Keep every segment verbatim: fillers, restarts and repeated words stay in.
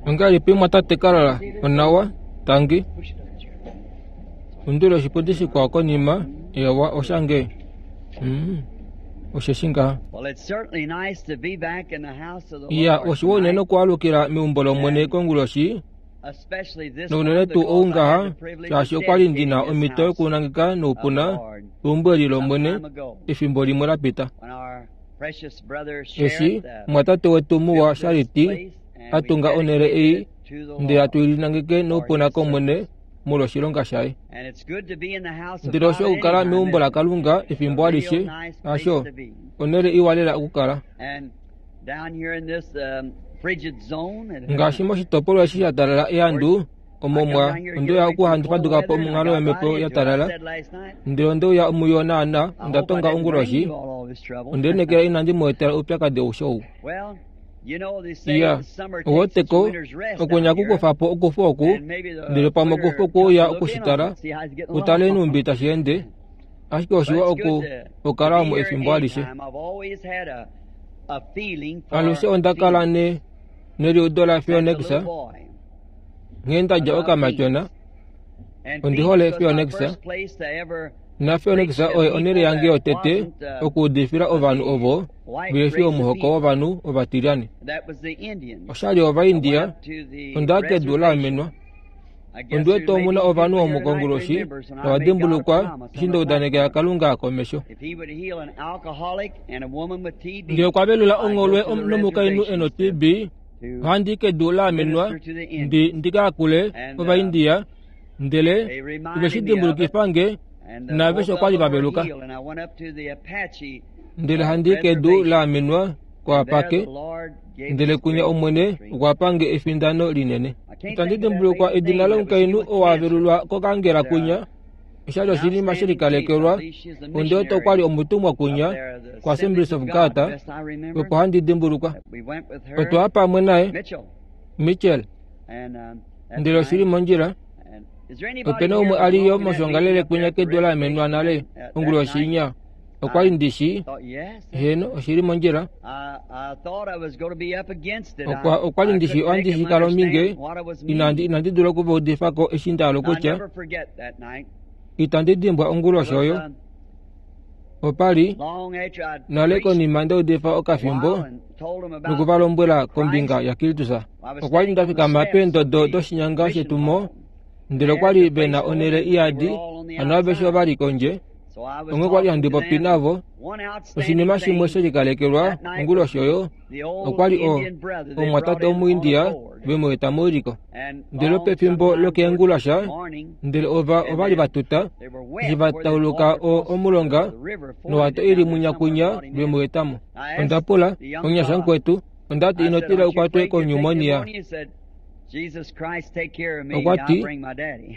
Ongahelipi mwatate Carl? Onawa, tangi. Undula oshipundi shikwao konima. Eewa, oshange. Mm, osheshi ngaha. Iya, oshiwa unene okwaalukila meumbo lOmwene konguloshi, nounene tuu ou ngaha, shaashi okwali ndina omhito yokunangeka noupuna eumbo eli lOmwene efimbo limwe lapita. Eshi omumwatate wetu muwa Shariti a tunga onhele ei ndele hatu i linangeke noupuna kOmwene molwa oshilonga shaye. Ndele osho okukala meumbo laKalunga efimbo alishe, hasho, onhele iwa lela okukala. Ngaashi moshitopolwa eshi sha talala ehandu, omo mwa onde uya oku faduka po monghalo yomhepo ya talala, ndele onde uya muyo naana onda tonga onguloshi, onde lineekela inandi mu etela oupyakadi aushe ou. Iya, ouweteko, okunya kukufa po okufu oku, ndele pamwe okufu okweuya okushitala, utale nhumbi tashi ende, ashike oshiwa oku okukala omu efimbo alishe. Alushe onda kala ne neliudo laPhoenix, nghee ndadja okamatyona, ondi hole Phoenix, naPhoenix oye onhele yange yotete okuudifila ovanhu ovo vehe fi omuhoko wovanhu ovatilyane. Oshali Ovaindia, onda kedu laamenwa. Ondi wete omuna ovanhu omu konguloshi tava dimbulukwa eshi nda udanekela Kalunga komesho. Ngee okwa velula ongholwe nomukainhu e no-T B, ohandi kedu laamenwa ndi ndi ka yakule Ovaindia, ndele ove shi dimbulukifa nge naaveshe okwali va veluka. Ndele handi kedu laamenwa koApake, ndele kunya Omwene okwa pange efindano linene. Itandi dimbulukwa edina lomukainhu oo a velulwa kokangela kunya, oshali oshinima shelikalekelwa, onde wete okwali omutumwa kunya koAssemblies of God, opo handi dimbulukwa. Otwa ya pamwe naye, Mitchell, ndele oshili mondjila. Opena umwe a li yo moshongalele kunya kedu laamenwa nale onguloshi inya, okwali ndishi, heeno, oshili mondjila. Okwa okwali ndishi ohandi shi kala ominge, inandi inandi dula okuva udifako eshi nda hala okutya, itandi dimbwa onguloshi oyo. Opali nale konima ndaudifa okafimbo nokuvalombwela kombinga yaKristus. Okwali nda fikama peendodo doshinyanga shetumo, ndele okwali vena onhele iyadi, hano aveshe ovali kondje, onghee okwali handi popi navo. Oshinima shimwe shelikalekelwa onguloshi oyo, okwali o omumwatate Omuindia vemu eta meuliko. Ndele pefimbo lokeengulasha, ndele ova ovali vatuta, eshi va tauluka omulonga nowato ili munyakunya vemu etamo. Onda pula, omunyasha mukwetu, ondati ino tila ukwatwe konyumonia. Okwa ti,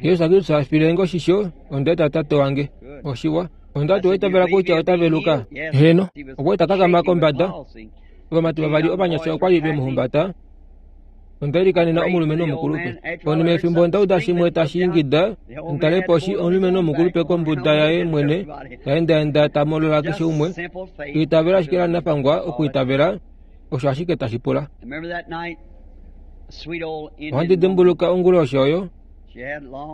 Jesus Kristus afile nge oshisho, onda eta tate wange. Oshiwa. Ondati owaitavela kutya ota veluka? Heeno. Okwa eta kakama kombada. Ovamati vavali ovanyasha okwali vemuhumbata. Onda ilikanena omulumenhu omukulupe. Konima yefimbo onda uda shimwe tashi ingida, ndale poshi omulumenhu omukulupe kombuda yaye mwene ta endaenda ta molola keshe umwe. Itavela ashike lanafangwa okwiitavela, osho ashike tashi pula. Ohandi dimbuluka onguloshi oyo,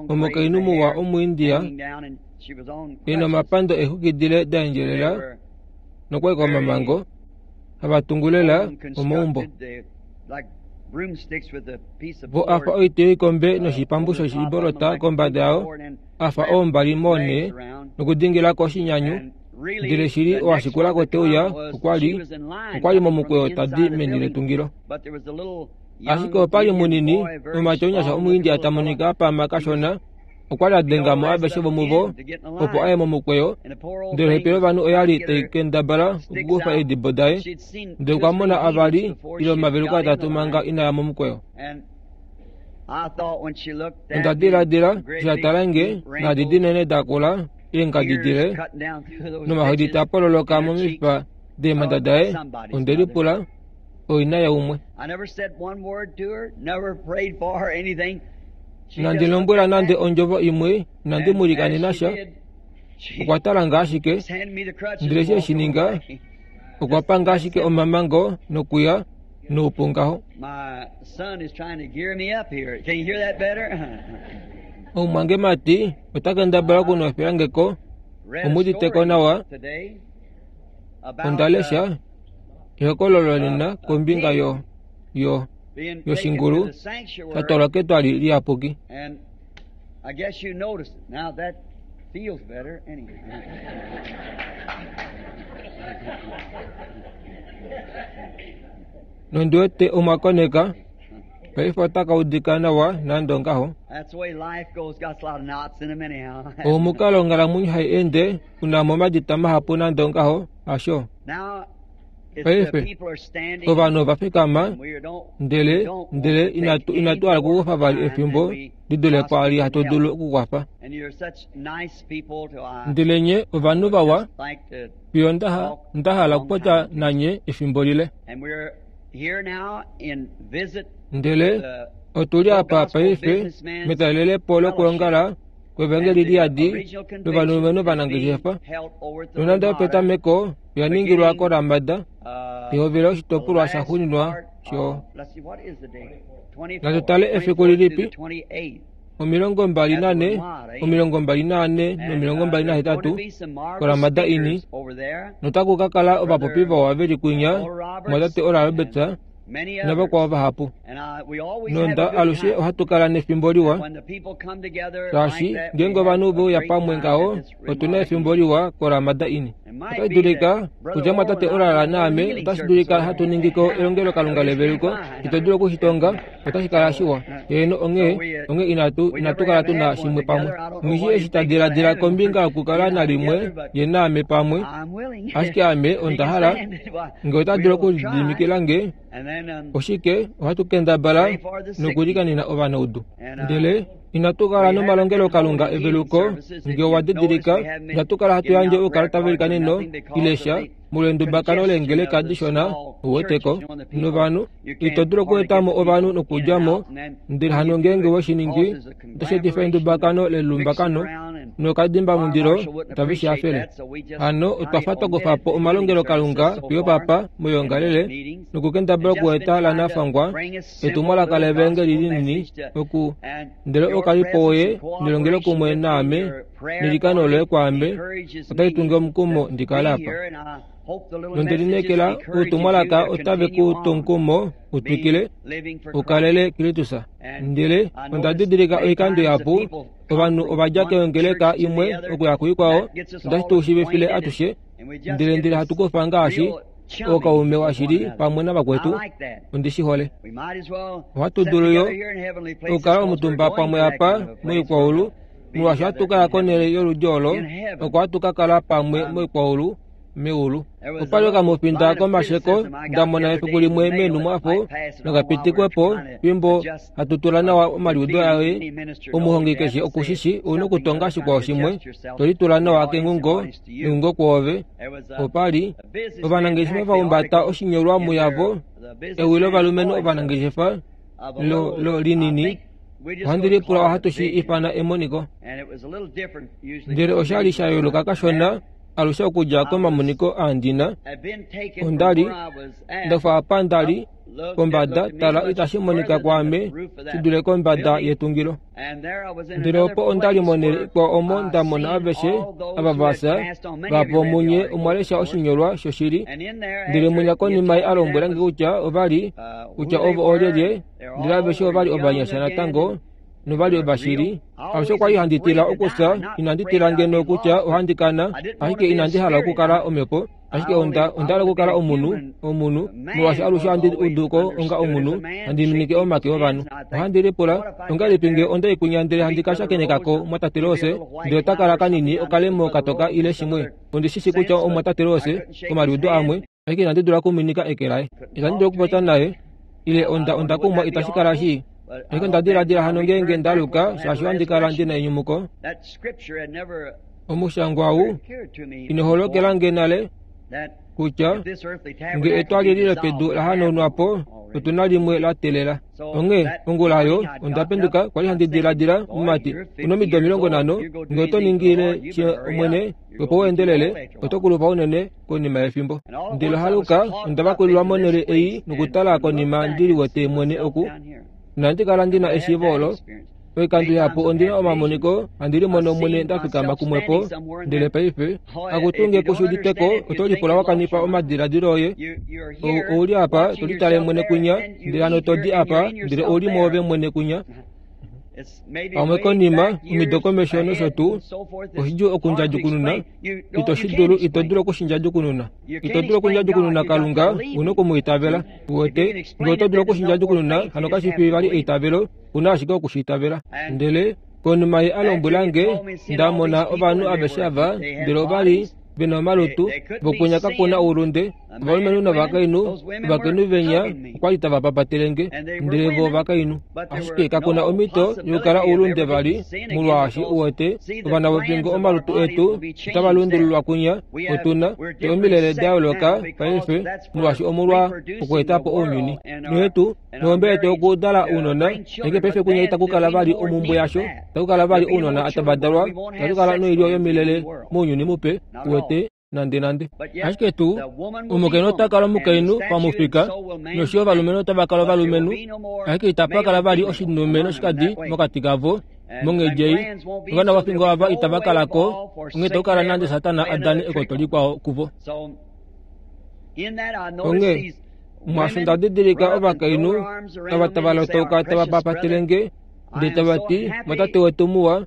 omukainhu muwa Omuindia e nomapando eexwiki dile da endjelela nokwaika omamango, hava tungu lela omaumbo. Vo afa oiti yoikombe noshipambu shoshibolota kombada yao, afa oombali moonhe nokudingilako oshinyanyu, ndele shili owashikulako teuya okwali okwali momukweyo tadi meni letungilo. Ashike opali munini, omumati omunyasha Omuindia ta monika apama kashona, okwali a dengamo aveshe vomuvo opo aye momukweyo, ndele ohepele yovanhu oyali tai kendabala okukufa eedibo daye, ndele okwa mona avali ile omaveluko atatu manga inaya momukweyo. Onda diladila, eshi a tala nge, naadi dinene dakula, eengadi dile, nomahodi taa pololoka momifipa deemhanda daye, onde lipula, oina yaumwe. Inandi lombwela nande ondjovo imwe, inandi mu likanena sha. Okwa tala nge ashike, ndele eshi eshi ninga, Okwa panga ashike omamango nokuya noupu ngaho. Omumwangemati ota kendabala okunwefela nge ko, omuditeko nawa. Onda lesha ehokololo nena kombinga yo yo yoshingulu sha twalwa ketwali liyapuki. Nondiwete omwa koneka paife otaka udika nawa nande ongaho. Omukalo onghalamwenyo hai ende unamo omadita mahapu nande ongaho hasho. Paife ovanhu ova fikama ndele ndele inatu inatu hala okukufa vali efimbo lidule kwaali hatu dulu okukwafa. Ndele nye ovanhu vawa fiyo nda hala okupopya nanye efimbo lile. Ndele otuli apa paife metalelepo lokwoongala kwevangeli liyadi lovanhu ovanangeshefa. Nonande opetameko oya ningilwa koRamada, pehovelo oshitopolwa shaxuuninwa sho. Natu tale efiku lilipi? Omilongo mbali nane, omilongo mbali nane nomilongo mbali nahetatu koRamada ini. Notaku ka kala ovapopi vawa veli kwinya mwatate Oral Roberts navakwao vahapu. Nonda alushe ohatu kala nefimbo liwa, shaashi ngeenge ovanhu veuya pamwe ngaho otuna efimbo liwa koRamada ini. Otashi dulika kutya mwatate Oral naame otashi dulika hatu ningiko elongelokalunga leveluko, ito dulu okushitonga, otashi kala shiwa. Heeno, onghee onghee inatu inatu kala tuna shimwe pamwe. Nghishi eshi ta diladila kombinga yokukala nalimwe ye naame pamwe, ashike ame onda hala nge ota dulu okulididimikila nge oshike ohatu kendabala nokulikanena ovanaudu. Ndele inatu kala nomalongelokalunga eveluko nge owa didilika, inatu kala hatu yandje oukalata velikaneno ile sha molwendubakano leengeleka dishona ouweteko novanhu. Ito dulu okuetamo ovanhu nokudjamo, ndele hano ngeenge weshiningi otashi etifa endubakano lelumbakano nokadimbamundilo tave shi hafele. Hano otwa fa twa kufa po omalongelokalunga fiyo papa moyoongalele nokukendabala okueta lanafangwa etumwalaka levangeli linini oku ndele okalipo woye nelongelokumwe naame nelikano loye kwaame otai tunge omukumo ndikale apa. Nondelinekela outumwalaka otave ku tu omukumo utwikile ukalele Kristus. Ndele onda didilika oikando ihapu ovanhu ovadja keongeleka imwe okuya kuikwao, otashi tu shiivifile atushe, ndele ndele hatu kufa ngaashi ookaume washili pamwe navakwetu. Ondi shi hole. Ohatu dulu yo okukala omutumba pamwe apa moikwaulu, molwaashi ohatu kaya konhele yoludi olo oko hatu ka kala pamwe moikwaulu meulu. Opali okamufinda komasheko nda mona efiku limwe meenhumwafo nokapitikwepo fimbo hatu tula nawa omaliudo aye. Omuhongi keshe okushishi ouna okutonga shikwao shimwe, to litula nawa kengungo nengungo kwoove. Opali ovanangeshefa vahumbata oshinyolwa muyavo, ewi lovalumenhu ovanangeshefa lo lo linini. Ohandi lipula ohatu shi ifana emoniko. Ndele oshali sha yooloka kashona alushe okudja komamoniko aandina. Ondali ndafa apa ndali pombada, tala itashi monika kwaame shi dule kombada yetungilo. Ndele opo ondali monhele ikwao omo nda mona aveshe ava vafya vapo munye omwa lesha oshinyolwa shoshili. Ndele munya konima ye a lombwela nge kutya ovali kutya ovo oolyelye, ndele aveshe ovali ovanyasha natango novali ovashili. Alushe okwali handi tila okufya, inandi tila ngeno kutya ohandi kana, ashike inandi hala okukala omhepo, ashike onda onda hala okukala omunhu omunhu molwaashi alushe ohandi udu ko onga omunhu, handi minike omake ovanhu. Ohandi lipula ongahelipi nge onda ikunya ndele handi ka shakenekako mwatate Rose, ndele ota kala kanini okalemo katoka ile shimwe. Ondi shishi kutya omwatate Rose komaliudo amwe, ashike inandi dula okuminika eke laye. Itandi dulu okupopya naye ile onda onda kumwa itashi kala shii. Ashike onda diladila hano ngeenge ndaluka shaashi ohandi kala ndina enyumuko. Omushangwa ou ino holokela nge nale Kutya nge etwali eli lopedu lahanaunwa po, otu na limwe la telela. Onghee ongula oyo onda penduka kwali handi diladila, mumati, una omido omilongo nhano, nge oto ningile she omwene opo u endelele, oto kulupa unene konima yefimbo. Ndele haluka onda vakulilwa monhele ei nokutala konima ndi liwete mwene oku. Inandi kala ndi na eshiivo olo. Oikando ihapu ondi na omamoniko handi limono mwene nda fikama kumwepo, ndele paife akutu nge ku shi uditeko oto lipula wa kanifa omadiladilo oye. Ouli apa to litale mwene kunya, ndele hano to di apa, ndele ouli mwoove mwene kunya. Pamwe konima, omido komesho nosho tuu, oshidjuu okundjadjukununa. Ito shi dulu, ito dulu okushindjadjukununa. Ito dulu okundjadjukununa Kalunga, u na okumwiitavela. Uwete, nge oto dulu okushindjadjukununa, hano kashi fi vali eitavelo, u na ashike okushiitavela. Ndele konima ye a lombwela nge, nda mona ovanhu aveshe ava, ndele ova li ve na omalutu, vokunya kakuna oulunde, ovalumenhu novakainhu, ovakainhu venya okwa li tava papatele nge, ndele vo ovakainhu. Ashike kakuna omhito yokukala oulunde vali, molwaashi uwete, ovana vofingo omalutu etu otava lundululwa kunya, otu na te omilele da yooloka paife, molwaashi omolwa okweeta po ounyuni. Noyetu nohombe yetu okudala ounona, ashike paife kunya itaku kala vali omumbwe yasho, itaku kala vali ounona tava dalwa, itatu kala noilyo yomilele mounyuni mupe, uwete, nande nande. Ashike tuu, omukainhu ota kala omukainhu pamufika, nosho ovalumenhu otava kala ovalumenhu, ashike itapa kala vali oshilume noshikadi mokati kavo. Monghedi ei, ovana vofingo ava itava kala ko, onghee itaku kala nande Satana a dane ekoto likwao kuvo. Onghee mwaasho nda didilika ovakainhu ava tava lotoka tava papatele nge, ndele tava ti, Mwatate wetu muwa,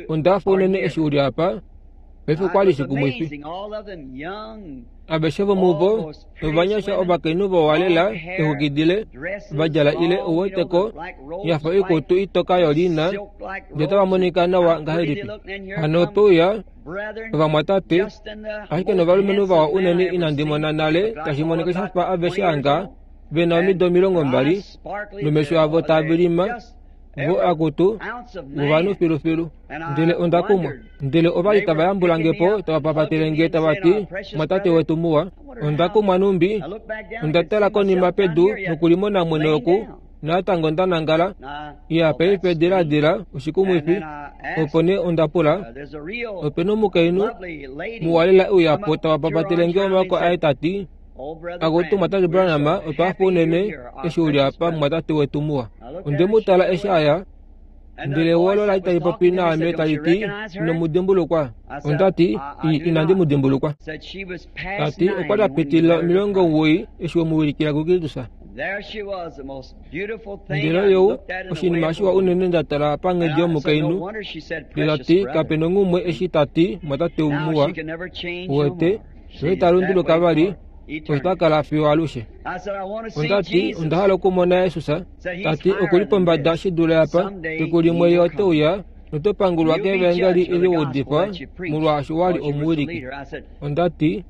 onda hafa unene eshi u li apa. Paife okwa li shikumwifi. Aveshe vomuvo ovanyasha ovakainhu vowalela exwiki dile va djala ile uweteko yafa oikutu itoka yoliina, ndele otava monika nawa ngahelipi. Hano ope uya ovamwatate, ashike novalumenhu vawa unene inandi mona nale tashi monika shafa aveshe anga ve na omido omilongo mbali, nomesho avo taa vilima, vo akutu vovanhu filufilu. Ndele onda kumwa. Ndele ova li tava yambula nge po, tava papatele nge tava ti, Mwatate wetu muwa. Onda kumwa numbi, onda tala konima pedu nokulimona mwene oku, natango nda nangala. Iya, paife diladila oshikumwifi. Opo nee onda pula, ope na omukainhu muwa lela e uya po tava papatele nge omaoko aye ta ti, Akutu Mwatate Branham, otwa hafa unene eshi u li apa, mwatate wetu muwa. Onde mu tala eshi aya, ndele ewi la li tali popi naame tali ti, Ino mu dimbulukwa? Onda ti, inandi mu dimbulukwa. Ta ti okwa li a pitilila omilongo omuwoi eshi we mu wilikila kuKristus. Ndele oyou oshinima shiwa unene nda tala panghedi yomukainhu. Ndele ta ti kape nonghumwe eshi ta ti mwatate muwa, uwete, noita lunduluka vali, osho kala fiyo alushe. Onda ti onda hala okumona Jesus. Ta ti oku li pombada shi dule apa, fiku limwe ye ote uya noto pangulwa kevangeli eli wa udifa, molwaashi wa li omuwiliki. Onda ti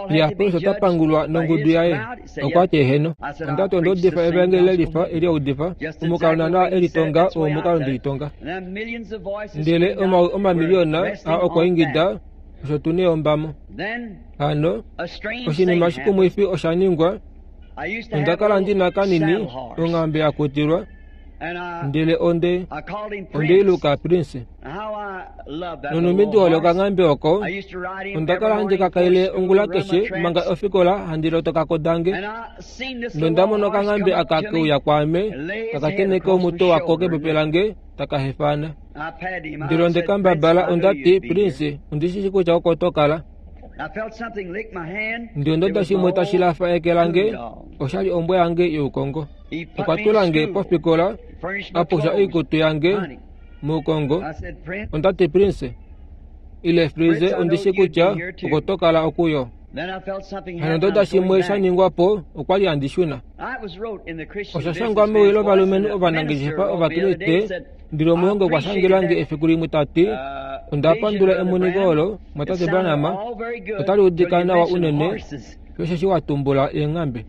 ya Paulus ota pangulwa nongudu yaye. Okwa ti eheno. Onda ti onda udifa evangeli lelifa eli a udifa, omukalo naana e litonga oo omukalo nde litonga. Ndele omawi omamiliyona aa okwa ingida, osho tu neyombamo. Hano oshinima shikumwifi osha ningwa. Onda kala ndi na kanini onghambe ya kutilwa, ndele onde onde iluka Prince. Nonumbi ndi hole okanghambe oko, onda kala handi kakaile ongula keshe manga ofikola handi lotoka dange. Nonda mona okanghambe aka ke uya kwaame, taka tenheke omutwe wako kepepe lange, taka hefana. Ndele onde kambabala, onda ti, Prince, ondi shi shi kutya oko to kala. Ndele onda shimwe tashi lafa eke lange, osha li ombwa yange youkongo. Okwa tula nge pofikola, a pusha oikutu yange moukongo. Onda ti, Prince, ile Freeze, ondi shi kutya oko to kala okuyo. Hano onda shimwe sha ningwa po, okwa li handi shuna. Osha shangwa mewi lovalumenhu ovanangeshefa Ovakriste, ndele omuhongi okwa shangela nge efiku limwe ta ti, onda pandula emoniko olo, Mwatate Branham, otali udika nawa unene, osheshi wa tumbula eenghambe.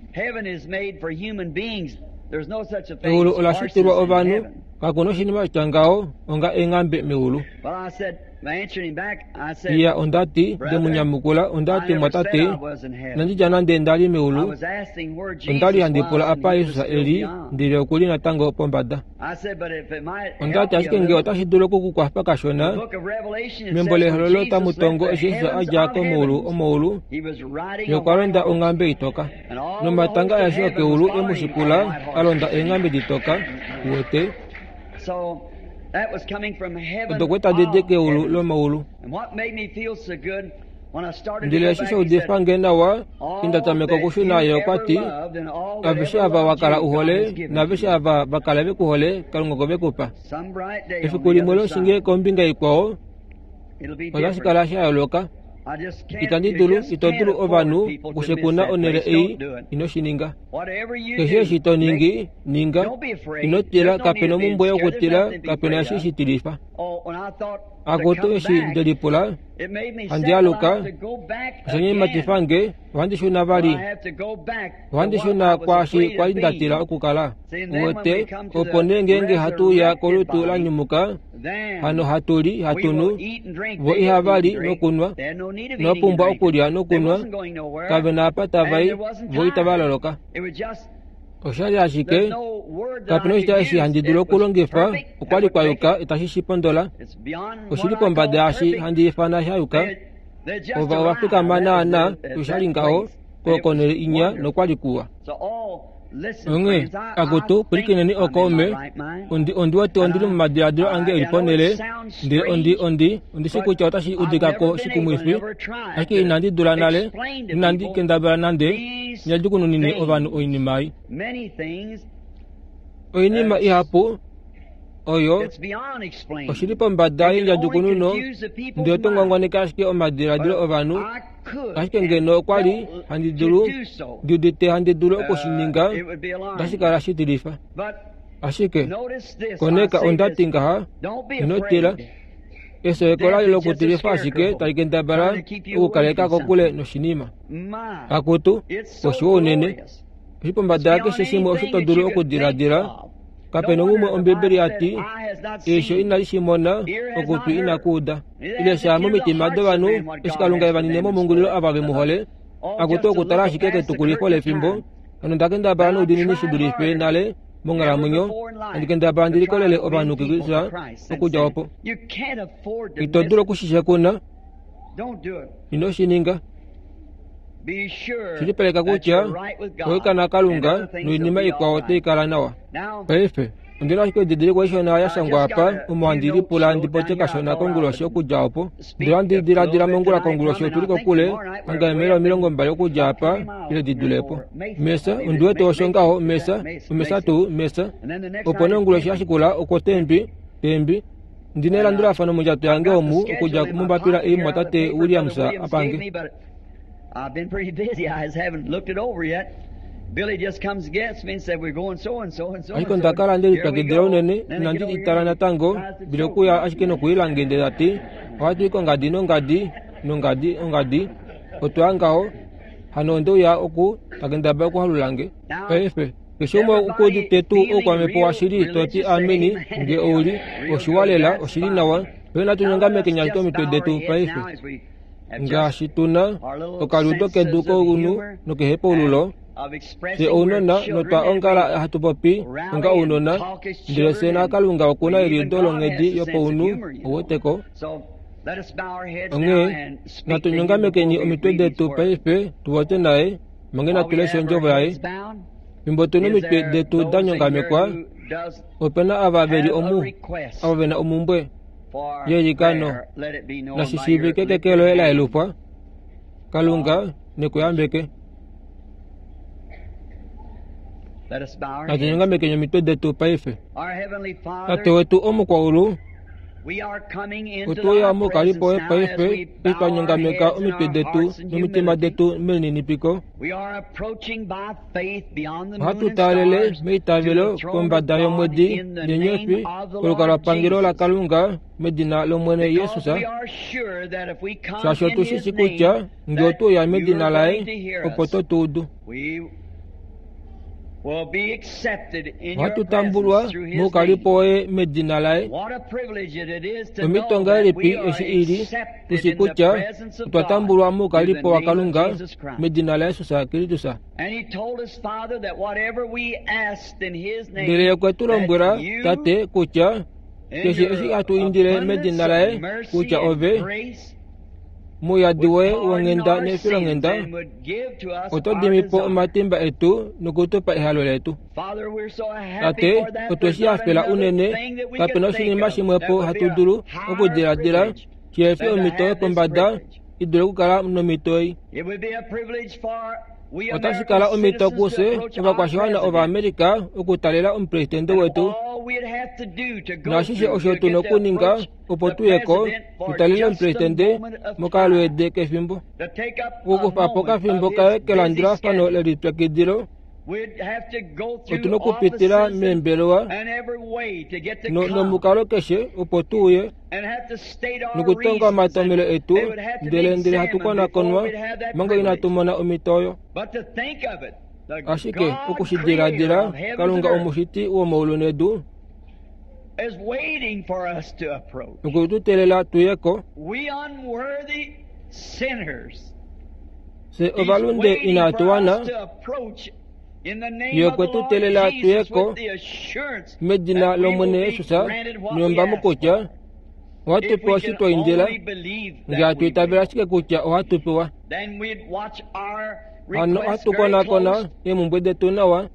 Eulu ola shitilwa ovanhu, kaku na oshinima sha ngaho onga eenghambe meulu. Iya ondati ndemunyamukula ondati mwatate inandi nande ndali meulu. Ondali handi pula apa Jesus eli ndele okuli natango pombada. Ondati ashike ngee otashi dulu okukukwafa kashona. Membo lehololo otamu tongo eshi Jesus adja komaulu omaulu ye okwa londa onghambe itoka. Nomatanga aeshe okeulu emushikula a londa eenghambe ditoka. Uwete? Odo okwe tadi di keulu lomaulu. Ndele eshi shaudifa nge nawa inda tameka okushuna ye okwa ti aveshe ava wakala uhole naaveshe ava vakala vekuhole Kalunga okwe vekupa. Efiku limwe loshinge kombinga ikwao otashi kala sha yooloka. Itandi dulu ito dulu ovanhu okushekuna onhele ei ino shi ninga. Keshe eshi to ningi ninga ino tila kapena omumbwe yokutila kapena eshi shitilifa. Akutu eshi ndelipula handi aluka osha nyematifa nge ohandi shuna vali. Ohandi shuna kwaashi kwali ndatila okukala. Uwete opo nee ngeenge hatu uya kolutu la nyumuka hano hatu li hatu nu vo ihava li nokunwa novapumbwa okulya nokunwa kave na apa tava i vo itava loloka. Oshali ashike kapena oshitya eshi handi dulu okulongifa okwali kwayuka itashi shi pondola. Oshili pombada yaashi handi ifana shayuka. Ova ovafikama naana oshali ngaho konhele inya nokwali kuwa. Onghee akutu pwilikineni okaume ondi ondi wete ondili momadiladilo ange eli ponhele ndele ondi ondi ondishi kutya otashi udikako shikumwifi ashike inandi dula nale inandi kendabala nande nyadjukununine ovanhu oinima ei. Oinima ihapu oyo oshili pombada yendjadjukununo ndele oto ngwangwaneke ashike omadiladilo ovanhu. Ashike ngeno okwali handi dulu ndiudite handi dulu okushininga otashi kala shitilifa. Ashike koneka ondati ngaha ino tila. Esoeko layo lokutilifa ashike tali kendabala okukaleka kokule noshinima. Akutu oshiwa unene oshi pombada yakeshe shimwe osho to dulu okudiladila. Kapena umwe Ombibeli yati eisho inali shimona okutwi inakuuda ile sha momitima dovanhu eshi Kalunga evanine momungulilo ava vemuhole. Akutu okutala ashike ketukulifo lefimbo hano ndakendabala noudiinini shi dulife nale monghalamwenyo handi kendabala ndi likolele ovanhu kukristus okudja opo. Ito dulu okushishekuna ino shi ninga. Shilipaleka kutya oikana Kalunga noinima ikwao otai kala nawa. Paife ondina ashike edidiliko ishona ya shangwa apa omo handi lipula ndi popye kashona konguloshi okudja opo. Ndele ohandi diladila mongula konguloshi otuli kokule hanga eemaila omilongo mbali okudja apa ile di dulepo. Mesa ondiwete osho ngaho mesa omesa tuu mesa. Opo nee onguloshi yashikula okwo tembi tembi ndina elandulafano mondjato yange omu okudja mombapila ei mwatate Williams apange. I've been pretty busy. I haven't looked it over yet. Billy just comes against me and said we're going so and so and so. Ashike ondakala ndelipyakidila unene inandi itala natango bile okuya ashike nokuilange ndele tati ohatu i kongadi nongadi nongadi ongadi otwaya ngaho hano ondeuya oku takendabala okuhalulange. Paife keshe umwe okuudite tuu oukwamhepo washili toti ameni nge ouli oshiwa lela oshili nawa. Paife natu nyongamekeni ashike omitwe detu paife. Ngaashi tuna okaludo kedu kounu nokehepaululo fye ounona notwa ongala hatu popi onga ounona ndele fye naKalunga okuna eliudo longhedi yopaunhu ouweteko. Onghee natu nyongamekeni omitwe detu paife tupopye naye mange natu leshe ondjovo yaye. Fimbo tuna omitwe detu da nyongamekwa opena ava veli omu ava vena omumbwe yelikano nashi shiivike keke loye la yelufwa. Kalunga nekuyambeke. Natu nyongamekeni omitwe detu paife. Tate wetu omukwaulu otuya mokalipo woye paife eshi twa nyongameka omitwe detu nomitima detu melininipiko. Ohatu taalele meitavelo kombada yomwedi nenyofi kolukalwapangelo laKalunga medina lOmwene Jesus, shaashi otu shi shi kutya ngee otuya medina laye opo to tu udu. will be accepted in your Ohatu tambulwa presence through his moukalipo name. woye medina laye. What a privilege it is to Omhito know that ngahelipi we are eshi ili accepted tushi in the kutya presence of otwa God tambulwa through the moukalipo wa name of Kalunga Jesus Christ. medina laYesus Kristus. And he told us, Father, that whatever we asked in his Ndele name, okwe tu lombwela that you, Tate kutya in keshe your eshi hatu indile abundance medina of laye mercy kutya and ove grace, muyadi would woye pardon wonghenda our sins nefilonghenda and would give to us oto our dimi po desire. omatimba etu nokutupa ehalo letu. Father, we're so happy Tate, for that. otwe There's shi not hafela another unene thing that we kapena could think oshinima of that shimwepo would be hatu a dulu higher okudiladila privilege shihefi than to omhito have this yopombada privilege. i dule okukala nomhito ei. It would be a privilege for we Otashi American kala omhito citizens to kufye approach our ovakwashiwana president. Ovaamerica okutalela omupresidente And wetu all we'd have to do to go naashishe through osho to tuna get to okuninga approach opo the tuyeko president for tutalele just a omupresidente moment of time, mokalweede kefimbo to take up a okukufa po moment okafimbo of kaye his busy kelandulafano schedule. lelipyakidilo We'd have to go through otuna okupitila offices and, meembelewa and every way to get to no- come nomukalo keshe opo tuuye and have to state our nokutonga reasons omatomelo and etu they would have to be ndele ndele hatu examined before konakonwa we'd have that manga privilege. inatu mona omhito oyo. But to think of it, the Ashike God creator okushidiladila of heavens and Kalunga earth omushiti womaulu nedu is waiting for us to approach. okwe tu teelela tuyeko We unworthy sinners. fye He's ovalunde waiting inatu for wana us to approach in the name ye of okwe the tu Lord teelela Jesus tuyeko with the assurance medina that we will lOmwene be Jesus granted what we nombamo ask kutya for. ohatu If we pewa eshi can twa indila only believe ngee that hatu we itavela will, ashike kutya ohatu pewa. then we'd watch our Hano requests ohatu very konakona close eemhumbwe detu nawa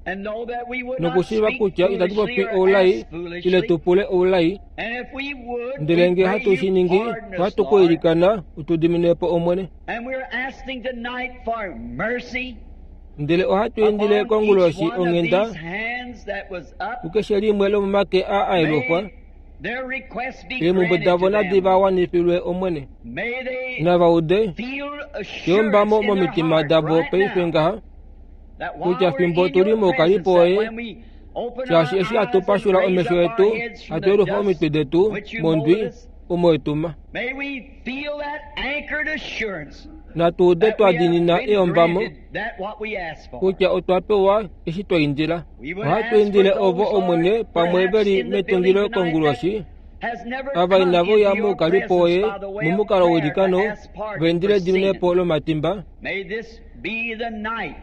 and know that we would not nokushiiva speak kutya itatu foolishly popi or oulai ask ile foolishly. tu pule oulai And if we would, ndele we ngee pray hatu you shi ningi pardon us, ohatu ku Lord. ilikana utu dimine po Omwene. And we're asking tonight for mercy Ndele ohatu indile upon each konguloshi one of onghenda these hands that was up. kukeshe limwe lomomake aa aelufwa May their requests be eemhumbwe granted davo to nadi them. va wanifilwe Omwene. May they Nava ude feel assurance yombamo in their momitima heart davo right paife now ngaha that while kutya we're fimbo in tuli your presence, moukalipo that woye when we open shaashi our eshi hatu eyes and pashula raise omesho up our etu heads from hatu the yelufa dust omitwe detu which you mondwi molded us, omo etuma may we feel that anchored assurance natu ude that twa we have dinina been eyombamo granted that what we asked for. kutya otwa pewa eshi twa indila. We would Ohatu ask for indile those, ovo Omwene Lord, pamwe perhaps veli in the building metungilo tonight that konguloshi has never ava come inavo into ya your moukalipo presence woye by the way of momukalo prayer to weilikano ask pardon va indile for sin. ediminepo lomatimba. May this be the night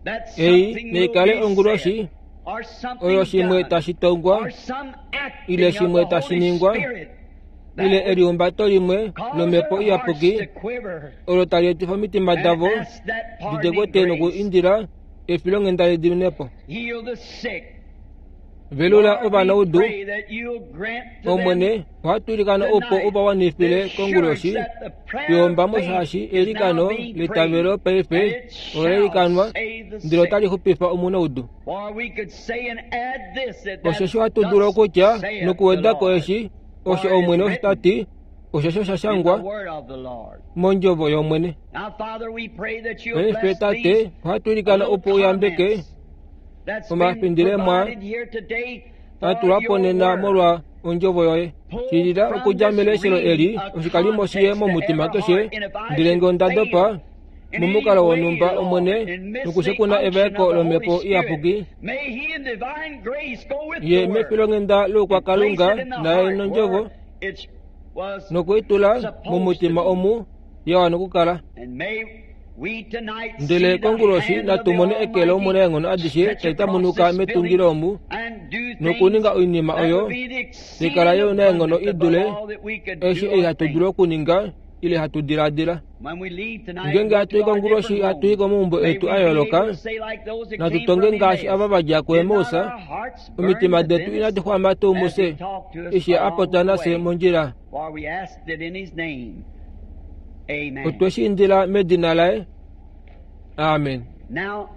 that Ei something will neikale be onguloshi said or something oyo shimwe done tashi tongwa or some ile acting of shimwe the tashi Holy ningwa Spirit ile that would elihumbato limwe cause lomhepo their hearts iyapuki to quiver olo tali etifa omitima and davo ask that pardoning didekwete noku grace. indila efilonghenda lediminepo. Heal the sick. Velula Lord, we ovanaudu pray that you'll grant to them Omwene ohatu ilikana opo tonight uva the wanifile assurance konguloshi that the prayer of yombamo faith shaashi is now eilikano being prayed litavelo and paife it shall olelikanwa save the ndele sick. otali xupifa omunaudu. For we could say and add this that that Osheshi ohatu dulu thus okutya saith the nokuwedako Lord, eshi osho for it is Omwene osho written tati oshosho sha in the shangwa word of the Lord. mondjovo yOmwene. Now, Father, we pray that you'll Paife bless Tate these ohatu ilikana little opo uyambeke comments that's been omafindilemo provided here today for atulwapo your nena word. molwa ondjovo yoye. Pull Shilila from okudja this meleshelo reading eli a oshikalimo shiye context to momutima every keshe heart, and if I ndele ngee should onda fail dopa in any momukalo way, wonhumba Lord, Omwene and miss the nokushekuna unction evaeko of the Holy lomhepo Spirit, iyapuki may He in divine grace go with ye the word mefilonghenda and place loukwakalunga it in the naye heart nondjovo where it was nokuitula supposed to momutima be. omu ya wana okukala. And may we tonight Ndele see the konguloshi hand of natu the mone eke lOmwene Almighty eenghono adishe stretch tali across tamunuka this building metungilo omu and do things nokuninga oinima that oyo would be the likala exceeding yo naenghono abundant i dule above all that we could eshi do ei or hatu think. dulu okuninga ile hatu diladila. When we leave tonight Ngeenge and go hatu to i our konguloshi different hatu i homes, komaumbo may etu we a be yooloka able to say like those that natu came tonge from ngaashi Emmaus, ava va dja did not kuEmaus our hearts burn omitima detu within us inadi xwama tuu as he mufye talked to us eshi a along popya the nafye way? mondjila. For we asked it in his name. Amen. Otwe shi indila medina laye. Amen. Now,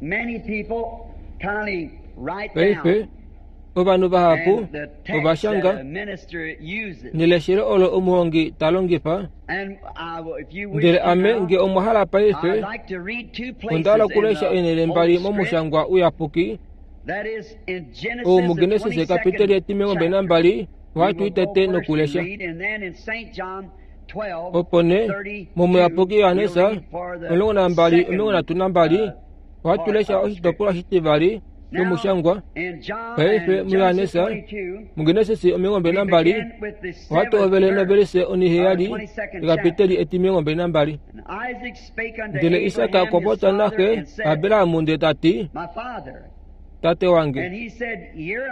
many people kindly write Paife down ovanhu vahapu and the text that ovashanga a minister uses. neleshelo olo omuhongi ta longifa And I will, if you wish ndele to ame now, nge omwa hala paife I'd like to read two onda hala places in okulesha the eenhele Holy mbali Script. momushangwa uyapuki That is in Genesis, ou the muGenesis kapiteli twenty-second etimilongo mbali chapter. nambali We ohatu will go itete first and nokulesha. read, and then in Saint John twelve Opo nee thirty-two, momuyapuki we'll Johannes read for the omulongo nambali omulongo second nhatu nambali uh, Ohatu lesha oshitopolwa shitivali shomushangwa paife muYohanesa muGenesis omilongo mbali nambali ohatu hovele novelise oniheyali ekapiteli etimilongo mbali nambali. Ndele Isaka okwa popya naxe Abrahamu ndele tati, Tate wange.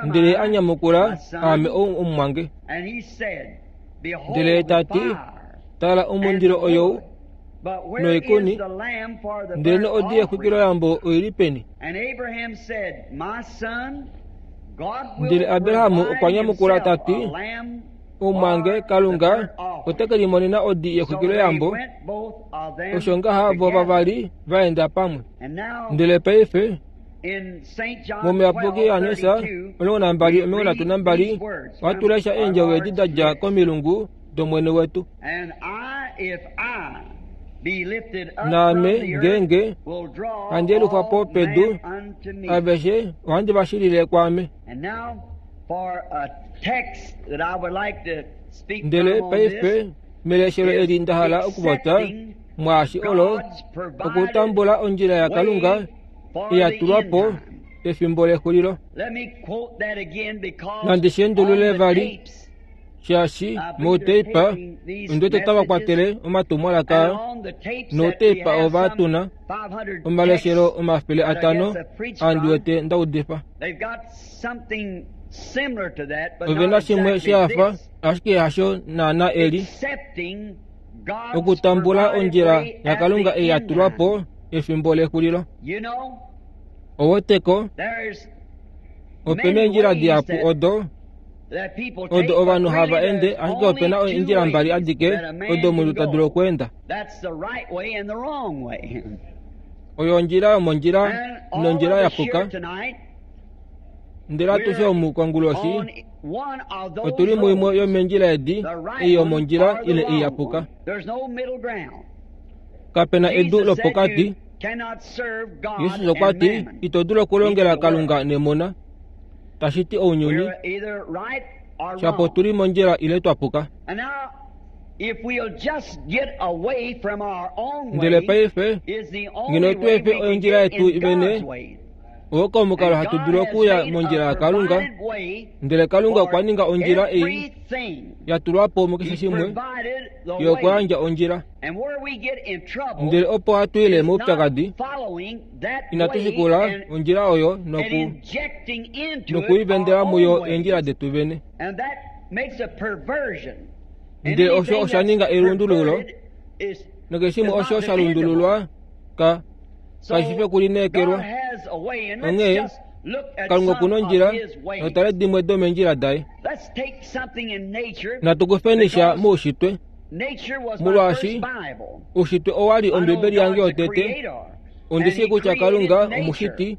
Ndele a nyamukula, Aame ou omumwange. Ndele tati, Tala omundilo oyou noikuni, ndele noodi yexwikiloyambo oili peni? Ndele Abrahamu okwa nyamukula tati, Omumwange, Kalunga ote ke limonena odi yexwikiloyambo. Osho ngaha vo vavali vaenda pamwe. Ndele paife momuyapuki Yohanesa omulongo nambali omilongo nhatu nambali ohatu lesha eendjovo edi da dja komilungu dOmwene wetu. Naame ngeenge handi yelufwa po pedu, aveshe ohandi va shilile kwaame. Ndele paife meleshelo eli nda hala okupopya mwaashi olo okutambula ondjila yaKalunga ya tulwa po pefimbo lexulilo. Nandi shi endulule vali, shaashi mouteipa ondiwete tava kwatele omatumwalaka nouteipa ova tuna omaleshelo omafele atano aandiwete nda udifa. Ove na shimwe shafa ashike hasho naana eli okutambula ondjila yaKalunga ei ya tulwa po efimbo lexulilo. Oweteko opena eendjila dihapu odo odo ovanhu hava ende, ashike opena eendjila mbali adike odo omunhu ta dulu okweenda. Oyo ondjila yomondjila nondjila ya puka. Ndele atushe omu konguloshi otuli muimwe yomeendjila edi, ei yomondjila ile ei ya puka. Kapena edu lopokati. Jesus okwa ti, ito dulu okulongela Kalunga nemona, tashi ti ounyuni, shapo tuli mondjila ile twa puka. Ndele paife ngeno tu efe ondjila yetu vene, oko omukalo hatu dulu okuya mondjila yaKalunga. Ndele Kalunga okwa ninga ondjila ei ya tulwa po mukeshe shimwe yokuyandja ondjila. Ndele opo hatu ile moupyakadi, inatu shikula ondjila oyo noku nokuivendela muyo eendjila detu vene. Ndele osho osha ninga elundululo, nokeshe shimwe osho sha lundululwa ka kashi fi okulineekelwa. Onghee Kalunga okuna ondjila notale dimwe domeendjila daye. Natu kufeni sha moushitwe, molwaashi oushitwe owa li Ombibeli yange yotete. Ondi shii kutya Kalunga omushiti,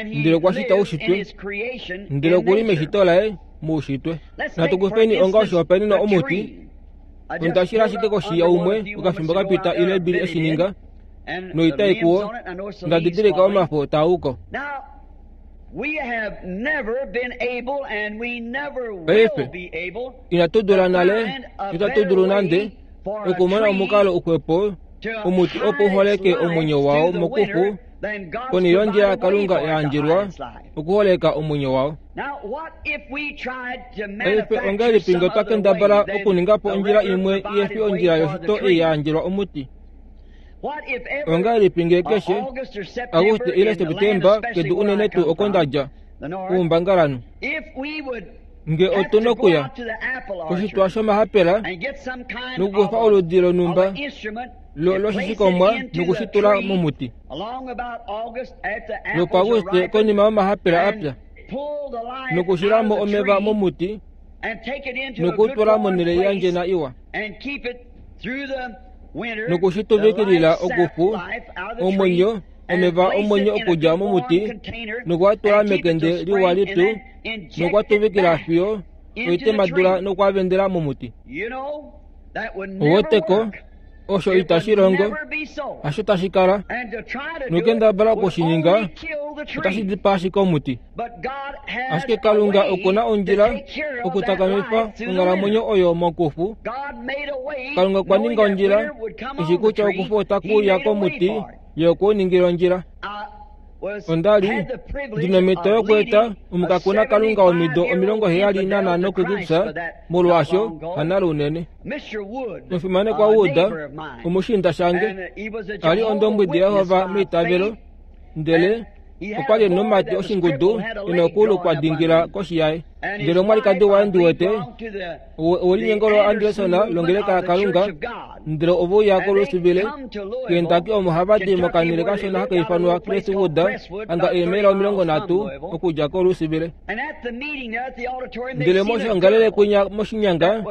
ndele okwa shita oushitwe, ndele okuli meshito laye moushitwe. Natu kufeni onga oshihopaenenwa omuti. Onda shila ashike koshi yaumwe okafimbo kapita ile bili eshi ninga, noitai kuwo nda didilika omafo taa uko. Paife inatu dula nale, itatu dulu nande okumona omukalo uxwepo omuti opo uholeke omwenyo wao mokufu, ponhele yondjila yaKalunga ya yandjelwa okuholeka omwenyo wao. Paife ongahelipi ngee otwa kendabala okuninga po ondjila imwe ihefi ondjila yoshito ei ya yandjelwa omuti? Ongahelipi ngee keshe Auguste ile Septemba kedu unene tuu oko ndadja oumbangalanhu, ngee otuna okuya koshitwa shomahapela nokukufa oludi lonhumba loshishikomwa nokushitula momuti lwopaAuguste konima yomahapela apya, nokushilamo omeva momuti nokutula monhele yandjena iwa, nokushituvikilila okufu omwenyo omeva omwenyo okudja momuti nokuatula mekende liwa lipyu nokuatuvikila fiyo oitemadula nokuavendela momuti. Oweteko osho itashi longo, hasho tashi kala. Nokendabala okushininga otashi dipaa ashike omuti. Ashike Kalunga okuna ondjila okutakamifa onghalamwenyo oyo mokufu. Kalunga okwa ninga ondjila eshi kutya okufu otaku uya komuti, ye okwe u ningila ondjila. Onda li ndina omhito yokueta omukakuna Kalunga womido omilongo heyali nanhano kuKrista molwaasho hanale unene. Omufimanekwa Wood, omushiinda shange, ali ondombwedi yaJehova meitavelo, ndele okwa li nomati oshingudu ena okuulu kwa dingila koshi yaye. Ndele omwalikadi waye ndiwete owelinyengo lo Anderson longeleka yaKalunga, ndele ove uya koLouisville, Kentucky omo hava di mokanhele kashona haka ifanwa Crestwood, anga eemaila omilongo nhatu okudja koLouisville. Ndele moshiongalele kwinya moshinyanga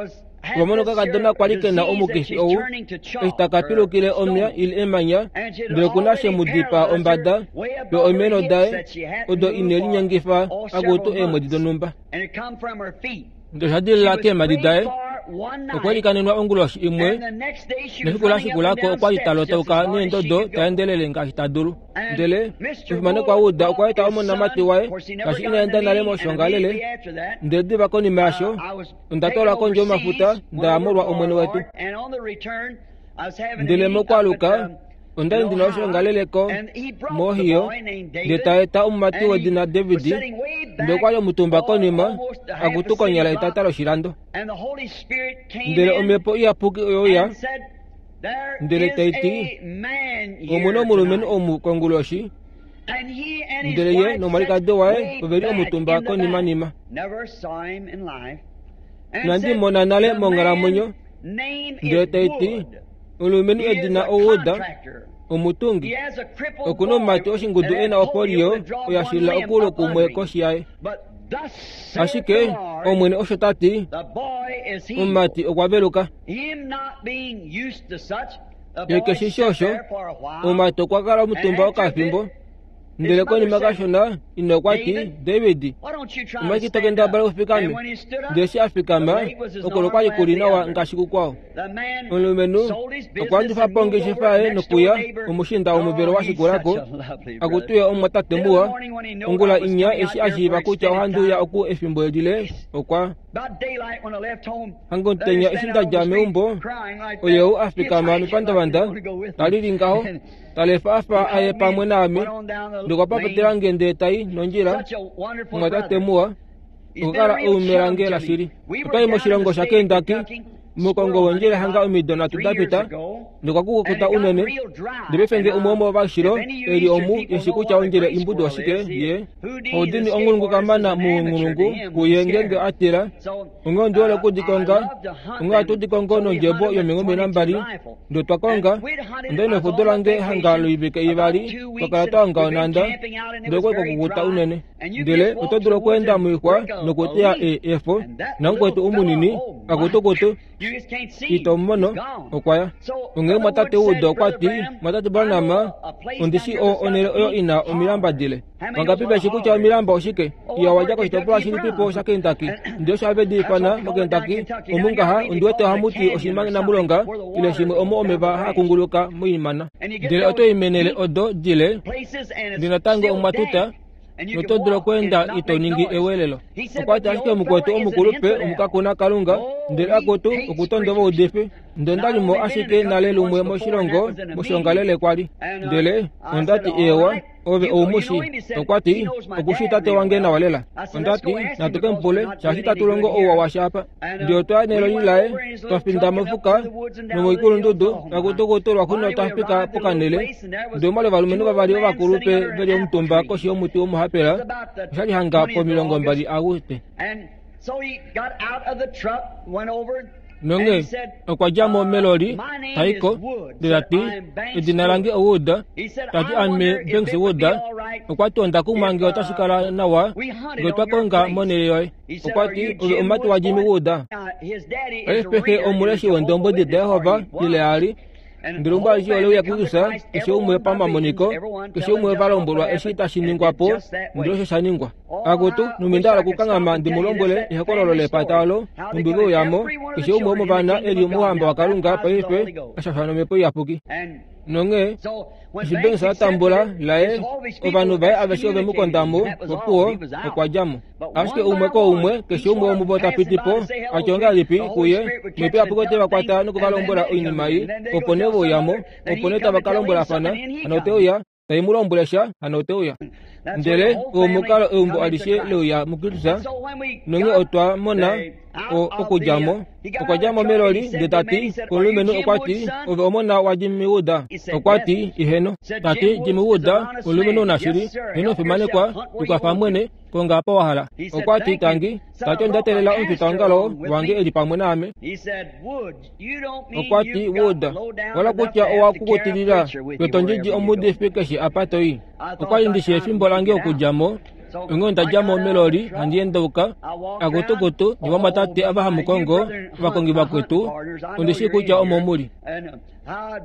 ova mona okakadona kwali kena omukifi ou eshi taka pilukile omya ile emanya, ndele okuna she mu dipaa ombada yo oimeno daye odo ine linyengifa akutu eemwedi donhumba. Ndele osha dilila keemhadi daye. Okwe likanenwa onguloshi imwe nefiku la shikulako okwa li ta lotauka neendodo ta endelele ngaashi ta dulu. Ndele omufimanekwa Wood okwa eta omonamati waye ngaashi ina enda nale moshiongalele, ndele diva konima yasho onda twalwa kondje yomafuta nda molwa Omwene wetu. Ndele mokwaluka onda li ndina oshiongalele ko moHohio, ndele ta eta omumati wedina David, ndele okwa li omutumba konima akutu konyala etata loshilando. Ndele Omhepo Iyapuki oyeuya ndele tai ti, omuna omulumenhu omu konguloshi, ndele ye nomwalikadi waye ove li omutumba konimanima. Inandi mona nale monghalamwenyo. Ndele tai ti, omulumenhu edina oWood, omutungi, okuna omumati oshingudu ena opolio oya shilila okuulu kumwe koshi yaye. Ashike Omwene osho ta ti, omumati okwa veluka. Ye keshishi osho, omumati okwa kala omutumba okafimbo, ndele konima kashona ina okwa ti, David, omwashike to kendabala ufikame? Ndele eshi a fikama, okolo kwali kuli nawa ngaashi kukwao. Omulumenhu okwa landifa po ongeshefa yaye nokuya omushiinda womuvelo wa shikulako, akutuye omumwatate muwa. Ongula inya eshi a shiiva kutya ohandi uya oku efimbo lile, okwa hanga omutenya eshi nda dja meumbo, oye ou a fikama mepandavanda, ta lili ngaho, ta lefa afa aye pamwe naame, ndokwa papatela nge ndele tai nondjila. Omumwatate muwa, okwa kala eume lange lashili. Otwali moshilongo shaKentucky, momukongo wondjila hanga omido nhatu da pita, ndokwa kukuta unene. Ndele paife nge umwe womovashilo eli omu eshi kutya ondjila imbudu oshike, ye oudini onghulungu kamana muunghulungu kuye ngenge a tila. Onghee ondi hole okudikonga, onghee ohatu dikongo nondjebo yomingome nambali, ndele twa konga. Onda li nefudo lange hanga loivike ivali, twa kala twa onga onhanda, ndele okwali kwakukuta unene. Ndele oto dulu okweenda moixwa nokuteya efo, namukwetu umunini akutukutu ito mumono, okwa ya. Onghee mwatate Wood okwa ti, mwatate Branham, ondi shi onhele oyo ina omilamba dile. Vangapi veshi kutya omilamba oshike? Iya wadja koshitopolwa shilipipo shaKentucky. Ndele osho have di ifana moKentucky, omu ngaha ondi wete ohamu ti oshimanamulonga ile shimwe omo omeva haa kunguluka moimana. Ndele oto i meenhele odo dile, ndele natango omwa tuta, noto dulu okweenda ito ningi ewelelo. Okwa ti ashike mukwetu omukulupe omukakuna Kalunga, ndele akutu okutonda ovaudifi. Ndele onda li mo ashike nale lumwe moshilongo moshiongalele kwali. Ndele onda ti eewa, ove oumushi. Okwa ti, okushi tate wange nawa lela. Onda ti, natu ke mupule, shaashi tatu longo ouwa washa apa. Ndele otwa ya neloli laye, twa finda mofuka nomoikulundudu, akutukutu lwaxuuninwa twa fika pokanhele. Ndele omwali ovalumenhu vavali ovakulupe veli omutumba koshi yomuti womuhapela, oshali hanga pomilongo mbali Auguste. Nonge okwa dja mo meloli taiko, ndele ta ti, edina lange oWood, ta ti ame Banks Wood. Okwa ti onda kumwa nge otashi kala nawa nge otwa konga monhele yoye. Okwa ti ove omumati waJimmy Wood. Paife xe omuleshi weendombwedi daJehova ile ali. Ndele umwe alishe ole uya kuKrista, keshe umwe pamamoniko, keshe umwe va lombwelwa eshi tashi ningwa po, ndele osho sha ningwa. Akutu, numbi nda hala okukanghama ndi mu lombwele ehokololo lepata olo, numbi ve uya mo, keshe umwe womovana e li mouhamba waKalunga paife a shashwa nomhepo iyapuki. Nonghee eshi Banks a tambula laye, ovanhu vaye aveshe ove mu konda mo, opuwo okwa dja mo. Ashike umwe koumwe, keshe umwe womuvo ta piti po, a tya ongahelipi kuye, Omhepo Iyapuki ote va kwata nokuvalombwela oinima ei, opo nee ve uya mo, opo nee tava ka lombwelafana, hano ote uya. Tai mu lombwele sha hano ote uya. Ndele omukalo eumbo alishe leuya muKristus nonge otwa mona okudja mo okwa dja mo meloli ndele tati omulumenhu okwa ti ove omona wa Jimmy Wood. Okwa ti iheno. Tati Jimmy Wood omulumenhu nashili heno fimanekwa tukwafa mwene konga apa wa hala. Okwa ti tangi tati onda teelela omufitaongalo wange eli pamwe naame. Okwa ti Wood wala kutya owa kukutilila wetondjidji omuudifi keshe apa toi. Okwa li ndishi efimbo lange okudja mo. Onge onda dja mo meloli handi endauka akutukutu nivamatate ava hamukongo ovakongi vakwetu ondishi kutya omo muli.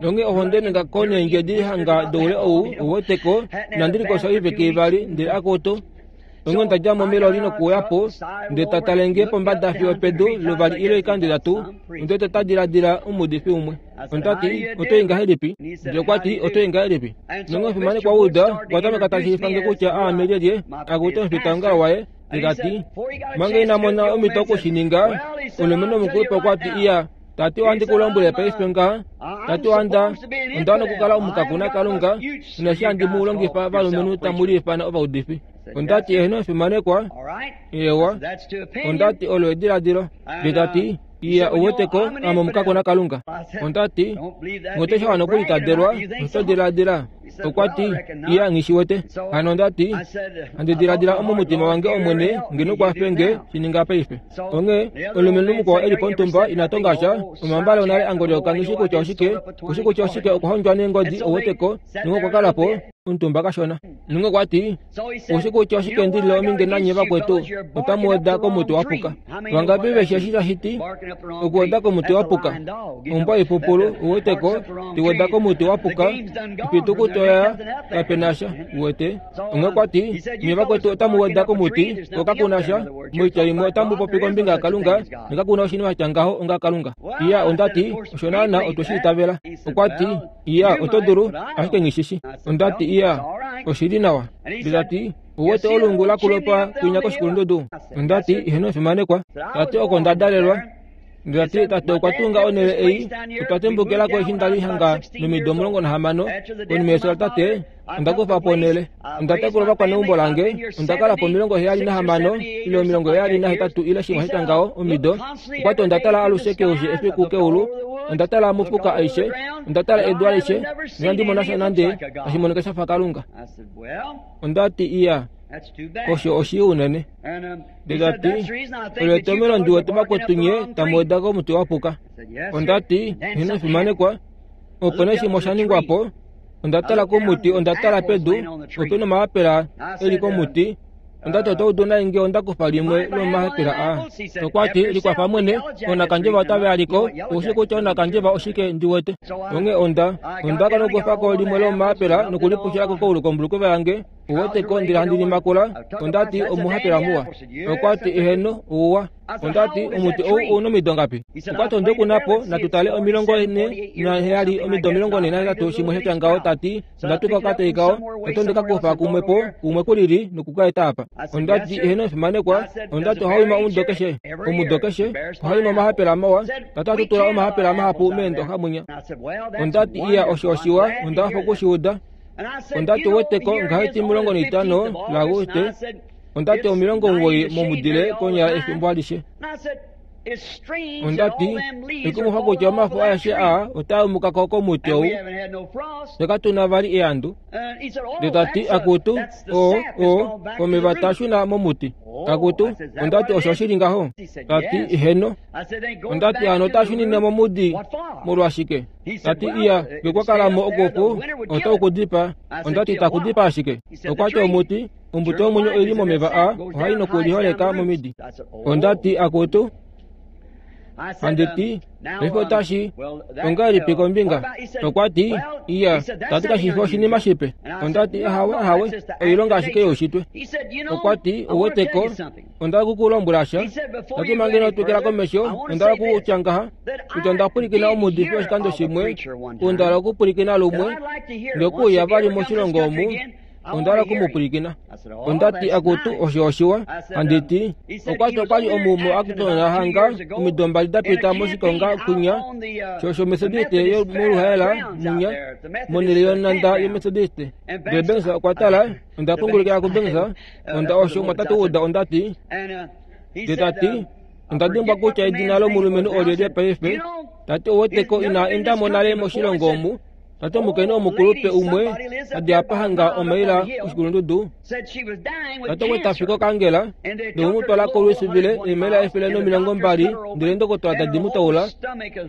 Nonge ohonde nengako neendjedi hanga doule ou ouweteko inandi likosa oiveke ivali ndele akutu. Onge onda dja mo meloli nokuuya po ndele tatalenge pombada fiyo pedu luvali ile oikando itatu onde tadiladila omuudifi umwe. Ondati oto i ngahelipi? Ndele okwa ti oto i ngahelipi? Nonge omufimanekwa Wood okwa tameka tashiifange kutya aame lyelye akutu omufitaongalo waye. Ndele tati manga ina mona omhito okushininga omulumenhu omukulupe okwa ti iya tati ohandi ku lombwele paife ngaha tati ohanda onda wana okukala omukakuna Kalunga inashi handi mu longifa valumenhu tamu liifana ovaudifi. Ondati eheno omufimanekwa ewa. Ondati olo ediladilo. Ndele tati iya ouweteko ame omukakuna Kalunga. Ondati ngote sha wana okulitadelwa oto diladila. Okwa ti iya nghishiwete. Hano ondati handi diladila omomutima wange omwene ngeno kwafenge shininga paife. Onge omulumenhu mukwao eli pomutumba ina tonga sha omambale onale angolyoka nghishi kutya oshike kushi kutya oshike okuhondjwa neengodi ouweteko nonge okwa kala po omutumba kashona. Nonge okwa ti ushi kutya oshike ndilile ominge nanye vakwetu otamu weda komuti wa puka. Vangapi veshi eshi tashiti okuweda komuti wa puka? Ombwa ipupulu uweteko tiweda komuti wa puka ipitukuto ya kapena sha uwete. Onge okwa ti nye vakwetu otamu weda komuti ko kakuna sha moitya imwe otamu popi kombinga yaKalunga nekakuna oshinima sha ngaho onga Kalunga. Iya ondati osho naana otwe shi itavela. Okwa ti iya oto dulu ashike nghishishi. Ondati iya oshili nawa. Ndele tati uwete olungu lakulopa kwinya koshikulundudu. Ondati iheno omufimanekwa. Tati oko ndadalelwa. Ndele tati tate okwa tunga onhele ei otwa tembukilako eshi ndali hanga nomido omulongo nahamano konima yefyo latate onda kufa po onhele. Onda tekula ovakwaneumbo lange onda kala po omilongo heyali nahamano ile omilongo heyali nahetatu ile shimwe sha ngaho omido. Okwa ti onda tala alushe keushe efiku keulu onda tala mofuka aishe onda tala edu alishe noinandi mona sha nande tashi monika shafa Kalunga. Ondati iya osho oshii unene. Ndele tati olo etomhelo ndiwete vakwetu nye tamu weda komuti wa puka. Ondati heno omufimanekwa opo nee shimwe osha ningwa po. Onda tala komuti onda tala pedu opena omayapela eli komuti. Ondati oto udu nai nge onda kufa limwe lomahapela aa. Okwa ti likwafa mwene onakandjeva otave aliko oushi kutya onakandjeva oshike ndiwete. Onge onda onda ka nokufako limwe lomahapela nokulipushilako koulu kombulukova yange uweteko ndele handi limakula. Ondati omuhapela muwa. Okwa ti eheno ouwa. Ondati omuti ou ouna omido ngapi? Okwa ti onde kunapo natutale omilongo ene naheyali omido omilongo ene nahetatu shimwe shatya ngaho. Tati ondatuka okateyi kao oto ndeka kufa kumwe po kumwe kulili nokukaeta apa. Ondati eheno omufimanekwa. Ondati ohaima omudo keshe omudo keshe ohaima omahapela mawa. Tati atutula omahapela mahapu meendoxa mwinya. Ondati iya osho oshiwa onda hafa okushiuda. Ondati uweteko ngaheti omilongo naitano laAguste. Ondati omilongo omuwoi momudile konyala efimbo alishe. Ondati ekumufa kutya omafo aeshe aa otaa umukako komuti ou nekatuna vali eandu. Ndele tati akutu o o omeva taashuna momuti. Akutu ondati osho shili ngaho. Tati heno. Ondati hano otaashunine momudi molwashike? Tati iya ngekwakalamo okufu ota ukudipa. Ondati takudipa ashike. Okwa ti omuti ombuto yomwenyo oili momeva aa ohai nokuliholeka momidi. Ondati akutu handiti paife otashi ongahelipi kombinga? Okwa ti iya tati kashifi oshinima shipe. Ondati ahawe ahawe oilonga ashike youshitwe. Okwa ti ouweteko onda kukulombwela sha. Tati manga ino twikila komesho onda kutya ngaha kutya onda pwilikina omuudifi oshikando shimwe onda hala okupwilikina lumwe ngekuuya vali moshilongo omu Onda hala okumupwilikina. Onda ti akutu osho oshiwa. Handi ti okwati okwali omumo akutonda hanga omido mbali dapita moshikonga kunya shosho Methodiste yo moluhaela munya monele yonanda yo Methodiste. Ndele Banks okwa tala, onda pungulukila ku Banks, onda osho mwatatu uda onda ti ndele tati onda dimbwa kutya edina lomulumenhu olyelye paife. Tati oweteko ina enda mo nale moshilongo omu. Tati omukainhu omukulupe umwe adi apa hanga omaila oshikulundudu. Tati okwe tafika okangela nokumutwala koLouisville eemaila efele nomilongo mbali ndele ndokotola tadi mu taula.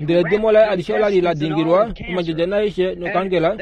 Ndele edimo laye alishe olali la dingilwa omandjadja naaishe nokangela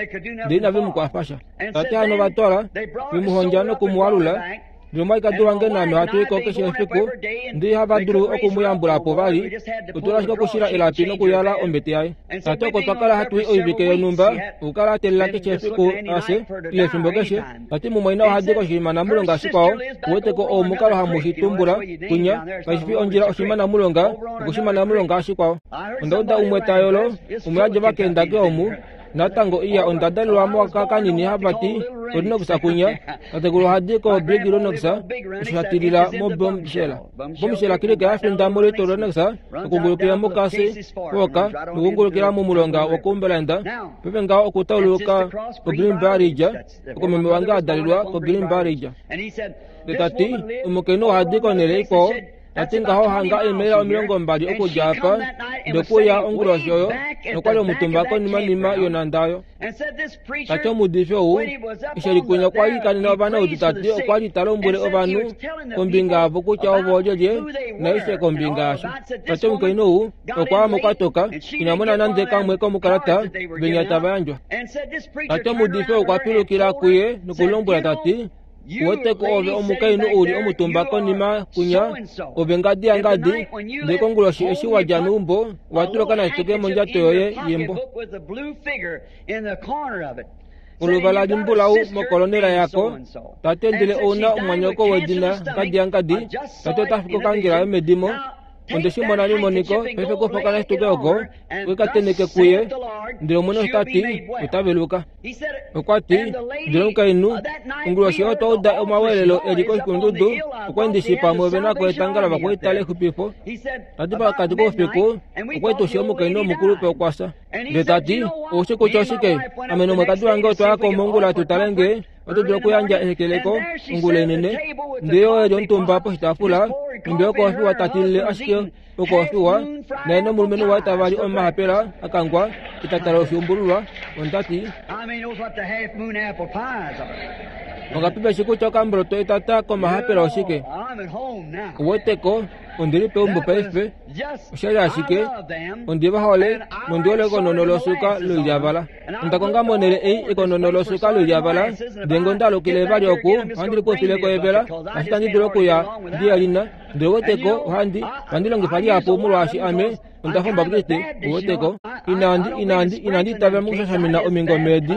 ndele inave mu kwafasha. Tati hano vatwala vemuhondja nokumualula. Ndele omwalikadi wange naame ohatu iko keshe efiku ndele ihava dulu okumuyambula po vali. Otula ashike okushila elapi nokuyala ombete yaye. Tati oko twakala hatu i oivike yonhumba okukala atelela keshe efiku ashe ile efimbo keshe. Tati mumwaina ohadi koshimanamulonga shikwao. Uweteko oo omukalo hamu shi tumbula kunya kashi fi ondjila oshimanamulonga okoshimanamulonga shikwao. Onda uda umwe ta yolo umwe adja vakendake omu. Natango iya onda dalelwa moka kanini havati Renox kunya tatekulu ohadi ko Big Renox oshatilila mo Bombshell. Bombshell kilike yafinda mo Little Renox okungulukila mokasi woka nokungulukila momulonga wokumbelanda pepe ngaho okutauluka ko Green Barrage okomeme wange adalelwa ko Green Barrage. Tati omukainhu ohadi konele ikwao. Tati ngaho hanga eemaila omilongo mbali okudja apa ndokuya onguloshi oyo nokwali omutumba konimanima yonanda oyo. Tati omuudifi ou eshelikunya okwa likanena ovanaudu tati okwali ta lombwele ovanhu kombinga yavo kutya ovo olyelye naishe kombinga yasho. Tati omukainhu ou okwaya mokwatoka ina mona nande kamwe komukalata venya tava yandjwa. Tati omuudifi ou okwa pilukila kuye nokulombwela tati uweteko ove omukainhu uli omutumba konima kunya ove ngadi ya ngadi ndele konguloshi eshi wadja meumbo watula okanashituke mondjato yoye yembo. Oluvala limbulau mokolonela yako tate ndele ouna omwanyoko wedina ngadi ya ngadi tate otafika okangela yomedimo. Onde shi mona memoniko paife kufa okanashituke oko wekateneke kuye ndele omwene otati otaveluka. Okwati ndele omukainhu onguloshi oyo twauda omawelelo eli koshikulundudu okwa pamwe ove nako etanga lovakwaita lexupifo. Tati pakati koufiku okwa omukainhu omukulupe okwasa. Ndele tati oushi kutya oshike ame nomwekadi wange otwaya komongula tutale ngee oto dulu okuyandja ehekeleko ongula inene. Ndele oyo eli omutumba poshitaafula ndele okoofiwa tatilile ashike okoofiwa naye nomulumenhu waye tavali omahapela akangwa etatala oshiumbululwa. Ondati ongapipeshi kutya okamboloto etata komahapela oshike. Uweteko ondili peumbo paife oshali ashike ondi vahole nondi hole ekonono losuka loilyavala. Onda konga monele ei ekonono losuka loilyavala ndele onda alukile vali oku ohandi likuufileko evela ashike itandi dulu okuya ndiyalina. Ndele uweteko ohandi ohandi longifa lihapu molwaashi ame onda fa Omubaaptiste. Uweteko inandi inandi inandi itavela mokushashamina omingome edi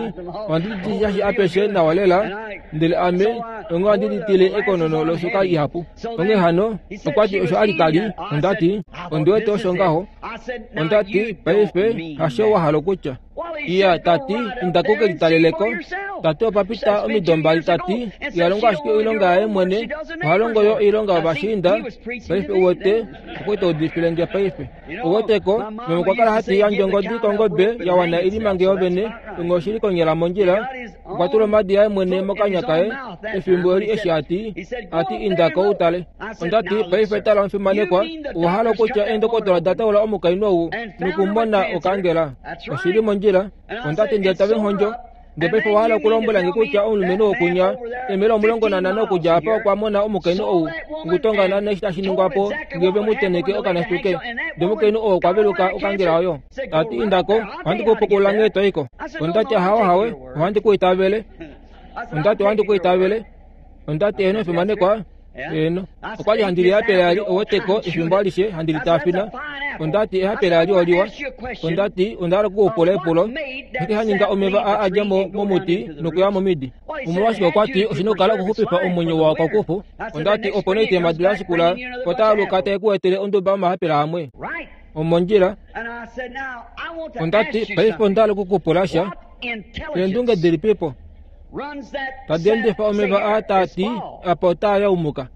ohandi di apeshe nawa lela ndele ame onge ohandi ditile ekonono losuka ihapu. Onghee hano okwati osho ali tali ondati ondiwete osho ngaho. Ondati paife hasho wa hala okutya. Iya tati inda kukelitaleleko. Tati opapita omido mbali tati ihalongo ashike oilonga yaye mwene ohalongo yo oilonga yovashiinda. Paife uwete okwete udifile nge paife. Uweteko meme okwa kala hati yandja ongodi kongobe ya wana ilimange yovene onge oshili konyala mondjila. Okwa tula omadi yaye mwene mokanya kaye efimbo eli eshi ati ati indako utale. Ondati paife tala omufimanekwa owahala okutya eendokotola da taula omukainhu ou nokumona okangela oshili mondjila. Ondati ndele tave nhondjo ndele paife owahala okulombwela nge kutya omulumenhu wokunya eemela omulongo nanhano okudja apa okwa mona omukainhu ou okutongana neshi tashi ningwapo ngee ve mu teneke okanashituke. Ndele omukainhu oo okwa veluka okangela oyo. Tati indako ohandi kupukula nghee toiko. Ondati ahawe hawe ohandi ku itavele. Ondati ohandi ku itavele. Ondati eno efimanekwa eno okwali handi lihapela ali oweteko efimbo alishe handi litafina. Ondati ehapela ali oliwa. Ondati onda hala okukupula epulo eke haninga omeva a adja momuti nokuya momidi. Omolwashike okwati oshina okukala okuxupifa omwenyo wawo kokufu. Ondati opo nee itema dula shikula otaaluka tae ku etele onduba yomahapela amwe omondjila. Ondati paife onda hala okukupula sha eendunge dilipipo. Tadi endifa omeva aa taati apa otaa yaumuka.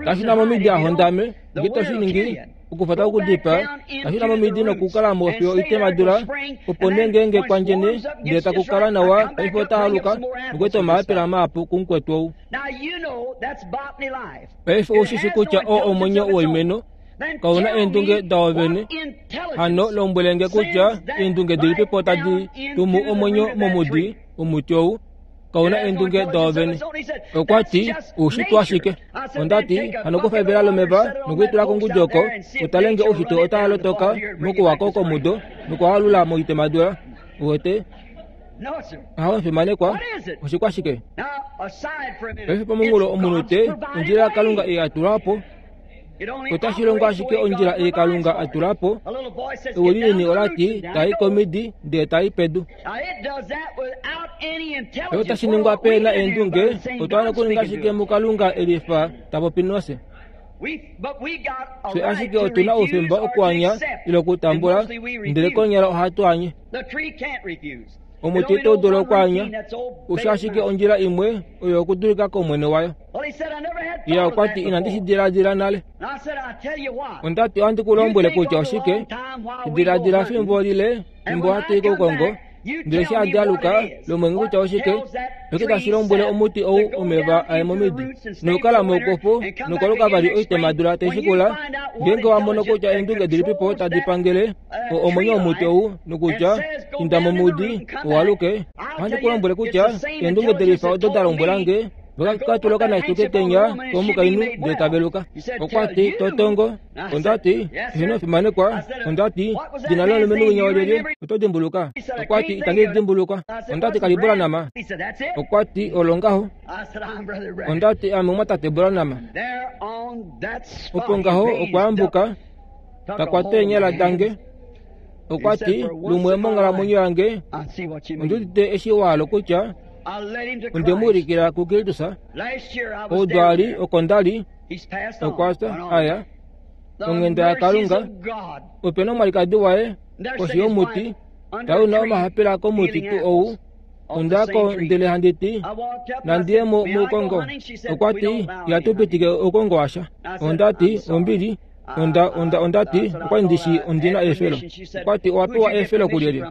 Tashina momidi ahondame ngito shiningi okufata okudipa tashina momidi nokukala mo fiyo itemadula opo nee ngeenge kwandjene ndele takukala nawa paife otaaluka nokueta omaapela maapu kumukwetu ou. Paife ushishi kutya oo omwenyo woimeno kauna eendunge dawo vene. Hano lombwelenge kutya eendunge dilipipo tadi tumu omwenyo momudi omuti ou kauna eendunge dawo vene. Okwa ti oushitwe ashike. Ondati hano kufa evela lomeva nokuitula kongudi oko utalenge oushitwe otaalotoka mokuwako komudo nokualula moitemadula. Uwete aho mfimanekwa oshikwashike. Paife pomunghulo omunhu te ondjila yaKalunga ei atula po. Otashi longo ashike ondjila ei Kalunga atula po. Ewi linini olati tai komidi ndele tai pedu. Paife otashi ningwa pe na eendunge otwa wana okuninga ashike muKalunga elifa tapopi nose. Fye ashike otuna oufemba okuanya ile okutambula ndele konyala ohatu anye. Omuti ito dulu okuanya usha ashike ondjila imwe oyo okudulika komwene wayo. Iya okwati inandi shi diladila nale. Ondati ohandi ku lombwele kutya oshike diladila fimbo lile fimbo hatu i koukongo ndele eshi handi aluka lombwele kutya oshike noke tashi lombwele omuti ou omeva aye momidi nokukala moukofu nokwaluka vali oitemadula taishikula ngeenge wa mono kutya eendunge dilipipo tadi pangele omwenyo womuti ou nokutya inda momudi owaluke. Ohandi ku lombwele kutya eendunge delifa odo da lombwelange vakatula okanashito ketenya komukainhu ndele taveluka. Okwati totongo. Ondati eheno fimanekwa. Ondati dina lomulumenhu winya olyelye oto dimbuluka. Okwati itandi dimbuluka. Ondati kalibula nama. Okwati olongaho. Ondati ame omwatate Branham. Opo ngaho okwaambuka takwata eenyala dange. Okwati lumwe monghalamwenyo yange ondiudite eshi waalo kutya onde mu ulikila kuKristus. Oudwali oko ndali okwasa aya onghenda yaKalunga. Ope na omwalikadi waye koshi yomuti tauna omahapela komuti tuu ou. Ondako ndele handi ti nandiye mo moukongo. Okwati ihatu pitike oukongo washa. Ondati ombili. Onda onda ondati okwali ndishi ondina eefelo. Okwati owa pewa eefelo kulyelye.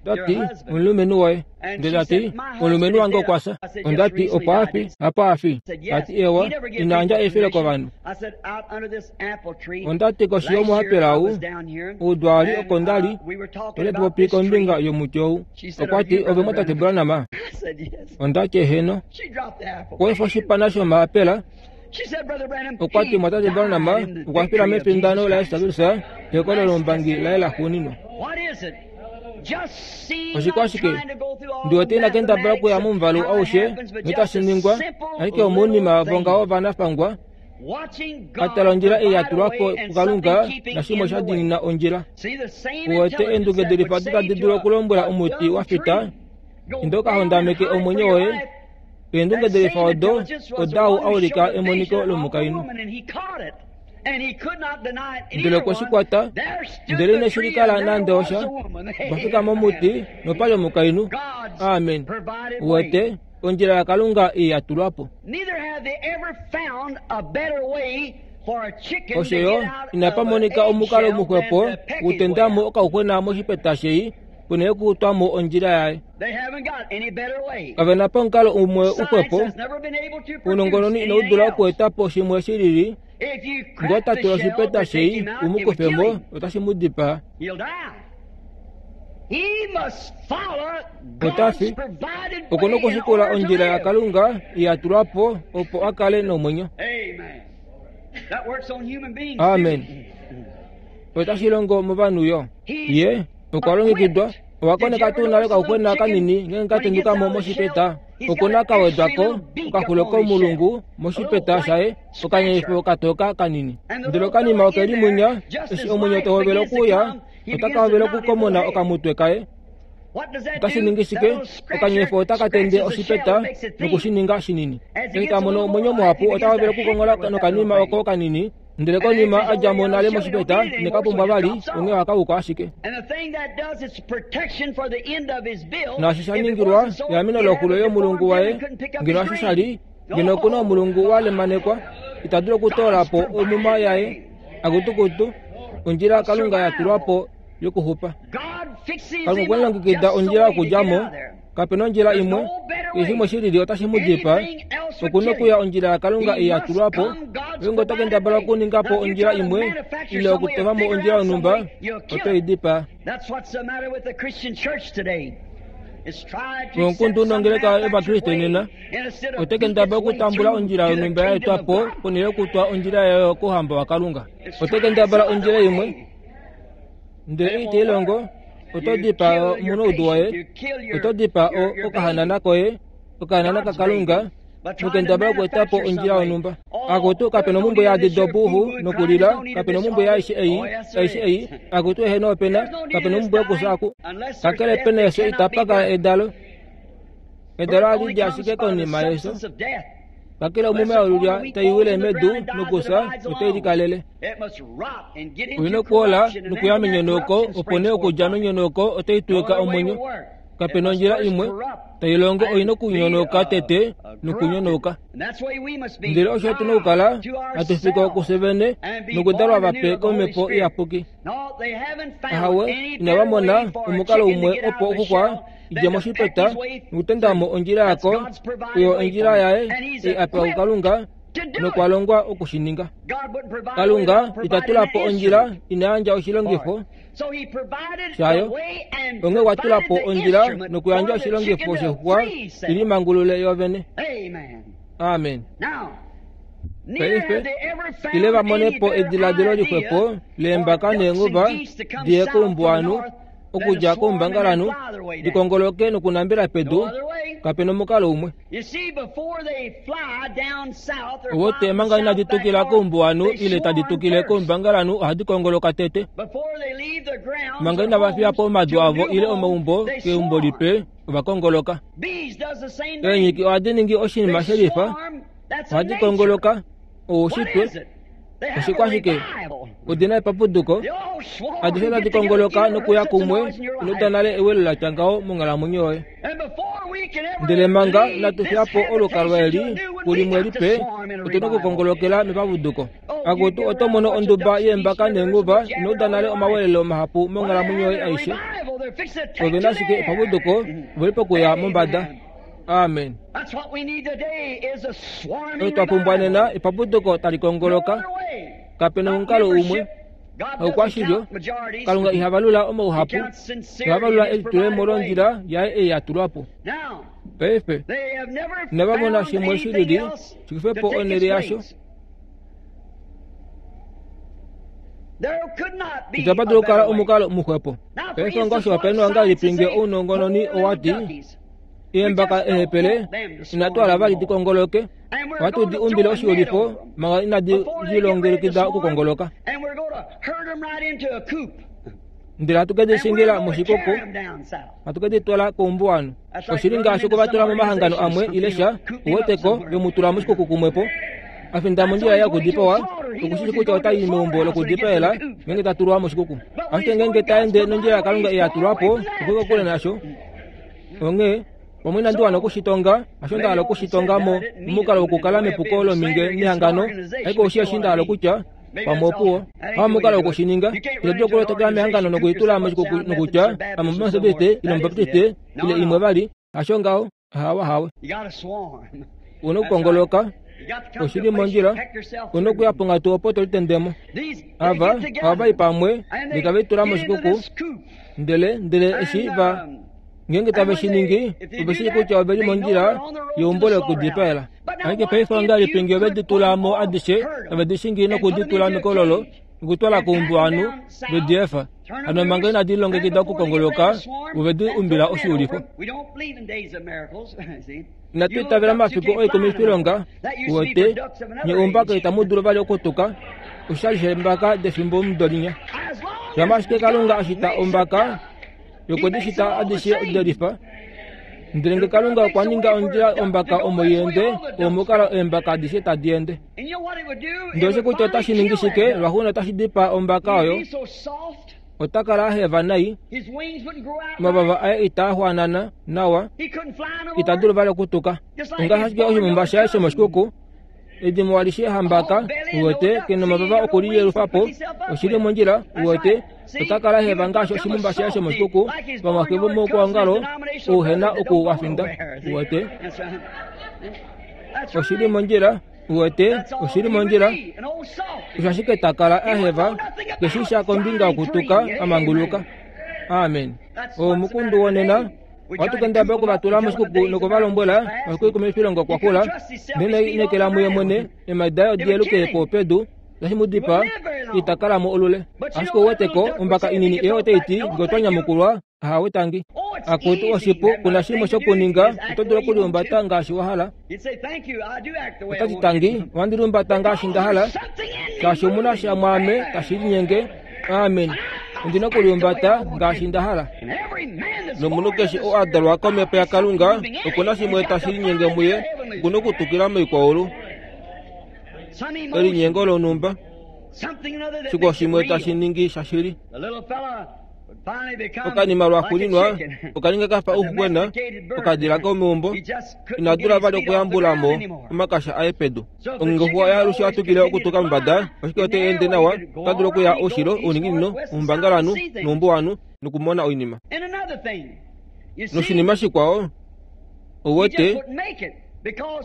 Ondati omulumenhu woye. Ndele tati omulumenhu wange okwasa. Ondati opo afi apa afi. Tati ewa inaandja eefelo kovanhu. Ondati koshi yomuhapela ou oudwali oko ndali tole tupopi kombinga yomuti ou. Okwati ove mwatate Branham. Ondati eheno. Okweefa oshipana shomahapela. Okwati mwatate Branham okwa fila mefindano laYesus Kristus pekolo lombangi laye laxuuninwa. Oshikwashike ndiwete ina kendabala okuya momuvalu aushe noitashi ningwa ashike omounima vongaho vanafangwa atala ondjila ei yatulwa po kuKalunga nashimwe sha diinina ondjila. Uwete eendunge delifa odi tadi dulu okulombwela omuti wa fita inda ukahondameke omwenyo woye. Eendunge delifa odo odau aulika emoniko lomukainhu. Ndele okwe shi kwata ndele ineshi likala nande osha. Okwa fika momuti nopali omukainhu. Amen. Uwete ondjila yaKalunga ei yatulwa po. Osho yo inapa monika omukalo muxwepo wokutendamo okauxwena moshipeta shei ponhele yokutwamo ondjila yaye. Kavena po omukalo umwe uxwepo. Ounongononi inau dula okueta po shimwe shilili. Ngee ota tula oshipeta shei umukufemo otashi mu dipaa. Otafi okuna okushikula ondjila yaKalunga ei yatulwa po opo a kale nomwenyo. Amen. Otashi longo movanhu yo. Ye okwa longekidwa. Owa koneka tuu nale okauxwena kanini ngeenge ka tenduka mo moshipeta. Okuna ka wedwako okaxulo komulungu moshipeta shaye okanyeifo katoka kanini. Ndele okanima okeli munya eshi omwenyo tohovele okuuya otaka hovele okukomona okamutwe kaye. Otashi ningi shike? Okanyeifo otaka tende oshipeta nokushininga shinini. Eshi ta mono omwenyo muhapu ota hovele okukongola nokanima oko kanini Ndele konima a dja mo nale moshipeta nekapumbwa vali onghee ohakauka ashike. Naashi sha ningilwa eameno loxulo yomulungu waye ngeno osho sha li ngeno okuna omulungu wa lemanekwa ita dulu okutoola po omuma yaye akutukutu ondjila Kalunga ya tulwa po yokuxupa. Kalunga okwa longekida ondjila yokudja mo, kapena ondjila imwe, keshe shimwe shilili otashi mu dipaa. Okuna okuya ondjila yaKalunga ei ya tulwa po. Ngeenge oto kendabala okuninga po ondjila imwe ile okutofa mo ondjila yonhumba, oto i dipaa. Omukundu nongeleka yOvakriste nena ote kendabala okutambula ondjila yonhumba ya etwa po ponhele yokutwa ondjila yayo kouhamba waKalunga. Ote kendabala ondjila imwe ndele ite i longo. Oto dipaa omunaudu woye, oto dipaa okahanana koye, okahanana kaKalunga, nokendabala okueta po ondjila yonhumba. Akutu kapena omumbwe yaadi dobuhu nokulila, kapena omumbwe yaaishe ei, aishe ei, akutu eheno opena, kapena omumbwe yokufya aku. Kakele pena efyo itapa kala edalo. Edalo ohali di ashike konima yefyo. Kakele omume yolulya tai wile medu nokufya otai likalele. Oina okuola nokuya menyonauko, opo nee okudja menyonauko otai twika omwenyo. Kapena ondjila imwe tai longo oina okunyonauka tete nokunyonauka. Ndele osho tuna okukala hatu fika kufye vene nokudalwa vape komhepo iyapuki. Ahawe, inava mona omukalo umwe opo okuxwa idje moshipeta nokutenda mo ondjila yako, oyo ondjila yaye ei a pewa kuKalunga nokwa longwa okushininga. Kalunga ita tula po ondjila ina yandja oshilongifo shayo. Onghee okwa tula po ondjila nokuyandja oshilongifo shexuxwa ili mangulule yovene. Amen. Paife ile va mone po ediladilo lixwepo leembaka neenguva diye koumbuwanhu okudja koumbangalanhu dikongoloke nokunambela pedu, kapena omukalo umwe. Owote manga inadi tukila koumbuwanhu ile tadi tukile koumbangalanhu ohadi kongoloka tete. Manga inava fiya po omadu avo ile omaumbo keumbo lipe ova kongoloka. Eenyiki ohadi ningi oshinima shelifa, ohadi kongoloka oushitwe. Oshikwashike? Odina epapuduko adishe tadi kongoloka nokuya kumwe ino nale ewelo la tya ngaho monghalamwenyo yoye. Ndele manga inatu fiya po olukalwa eli kulimwe lipe, otuna okukongolokela mepapuduko. Akutu oto mono onduba yeembaka neenguva ino uda nale omawelelo mahapu monghalamwenyo yoye aishe. Ove ashike epapuduko oveli pokuya mombada. Amen. Otwa pumbwa nena epapuduko tali kongoloka. Kapena omukalo umwe. Okwashilyo Kalunga iha valula omauhapu, iha valula elitulemo londjila yaye ei ya tulwa po. Paife inava mona shimwe shilili shikufe po onhele yasho. Itapa dulu okukala omukalo muxwepo. Paife ngaashi ongahelipi ngee ounongononi owati eembaka ehepele inatu hala vali dikongoloke, ohatu di umbile oshiulifo manga inadi lilongekida okukongoloka. Ndele hatu ke di shingila moshikuku, hatu ke di twala koumbuwanhu. Oshili ngaashi okuvatula momahangano amwe ile sha, uweteko vemutula moshikuku kumwepo. Afinda mondjila yokudipawa, okushishi kutya otai meumbo lokudipaela ngeenge ta tulwa moshikuku. Ashike ngeenge ta ende nondjila yaKalunga ei ya tulwa po, okuli kokule nasho. Onghee pamwe inandi wana okushitonga, hasho nda hala okushitonga mo momukalo wokukala mepuko lominge nehangano, ashike oshi eshi nda hala okutya pamwe opuwo. Pamukalo wokushininga, ito dulu okulotokela mehangano nokulitula moshikuku nokutya ame Omumetodiste ile Omubaptiste ile imwe vali, hasho ngaho, hawa hawe. Una okukongoloka oshili mondjila, una okuya ponghatu opo to litendemo. Ava ohava i pamwe ndele tave litula moshikuku, ndele ndele eshi va ngeenge tave shi ningi, ove shii kutya ove li mondjila yeumbo lokudipaela. Ashike paife ongahelipi ngee ove di tula mo adishe, tave di shingi nokudi tula mekololo nokutwala koumbuwanhu ve di efa. Hano manga inadi lilongekida okukongoloka, ove di umbila oshiulifo. Inatu itavela momafiku oikumwifilonga, uwete, nye oumbaka itamu dulu vali okutuka, oshali sheembaka defimbo mudo linya. Shama ashike Kalunga a shita ombaka, yokwedi shita adishe delifa. Ndele nge Kalunga okwa ninga ondjila ombaka omo i ende, omo kala eembaka adishe tadi ende. Ndele osho kutya otashi ningi shike, lwaxuuninwa otashi dipaa ombaka oyo. Ota kala a heva nai, omavava aye itaa xwanana nawa, ita dulu vali okutuka. Ongaashi ashike oshimumba shaye shomoshikuku, edimo alishe hambaka, uwete, kena omavava okuliyelufa po, oshili mondjila, uwete, ota kala heva ngaashi oshimumba shaye shomoshikuku, vamwaxe vomoukwaongalo ouhena oku wa finda, uwete. Oshili mondjila, uwete, oshili mondjila. Osho ashike ta kala a heva, keshi sha kombinga yokutuka a manguluka. Amen. Omukundu wonena, ohatu kendabala okuvatula moshikuku nokuvalombwela mafiku kwa kula, ndele inekela muye mwene, eemhadi daye odi yeluke po pedu, tashi mu dipaa, ita kala mo olule. Ashike ouweteko, ombaka inini eyo otai ti, nge otwa nyamukulwa, ahawe tangi. Akutu oshipu, kuna shimwe shokuninga, oto dulu okulihumbata ngaashi wa hala. Otati tangi, ohandi lihumbata ngaashi nda hala, shaashi omuna sha mwaame tashi linyenge. Amen. Ondina okulihumbata ngaashi nda hala. Nomunhu keshe oo a dalwa komhepo yaKalunga, okuna shimwe tashi linyenge muye, okuna okutukila moikwaulu. Elinyengo lonhumba, shikwao shimwe tashi ningi shashili. Okanima lwaxuuninwa okaninga kafa ouxuxwena, okadila komeumbo, ina dula vali okuyambula mo omakasha aye pedu. Ongengoxuwa oya alushe atukile okutuka mombada, ashike otai ende nawa, ota dulu okuya oushilo, ouninginino, oumbangalanhu noumbuwanhu nokumona oinima. Noshinima shikwao, ouwete,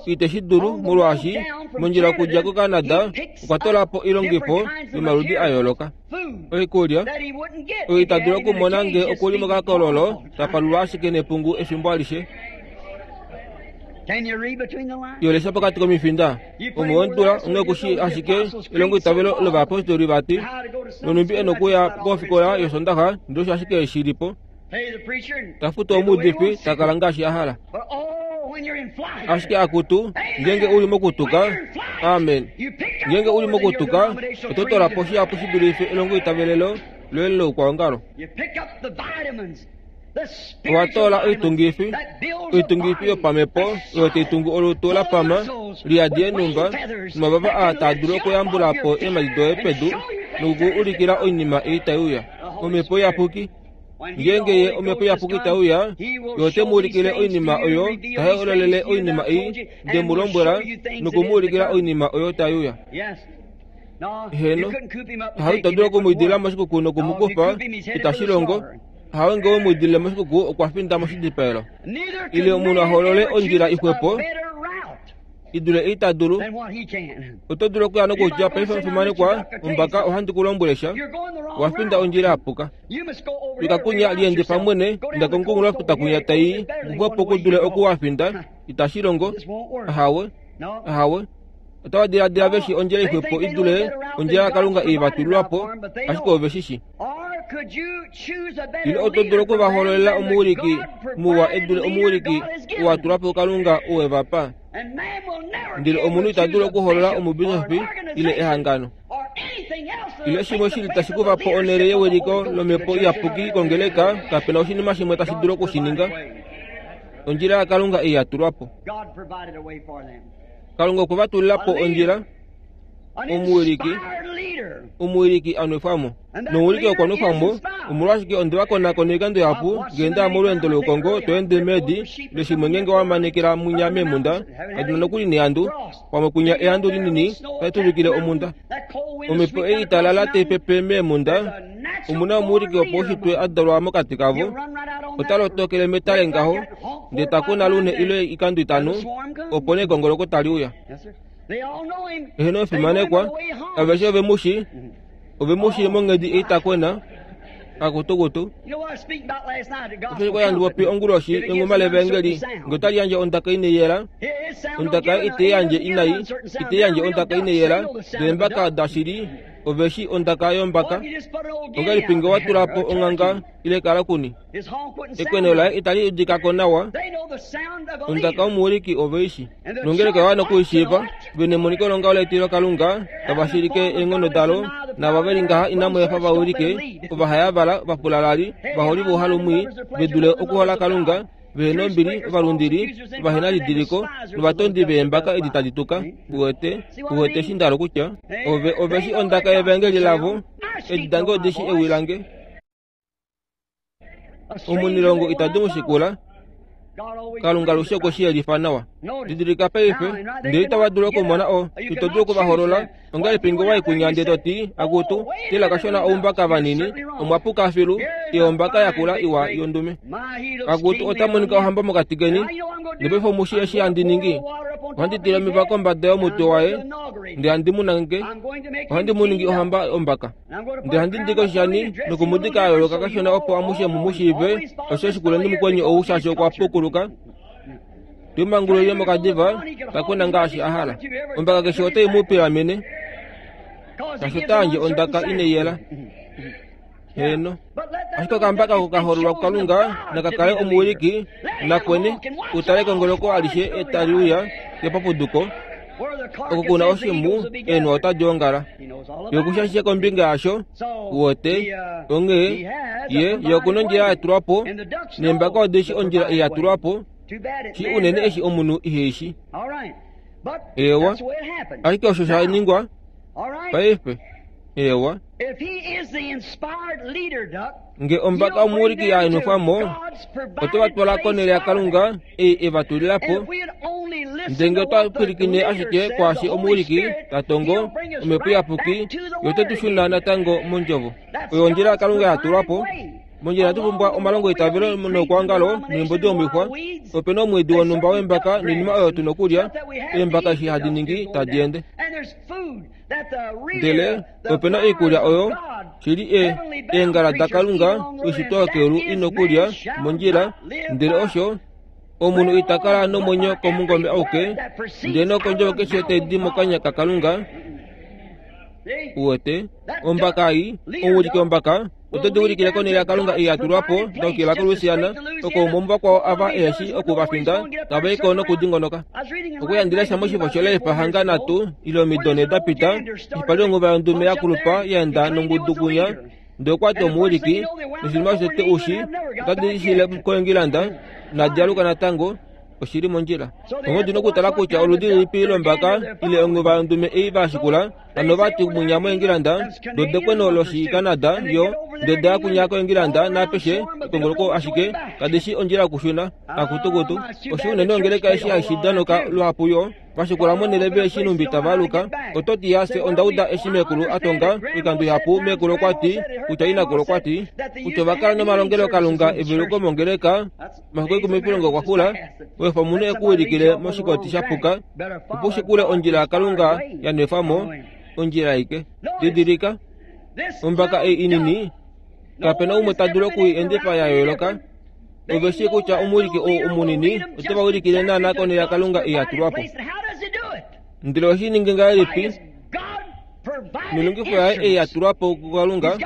ite shi dulu molwaashi mondjila okudja koCanada okwa tola po oilongifo yomaludi a yooloka. Oikulya oyo ita dulu okumona nge okuli mokakololo ta palulwa ashike nepungu efimbo alishe. Yolesha pokati komifinda omo wondula onge kushi ashike elongo itavelo lovayapostoli vati nonumbi ena okuya kofikola yosondaxa ndele osho ashike shilipo. Tafutu omuudifi takala ngaashi a hala. Ashike akutu ngenge uli mokutuka, amen. Ngenge uli mokutuka, oto tola po shihapu shi dulife elongo itavelelo loye loukwaongalo. Owa toola oitungifi, oitungifi yopamhepo oyo tai tungu olutu la pama liyadi eenhumba nomavava aa taa dulu okuyambula po eemhadi doye pedu noku ulikila oinima ei tai uya. Omhepo Iyapuki, ngenge ye omhepo Iyapuki tai uya, ye ote mu ulikile oinima oyo, ta hololele oinima ei nde mu lombwela noku mu ulikila oinima oyo tai uya. Heno, hawe ito dulu okumwidila moshikuku noku mu kufa, itashi longo. Hawe nge we mu idilile moshikuku okwa finda moshidipaelo. Ile omunhu a hoolole ondjila ixwepo idule ei ta dulu. Oto dulu okuya nokutya paife omufimanekwa ombaka ohandi ku lombwele sha, owa finda ondjila ya puka. Fika kunya liendifa mwene inda komukunghulofuta kunya tai kuxwepo ku dule oku wa finda, itashi longo. Ahawe, ahawe. Otava diladila veshi ondjila ixwepo idule ondjila yaKalunga ei va tulilwa po, ashike ove shi shi. Ile oto dulu okuvahololela omuwiliki muwa edule omuwiliki oo a tulwa po Kalunga oo e va pa. Ndele omunhu ita dulu okuholola omubishofi ile ehangano ile shimwe shili tashi kufa po onhele yewiliko lomhepo iyapuki kongeleka, kapena oshinima shimwe tashi dulu okushininga. Ondjila yaKalunga ei ya tulwa po. Kalunga okwe va tulila po ondjila, omuwiliki, omuwiliki a nwefwa mo. Nomuwiliki okwa nwefwa mo, omolwashike onde va konakona oikando ihapu ngee nda ya molweendo loukongo to ende meedi leshimwe ngenge wa manekela munya meemhunda, kadi na nokuli nehandu, pamwe kunya ehandu linini tali tuvikile omhunda. Omhepo ei italala tai pepe meemhunda, omuna omuwiliki wopaushitwe a dalwa mokati kavo, ota lotokele metale ngaho, ndele ta kuna lune ile oikando itano, opo nee ekongoloko tali uya. Eheno efimanekwa, aveshe ove mu shi, ove mu shi monghedi ei ta kwena, akutukutu. Osho kwa handi popi onguloshi enghuma levangeli, nge otali yandje ondaka inai yela, ondaka itai yandje inai, itai yandje ondaka inai yela, ndele mbaka dashili ove shi ondaka yombaka. Ongahelipi nge wa tula po onghanga ile kalakuni? Ekweno laye itali udika ko nawa. Ondaka yomuwiliki ove i shi. Nongeleka oya wana okuishiiva, ve nemoniko longaho letilo Kalunga, tava shilike eenghono dalo, naava ve li ngaha inamu efa va wilike, ovahayavala, ovafulalali, ovaholi vouhalumwii, ve dule okuhola Kalunga, Vehenombili ovalundili ovahenalidiliko novatondi veembaka edi tadi tuka. Uwete uwete eshi ndalo kutya ove oveshi ondaka yevangeli lavo edi dange odishi ewi lange. Omunilongo itadi mushikula. Kalunga alushe okwe shi yelifa nawa. Didilika paife, ndele itava dulu okumona o ito dulu okuvaholola. Ongahelipi ngee waikunya ndele toti akutu tila kashona oumbaka vanini omwapuka filu eombaka yakula iwa yondume. Akutu otamonika ohamba mokati keni. Nopaife omushi eshi handi ningi. Ohandi tila omeva kombada yomutwe waye ndele handi mu nangeke. Ohandi mu ningi ohamba ombaka. Ndele handi dike oshishani nokumudika a yooloka kashona opo amushe mu mu shiive osho shikuleni mukweni ou shaashi okwa pukuluka. Tumangulile mokadiva takwena ngaashi a hala. Ombaka keshe otai mu pilamene. Shaashi ota yandje ondaka ineyela. Heno. Ashike okambaka oko kahololwa kuKalunga nakakale omuwiliki nakwene utale kongoloko alishe etali uya kepapuduko. Oko kuna oshimu eenwa otadi ongala. Yokusha ashishe kombinga yasho uwete onghee ye yokuna ondjila yatulwa po neembaka odishi ondjila ei yatulwa po shi unene eshi omunhu iheishi. Ewa ashike osho sha ningwa paife. Ewa nge ombaka omuwiliki yaenwefwamo ote vatwala konele yaKalunga ei evatulila po. Ndele ngee otwa pwilikine ashike kwaashi omuwiliki tatongo omhepo iyapuki yo ote tu shuna natango mondjovo. Oyo ondjila yaKalunga yatulwa po. Mondjila inatu pumbwa omalongo eitavelo noukwaongalo noimbodi yomixwa. Opena omwiidi wonhumba weembaka noinima oyo tuna okulya. Eembaka eshi hadi ningi tadi ende. Ndele opena oikulya oyo shili e eengala daKalunga oishitwa yokeulu ina okulya mondjila. Ndele osho omunhu ita kala nomwenyo komungome auke ndele nokondjovo keshe tai di mokanya kaKalunga. Uwete ombaka ei omuwiliki wombaka ote di ulikile konele yaKalunga ei yatulwa po dokila koLouisiana oko umwe womuvakwao ava eheshi okuvafinda tava iko nokudingonoka. Okuyandilesha moshifo shoLife hanga nhatu ile omido nhee dapita ipali onguva yondume yakulupa yaenda nongudu kunya ndele okwati omuwiliki noshinima shotete ushi otadi shile koEngilanda nadialuka natango oshili mondjila. Onghee otu na okutala kutya oludi lilipi lombaka ile onguva yondume ei vashikula hano vati munya moEngilanda dodekweno loshiCanada yo ndele daya kunya koEngilanda naapeshe ekongoloko ashike kadishi ondjila yokushuna akutukutu. Osho unene ongeleka eshi haishi danoka luhapu yo vashikula monele veeshi numbi tava aluka. Ototi yase ondauda eshi meekulu atonga oikando ihapu meekulu okwati kutya inakulu okwati kutya ovakala nomalongelo Kalunga eveluko mongeleka omafiku ekumi pilongo okwakula wefa omunhu ekuwilikile moshikoti shapuka opo ushikule ondjila yaKalunga yanwefwamo ondjila aike. Didilika ombaka ei inini kapena umwe ta dulu okui endifa ya yooloka. Ove shii kutya omuwiliki ou omunini ote va ulikile naana konele yaKalunga ei yatulwa po. Ndele oheshi ningi ngahelipi? Noilongifo yaye ei yatulwa po kuKalunga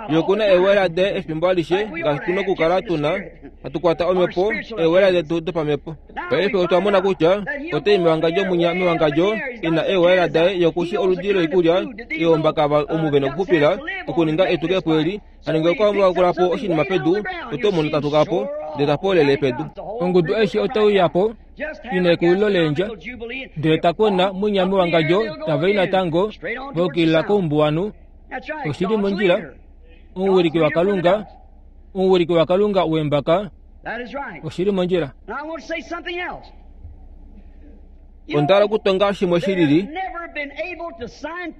yokuna eewela daye efimbo alishe ngaashi tuna okukala tuna hatu kwata omhepo eewela detu dopamhepo. Paife otwa mona kutya otai mewangadjo munya mewangadjo ina eewela daye yokushi oludi loikulya eombaka omu vena okuxupila okuninga etukepo eli. Hano ngee okwa po oshinima pedu oto mono tatuka po ndele tapoolele pedu. Ongudu aishe otauya po ina ekulilo leendja ndele takwena munya mewangadjo tavai natango vaukilila koumbuwanhu. Oshili mondjila. Omuwiliki waKalunga omuwiliki waKalunga wembaka oshili mondjila. Onda hala okutonga shimwe shilili.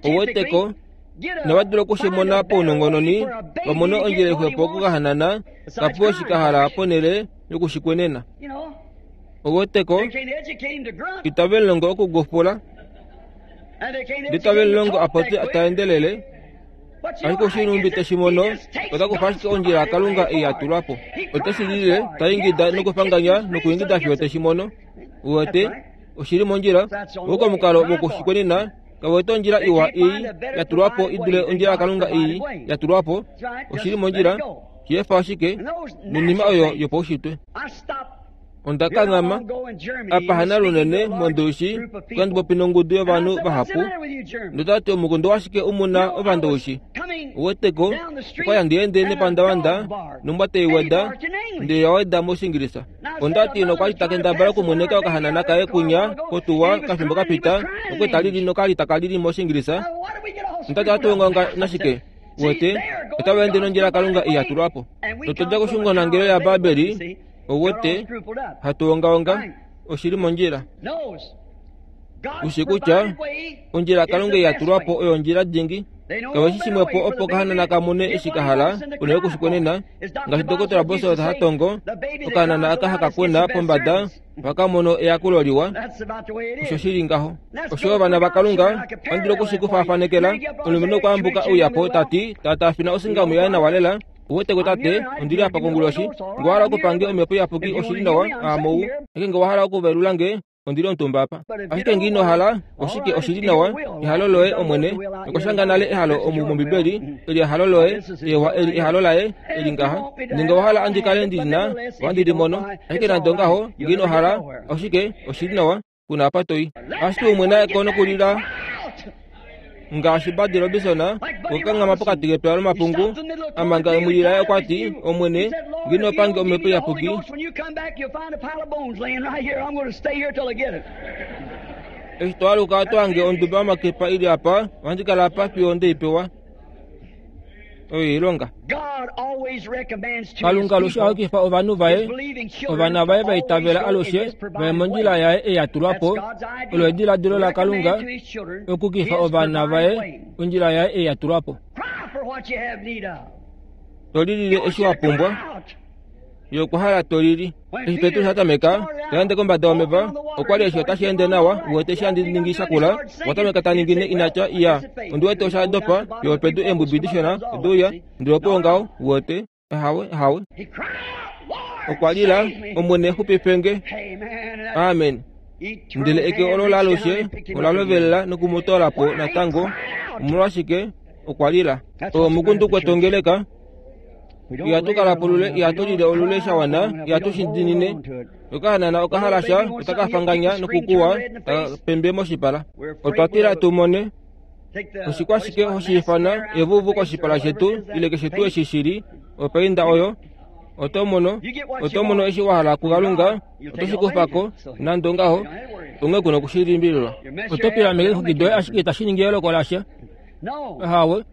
Oweteko inava dula okushimona paunongononi vamone ondjila ixwepo okukahanana kapewa eshi kahala ponhele yokushikwenena. Oweteko itave mulongo okugufula ndele itave mulongo apopye taendelele. Ashike oshinumbi teshimono otakufa ashike ondjila yaKalunga ei yatulwa po. Oteshi lile taingida nokufanganya nokuingida fiyo teshimono. Uwete oshili mondjila. Ouko omukalo wokushikwenena kawete ondjila iwa ei yatulwa po idule ondjila yaKalunga ei yatulwa po. Oshili mondjila. Shiyefa ashike noinima oyo yopaushitwe. Onda kanghama apa hana lunene mondoishi kandi popi nongudu yovanhu vahapu ndotati omukundu washike umuna ovandoishi uweteko okwaya ndiende nepandawanda nombwa teiweda ndele yaweda moshingilisa. Ondati nokwali takendabala okumoneka okahanana kaye kunya kotuwa kafimbo kapita okwetalili nokali takalili moshingilisa. Ondati atuongaonga nashike wete otavaende nondjila Kalunga iyatulwapo. Totodja koshungonangelo ya Babeli owete hatuongaonga oshili mondjila. Ushi kutya ondjila Kalunga iyatulwapo oyo ondjila dingi. Kaweshi shimwepo opo kahanana kamone eshi kahala unene kushikonena ngaashi Dokotela Bosworth hatongo okahanana aka hakakwena pombada vakamono eyakulo liwa. Osho shili ngaho. Osho ovana vaKalunga ondilo kushikufafanekela omulumenhu okwaambuka ouyapo tati tata afina osingamu yaye nawa lela. Uweteko tate ondili apa konguloshi ngowahala okupange omhepo iyapuki oshili nawa aamou ashike ngowahala okuvelula nge ondili omutumba apa ashike ngiinohala oshike oshili nawa ehalo loye omwene okwashanga nale ehalo omu mombibeli eli ehalo loye ewa eli ehalo laye eli ngaha ninga wahala andikale ndilina ohandi limono ashike nande ongaho ngiinohala oshike oshili nawa kuna apa toi ashike umwe naye kono kulila ngaashi Buddy Robinson okanghama pokati kepya lomapungu amanga emwilila yaye okwati omwene nginopange omhepo iyapuki. Eshi twaluka twange onduba yomakepa ili apa ohandi kala apa fiyo ndeipewa oyo ilonga. Kalunga alushe ohakifa ovanhu vaye ovana vaye vaitavela alushe vaye mondjila yaye eyatulwapo. Olo ediladilo laKalunga okukifa ovana vaye ondjila yaye eyatulwapo. Tolilile eshi wapumbwa yokuhala tolili. Eshi Petrus atameka taende kombada yomeva okwali eshi otashi ende nawa uwete eshi andi ningi shakula watameka taningine inatya iya ondiwete oshadopa yopedu eembwibwi dishona oduuya ndele opo ngaho uwete ahawe ahawe okwalila omwene xupifenge. Amen. Ndele eke olo lalushe olalovelela nokumutolapo natango omolwashike okwalila omukundu kwetongeleka ihatukala polule ihatulile olule shawana ihatushidinine okahanana okahalasha otakafanganya nokukuwa pembe moshipala. Otwatila tumone oshikwashike hoshiifana evuvu koshipala shetu ile keshe tuu eshi shili opainda oyo otomono otomono eshi wahala kuKalunga otoshikufako nande ongaho onge kuna okushilimbililwa. Otopila meke doye ashike itashi ningi eloko lasha. Ahawe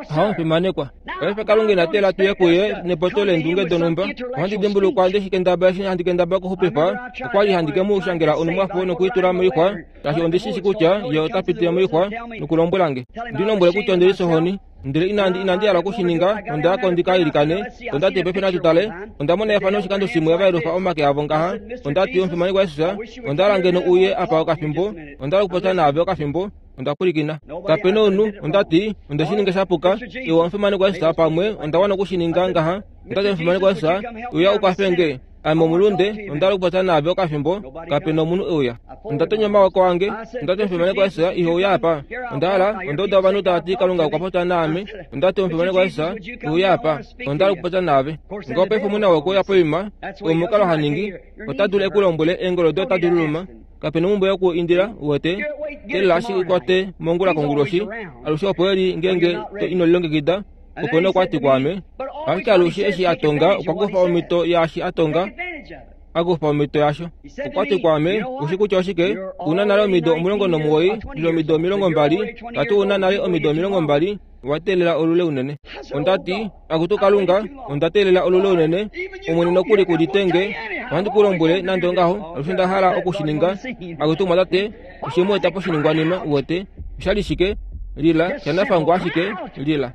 hawo mfimanekwa. Paife Kalunga inatela tuye kuye nepoto leendunge donhumba. Ohandi dimbulukwa ndeshikendaba eshi handi kendaba okuxupifa okwali handi ke mu shangela onumwafo nokuitula moixwa shaashi ondishishi kutya ye ota pitile moixwa nokulombwela nge. Ndinombwele kutya ondili sohoni ndele inandi inandi hala okushininga ondayako ndikailikane. Ondati paife natutale ondamona efano oshikando shimwe vaelufa omake avo ngaha. Ondati omufimanekwa Jesus ondahala ngeno uye apa okafimbo ondahala okupopya naave okafimbo. Ondapulikina kapena omunhu. Ondati ondeshininga shapuka iwe omufimanekwa Jesus pamwe ondawana okushininga ngaha. Ondati omufimanekwa Jesus uya ukwafenge ame omulunde ondahala okupopya naave okafimbo kapena omunhu euya. Ondatonya omawoko ange. Ondati omufimanekwa Jesus iho uya apa ondahala ondauda ovanhu tavati Kalunga okwa popya naame. Ondati omufimanekwa Jesus uya apa ondahala okupopya naave. Ngao paife omuna wokuuya poima omukalo haningi ota dulu ekulombwele eengolo doye otadi luluma kapena omumbwe yokuindila uwete telela ashike ikwate mongula konguloshi alushe opo eli ngenge inolilongekida opo nokwati kwaame. Ashike alushe eshi atonga okwa kufa omhito yaashi atonga akufa omhito yasho. Okwati kwaame ushi kutya oshike una nale omido omulongo nomuwoi ile omido omilongo mbali tati una nale omido omilongo mbali wateelela olule unene. Ondati akutu Kalunga ondatelela olule unene omwene nokuli kulitenge ohandi kulombwele nande ongaho alushe ndahala okushininga. Akutu mwatate oshimueta poshiningwanima uwete oshali shike lila shanafangwa ashike lila.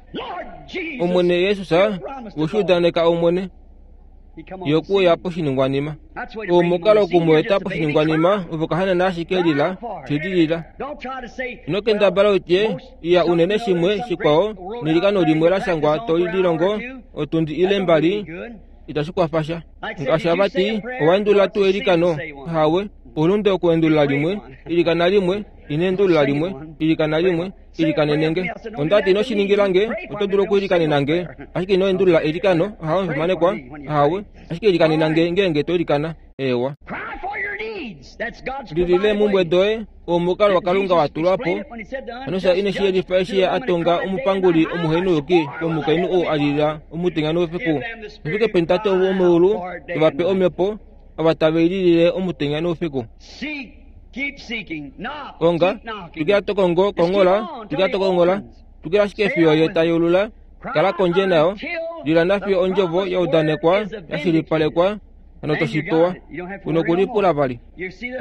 Omwene Yesus woshiudaneka omwene yokuya poshiningwanima omukalo okumueta poshiningwanima ovokahanana ashike lila shili lila. Inokendabala utye iya unene shimwe shikwao nelikano limwe lashangwa tolililongo otundi ile mbali itashi kwafasha. Ngaashi avati owaendulula tuu elikano hawe Oulunde okuendulula limwe, ilikana limwe, ina endulula limwe, ilikana limwe, ilikanenenge. Ondati ino shiningilange, oto dulu okuilikanenange, ashike ino endulula eilikano, ahawe mfimanekwa, ahawe, ashike ilikanenange ngeenge to ilikana. Ewa. Lilile mumbwe doye, omukalo waKalunga wa tulwa po. Hano ine shiyelifa eshi a tonga omupanguli omuhenuyuki womukainhu ou a lila omutenya noufiku. Nofike peni Tate womeulu tovape omhepo ava tave i lilile omutenya noufiku. Konga, twikila to kongo, kongola, twikila to kongola, twikila ashike fiyo ye ta yeulula, kala kondje nayo, lila nafiyo ondjovo ya udanekwa, ya shilipalekwa, hano to shi pewa. Uno kulipula vali.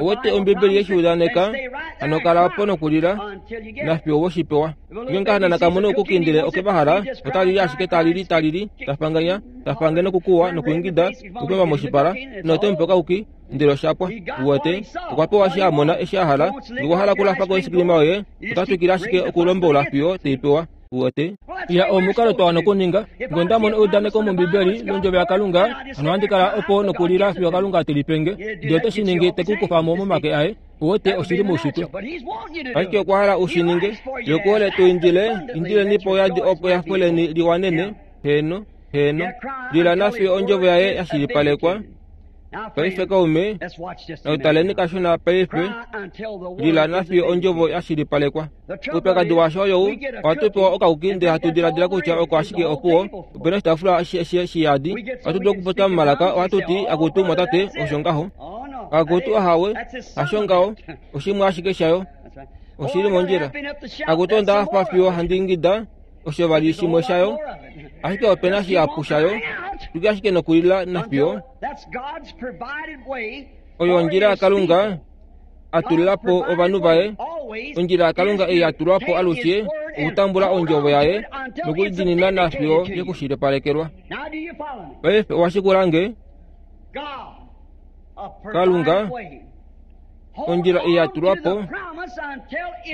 Owete Ombibeli yeshi udaneka, hano kala opo nokulila, nafiyo woshi pewa. Ngeenge okahanana kamone okukindile okevahala, otalili ashike talili talili, tafanganya, tafange nokukuwa nokuingida, nokupemba moshipala, notemupe okauki, ndele oshapwa. Uwete, okwa pewa eshi a mona eshi a hala, nokwa hala okulafako oisikilima yoye, ota twikile ashike okulombola fiyo teipewa. Uwete, ya omukalo twa wana okuninga. Ngee onda mono eudaneko mOmbibeli londjovo yaKalunga, hano ohandi kala opo nokulila fiyo Kalunga te lipenge, ndele ote shi ningi te ku kufa mo momake aye. Uwete, oshili moushitwe. Ashike okwa hala u shi ninge. Ye okuhole tu indile, indileni po yadi opo ehafo leni liwanene. Heeno, heeno. Lila nafiyo ondjovo yaye ya shilipalekwa. Paife kaume, nautaleni kashona paife, lila nafiyo ondjovo ya shilipalekwa. Oupyakadi washo oyou, ohatu pewa okauki ndele hatu diladila kutya oko ashike opuwo. Opena oshitaafula shiyadi, ohatu dulu okupopya momalaka, ohatu ti akutu mwatate, osho ngaho. Akutu ahawe, hasho ngaho, oshimwe ashike shayo. Oshili mondjila. Akutu onda hafa fiyo handi ingida, osho vali shimwe shayo. Ashike opena shihapu shayo, twikila ashike nokulila nafiyo. Oyo ondjila yaKalunga a tulila po ovanhu vaye. Ondjila yaKalunga ei ya tulwa po alushe okutambula ondjovo yaye nokulidiinina nafiyo yekushilipalekelwa. Paife owa shikula nge? Kalunga, ondjila ei ya tulwa po,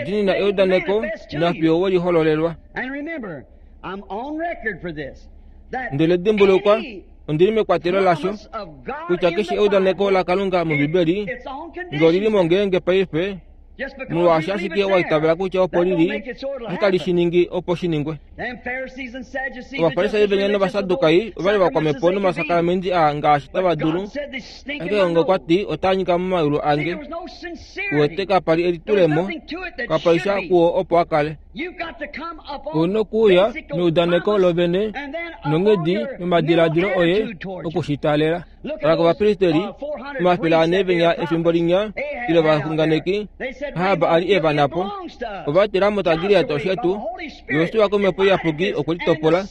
diinina eudaneko nafiyo we lihololelwa. Ndele dimbulukwa, ondili mekwatelo lasho kutya keshe eudaneko laKalunga mOmbibeli nge olili mo ngeenge paife, molwaashi ashike wa itavela kutya opo lili, otali shi ningi opo shi ningwe. Ovafarisai venya nOvasadukai ovali vakwamhepo nomasakramenti aa ngaashi tava dulu, ashike Kalunga okwa ti otaa nyika momayulu ange. Uwete kapa li elitulemo, kapa li sha kuwo opo a kale. Ouna okuuya meudaneko lovene nonghedi yomadiladilo oye okushitaalela. Tala kovapristeli omafele ane venya efimbo linya ile ovaxunganeki Ahab a li e va napo. Ova ti Ramot Gilead oshetu, Josua komhepo iyapuki okwe litopola,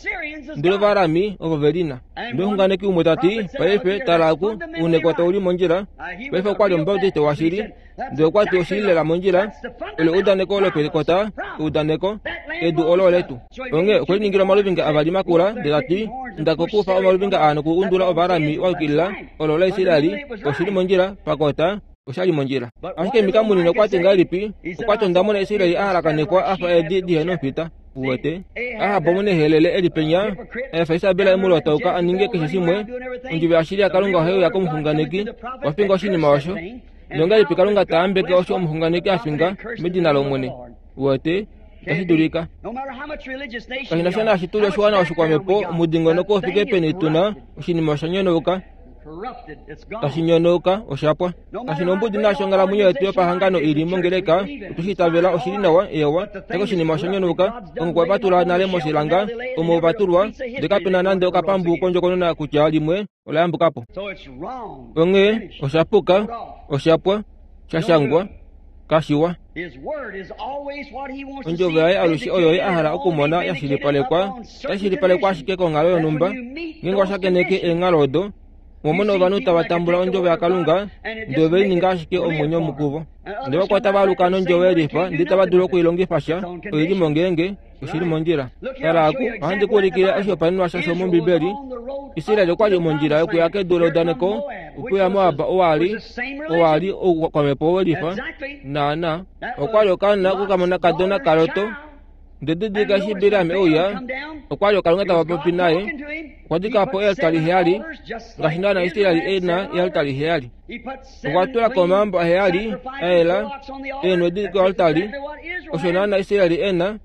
ndele Ovaarami ovo ve lina. Ndele omuxunganeki umwe ta ti, paife tala oku, ounekota uli mondjila. Paife okwa li Omubaptiste washili, ndele okwa ti oshili lela mondjila, olo eudaneko lopentekota, eudaneko, edu olo oletu. Onghee okwe liningila omaluvinga avali makula, ndele ta ti, inda kokufa omaluvinga aa nokuundula Ovaarami wa yukilila, olo laIsraeli, oshili mondjila, pakota, oshali mondjila. Ashike Mika munini okwa ti ngahelipi? Okwa ti onda mona Israeli a halakanifwa a fa eedi dihe nomufita. Uwete, Ahab omunehelele e li penya, a efa Isabel e mu lotauka a ninge keshe shimwe. Ondjovo yashili yaKalunga ohai uya komuxunganeki, okwa finga oshinima osho. Nongahelipi Kalunga ta yambeke osho omuxunganeki a finga medina lOmwene? Uwete, itashi dulika. Kashi na sha naashi tu li oshiwana oshikwamhepo, omudingonoko ufike peni tu na, oshinima osha nyonauka. Tashi nyonauka, oshapwa. Kashi na ombudi naashi onghalamwenyo yetu yopahangano ili mongeleka, otu shi itavela oshili nawa, ewa, ashike oshinima osha nyonauka, omo kwa vatula nale moshilanga, omo va tulwa, ndele kape na nande okapambu kondjokonona kutya limwe ola yambuka po. Onghee osha puka, oshapwa, sha shangwa, kashiwa. Ondjovo yaye alushe oyo ye a hala okumona ya shilipalekwa, otashi shilipalekwa ashike konghalo yonhumba. Ngeenge owa shakeneke eenghalo odo, omo mona ovanhu tava tambula ondjovo yaKalunga, ndele ove lininga ashike omwenyo mukuvo. Ndele vakwao tava aluka nondjovo yelifa, ndele itava dulu okuilongifa sha, oili mo ngeenge oshili mondjila. Tala aku, ohandi ku ulikile oshihopaenenwa shasho mOmbibeli. Israel okwa li mondjila yokuya kedu leudaneko, okuya Moab owa li owa li oukwamhepo welifa. Naana, okwa li okaana kokamonakadona kaLot, Ndedidilika eshi Bileam euya, okwa li Kalunga tava popi naye, okwa dika po ealtari heyali, ngaashi naana Israeli ena ealtari heyali. Okwa tula ko omayambo aheyali a yela eenwedi koaltari, osho naana Israeli ena,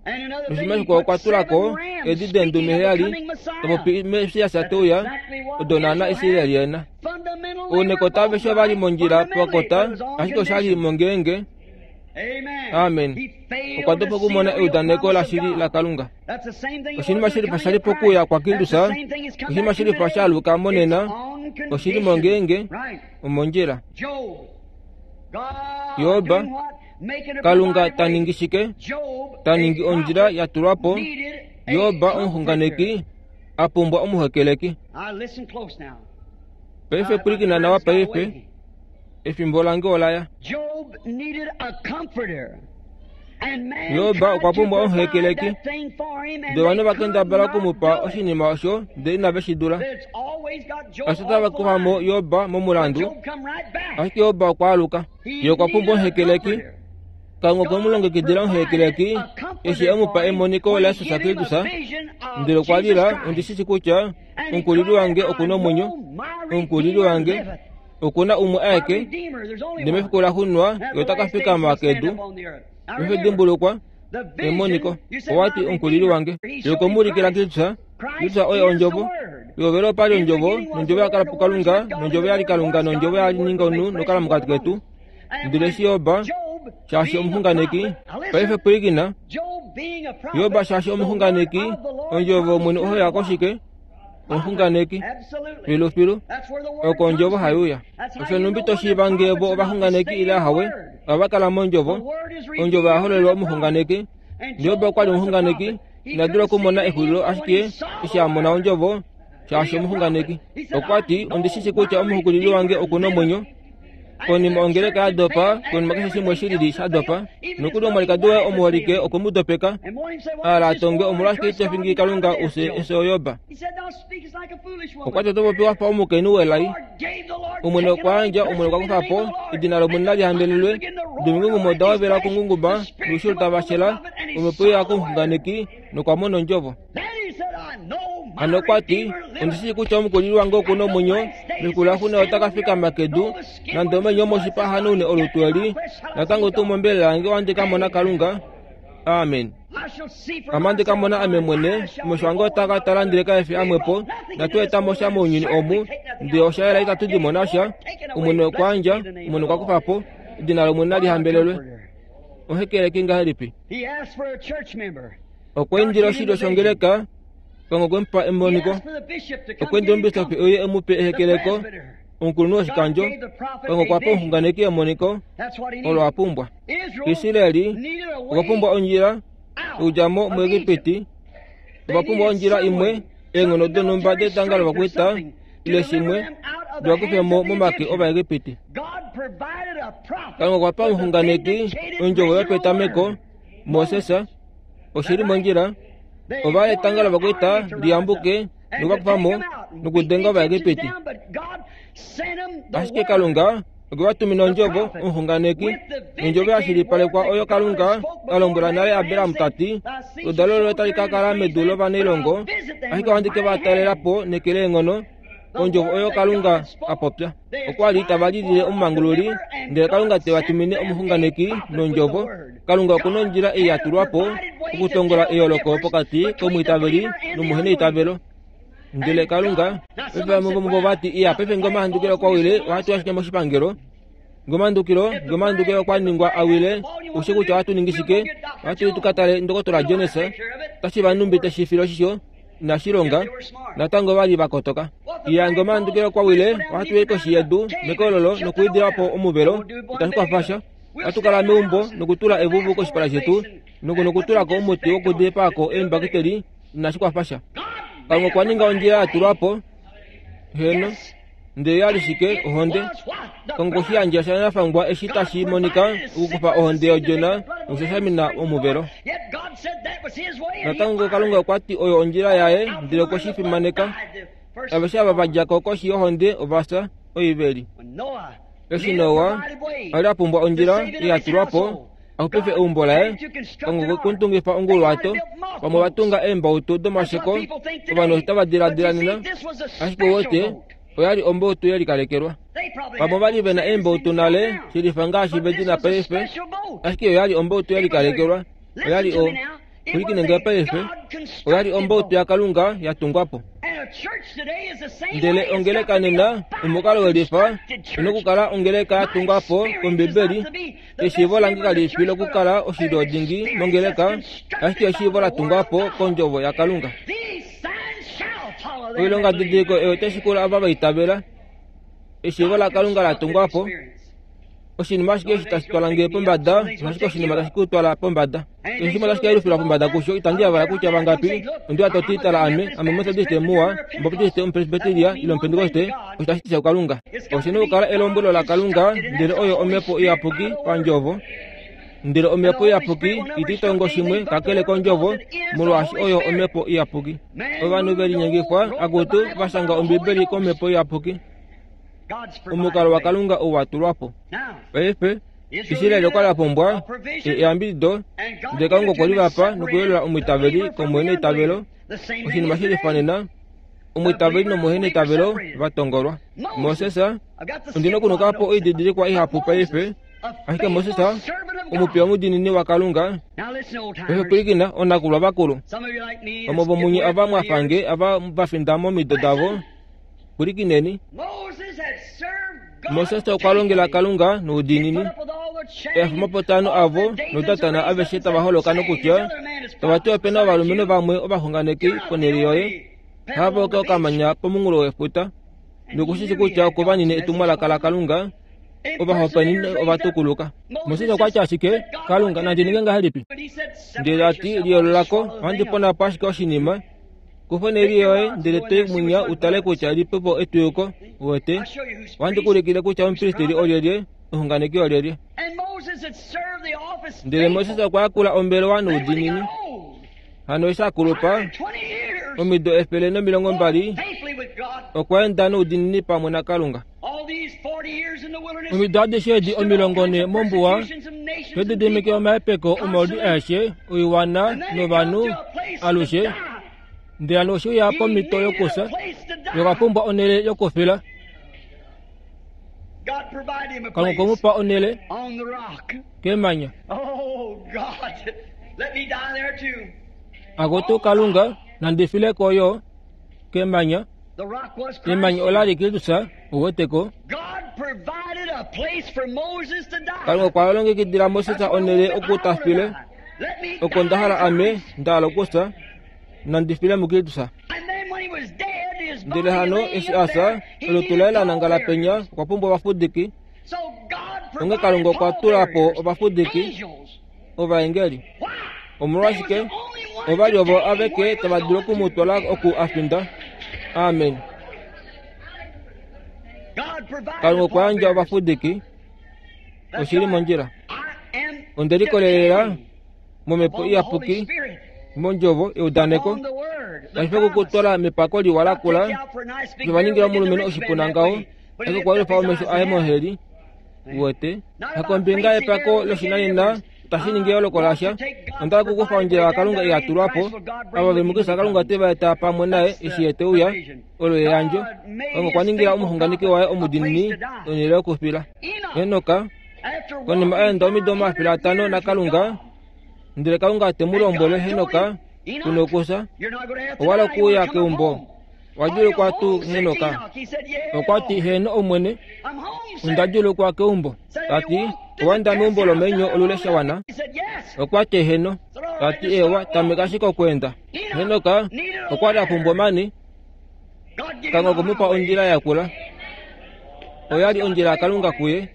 noshinima shikwao okwa tula ko eedi deendume heyali, ta popi Messias teuya, odo naana Israeli ena. Ounekota aveshe ovali mondjila pakota, ashike oshali mongeenge. Amen. Okwa dopa okumona eudaneko lashili laKalunga. Oshinima shilifa shali pokuuya kwaKristus, oshinima shilifa shaaluka monena, oshili mongeenge, omondjila. Job, Kalunga ta ningi shike? Ta ningi ondjila ya tulwa po. Job omuxunganeki a pumbwa omuhekeleki. Paife pwilikina nawa paife, efimbo lange olaya. Job okwa pumbwa omuhekeleki. Ndele ovanhu va kendabala okumupa oshinima osho ndele inave shi dula. Osho tava kufa mo Job momulandu, ashike Job okwa aluka. Ye okwa pumbwa omuhekeleki. Kalunga okwe mu longekidila omuhekeleki eshi e mu pa emoniko laJesus Kristus, ndele okwa lila, ondi shi shii kutya omukulili wange oku na omwenyo, omukulili wange oku na umwe aeke, ndele mefiku laxuuninwa ye ota ka fikama kedu. Paife dimbulukwa emoniko, owati omukulili wange. Ye okwe mu ulikila Kristus, Kristus oye ondjovo. Pehovelo opa li ondjovo, nondjovo ya kala puKalunga, nondjovo ya li Kalunga, nondjovo ya ninga omunhu nokala mokati ketu. Ndele eshi Job, shaashi omuxunganeki, paife pwilikina, Job shaashi omuxunganeki, ondjovo yOmwene oyo koshike? Omuxunganeki, filufilu, oko ondjovo haiuya. Osho nhumbi to shiiva ngee vo ovaxunganeki ile ahawe, ohava kala mondjovo. Ondjovo oya hololelwa omuxunganeki. Job okwa li omuxunganeki, ina dula okumona exulilo ashike eshi a mona ondjovo, shaashi omuxunganeki. Okwa ti, ondi shi shii kutya omuxukulili wange oku na omwenyo. Konima ongeleka ya dopa, konima keshe shimwe shilili sha dopa, nokuli omwalikadi waye omuholike okwe mu dopeka, a hala a tonge omolwashike ito fingi Kalunga use efyo Job. Okwa ti oto popi wa fa omukainhu welai. Omwene okwa yandja, Omwene okwa kufa po, edina lOmwene nali hambelelwe. Domingungumo oda hovela okungunguma, noushilo tava shela, omhepo ya komuxunganeki nokwa mona ondjovo. Hano okwa ti, ondi shi shii kutya omukulili wange oku na omwenyo, mefiku laxuuninwa ota ka fikama kedu, nande omenyo omoshipa a hanaune olutu eli, natango tuu mombelela yange ohandi ka mona Kalunga. Amen. Ame ohandi ka mona ame mwene, omesho ange otaa ka tala ndele kae fi amwepo, natu eta mo sha mounyuni omu, ndele osha yela itatu di mona sha. Omwene okwa yandja, Omwene okwa kufa po, edina lOmwene nali hambelelwe. Omuhekeleki ngahelipi? Okwa indila oshilyo shongeleka, Kalunga okwe mu pa emoniko. Okwa indila omubisofi euye e mu pe ehekeleko, omukulunhu woshikandjo, Kalunga okwa pa omuxunganeki emoniko olo a pumbwa. Israeli okwa pumbwa ondjila yokudja mo muEgipiti, ova pumbwa ondjila imwe, eenghono donhumba detanga lovakwaita ile shimwe, diva kufe mo momake Ovaegipiti. Kalunga okwa pa omuxunganeki ondjovo yopetameko, Moses, oshili mondjila, ova etanga lovakwaita liyambuke nokuvakufa mo nokudenga Ovaegipiti. Ashike Kalunga okwe va tumina ondjovo, omuxunganeki, nondjovo ya shilipalekwa oyo Kalunga a lombwela nale Abraham ta ti, oludalo loye otali ka kala medu lovanailongo, ashike ohandi ke va talela po neke leenghono. Ondjovo oyo Kalunga a popya. Okwa li tava lilile omumangululi, ndele Kalunga te va tumine omuxunganeki nondjovo. Kalunga oku na ondjila ei ya tulwa po okutongola eyooloko pokati komwiitaveli nomuheneitavelo. Ndele Kalunga, paife vamwe vomuvo va ti, iya, paife ngee omahandukilo okwa wile, ohatu ashike moshipangelo. Ngee omahandukilo, ngee omahandukilo okwa ningwa a wile, oushi kutya ohatu ningi shike? Ohatu i tu ka tale Ndokotola Jones, otashi va numbi teshi file oshisho, inashi longa, natango ova li va kotoka. Iya, ngee omahandukilo okwa wile, ohatu i koshi yedu, mekololo, nokuidila po omuvelo, itashi kwafa sha. Ohatu kala meumbo nokutula evuvu koshipala shetu, nokutula ko omuti wokudipaako eembakiteli, inashi kwafa sha. Kalunga okwa ninga ondjila ya tulwa po, heno, ndele ya li shike? Ohonde. Kalunga okwe shi yandja sha nafangwa eshi tashi monika okukufa ohonde yodjona nokushashamina omuvelo. Natango Kalunga okwa ti oyo ondjila yaye, ndele okwe shi fimaneka. Aveshe ava va dja ko koshi yohonde ova fya, oiveli. Eshi Noa a li a pumbwa ondjila ei ya tulwa po, Axupife eumbo laye Kalunga okwe mutungifa onguluwato vamwe ovatunga eembautu domasheko ovanhu otava diladila nena ashike uwete oyali ombautu yelikalekelwa vamwe ovali vena eembautu nale shilifa ngaashi vedina paife ashike oyali ombautu yelikalekelwa oyali o pwilikine paife oyali ombautu yaKalunga yatungwapo ndele ongeleka nena omukalo welifa inokukala ongeleka yatungwapo kombibeli eshiivo lange kalifi lokukala oshilyo dingi mongeleka ashike eshiivo latungwapo kondjovo yaKalunga oilonga didiliko eyo tashikula ava vaitavela eshiivo laKalunga latungwapo oshinima ashike eshi tashi twala nge pombada ashike oshinima tashi ku twala pombada oshinima tashi kayelufilwa pombada kusho itandi yavala kutya vangapi ondiwa toti tala ame ame omethodiste muwa omubaptiste omupresbiteria ile omupentekoste osho tashi tisha kuKalunga oshina okukala elombwelo laKalunga ndele oyo omhepo iyapuki pandjovo ndele omhepo iyapuki ititongo shimwe kakele kondjovo molwaashi oyo omhepo iyapuki ovanhu velinyengifwa akutu vashanga ombibeli komhepo iyapuki omukalo waKalunga ouwatulwapo paife Israeli okwa lapumbwa eyambidido ndele Kalunga okwe livapa nokuyelola omwiitaveli komuhena eitavelo oshinima shilifanena omwiitaveli nomuhena eitavelo vatongolwa Moses ondina okunukapo oididilikwa ihapu paife ashike Moses omupiya omudinini waKalunga paife pwilikina onakulwa vakulu vamwe vomunye ava mwafange ava vafinda momido davo pwilikineni Moses okwa longela Kalunga noudiinini efumapotano avo notatana aveshe tava holoka nokutya tava ti opena ovalumenhu vamwe ovaxunganeki ponhele yoye hava oka okamanya pomunghulo wefuta nokushishi kutya oko vanine etumwalaka laKalunga ovahopaenene ovatukuluka Moses okwa tya ashike Kalunga nandi ninge ngahelipi ndele ati liyoololako ohandi ponapo ashike oshinima kufa onhele yoye ndele toi mwinya utale kutya lipepo etuyuko uwete ohandi kuulikile kutya omupristeli olyelye omuxunganeki olyelye ndele Moses okwa yakula ombelewa noudiinini hano eshi akulupa omido efele nomilongo mbali okwa enda noudiinini pamwe naKalunga omido adishe edi omilongo ne mombuwa todidimike omahepeko omaudi aeshe oiwana novanhu alushe ndele hano oshiuya pomhito yokusa yokapumbwa onhele yokufila Kalunga okwemupa onhele kemanya akutu Kalunga nandifileko yo kemanya emanya olali Kristus uweteko Kalunga okwa longekidila Moses onhele okutafile oko ndahala ame ndahala okusa nandifile muKristus ndele hano eshi asa olutu laye lanangala penya okwa pumbwa ovafudiki onge Kalunga okwa tulapo ovafudiki ovaengeli omolwashike ovali ovo aveke tava dulu okumutwala oku afinda amen Kalunga okwa yandja ovafudiki oshili mondjila onde likolelela momhepo iyapuki mondjovo eudaneko tashi okukutwala mepako liwa lakula lovaningila omulumenhu oshipuna ngaho ashike okwa yelufa omesho aye moheli uwete hakombinga yepako loshinanena tashi ningi eyooloko lasha onda okukufa ondjila yaKalunga iyatulwapo ava vemukisa Kalunga te va eta pamwe naye eshi ye te uya olo eyandjo Kalunga okwa ningila omuxunganeki waye omudiinini onhele yokufila Enoka konima a enda omido omafele atano naKalunga ndele Kalunga te mu lombwele Henoka kuna okusa owala okuuya keumbo wadjuulukwa tuu Henoka okwa ti heno omwene onda djuulukwa keumbo tati owaenda meumbo lomenyo olule shawana okwa ti heno tati ewa tameka ashike okweenda Henoka okwa li a pumbwa omani Kalunga okwemupa ondjila yakula oyali ondjila yaKalunga kuye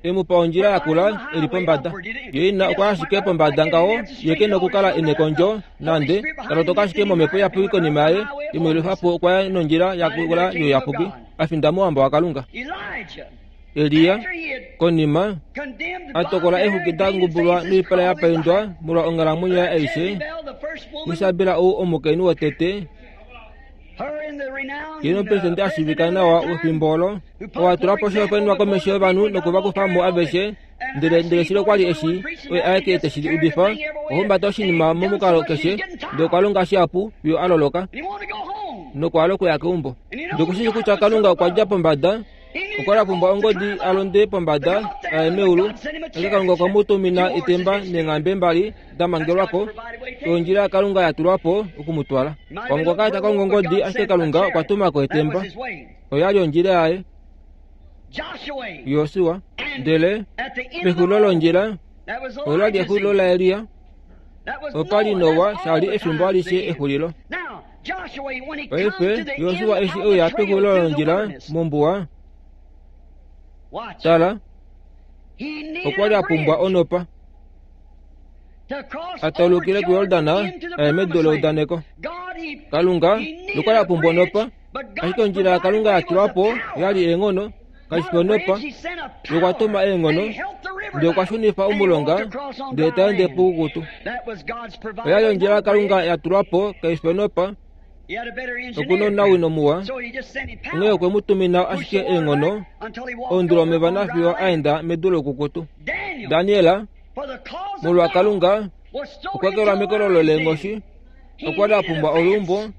emupa ondjila yakula eli pombada ye ina okwa ashike pombada ngaho ye kena okukala ena ekondjo nande talotoka ashike momhepo iyapuki konima yaye imwelufapo okwa ya nondjila yakula youyapuki afinda mouhamba waKalunga Eliya konima atokola eexuki da ngubulwa noipala ya paindwa molwa onghalamwenyo yaye aishe Isabel ou omukainhu wotete Ye nomupresidente ashiivika nawa wefimbo olo owa tula po oshihopaenenwa komesho yovanhu nokuvakufa mo aveshe, ndele ndele shilo kwali eshi oye aeke teshi udifa, ohumbata oshinima momukalo keshe, ndele okwa longa shihapu fiyo a loloka nokwa hala okuya keumbo. Ndele okushishi kutya Kalunga okwa dja pombada, okwa li a pumbwa ongodi a londe pombada aye meulu, ashike Kalunga okwe mu tumina etemba neenghambe mbali da mangelwa ko, ondjila yaKalunga ya tulwa po oku mu twala. Pamwe okwa kala ta kongo ongodi, ashike Kalunga okwa tuma ko etemba. Oya li ondjila yaye. Josua, ndele pexulilo londjila ola li exulilo laElia, opa li Noa sha li efimbo alishe exulilo. Paife Josua eshi e uya pexulilo londjila mombuwa, tala, okwa li a pumbwa onopa a taulukile kuJordan aye medu leudaneko. Kalunga okwa li a pumbwa onopa, ashike ondjila yaKalunga ya tulwa po ya li eenghono, kashi fi onopa. Okwa tuma eenghono, ndele okwa shunifa omulonga, ndele ta ende poukukutu. Oya li ondjila yaKalunga ya tulwa po, kai fi onopa. Okuna omunawino muwa, onghee okwe mu tumina ashike eenghono, oundula omeva nafiyo a enda medu loukukutu. Daniel, molwa Kalunga, okwa kelwa mekololo leenghoshi, okwa li a pumbwa oluumbo,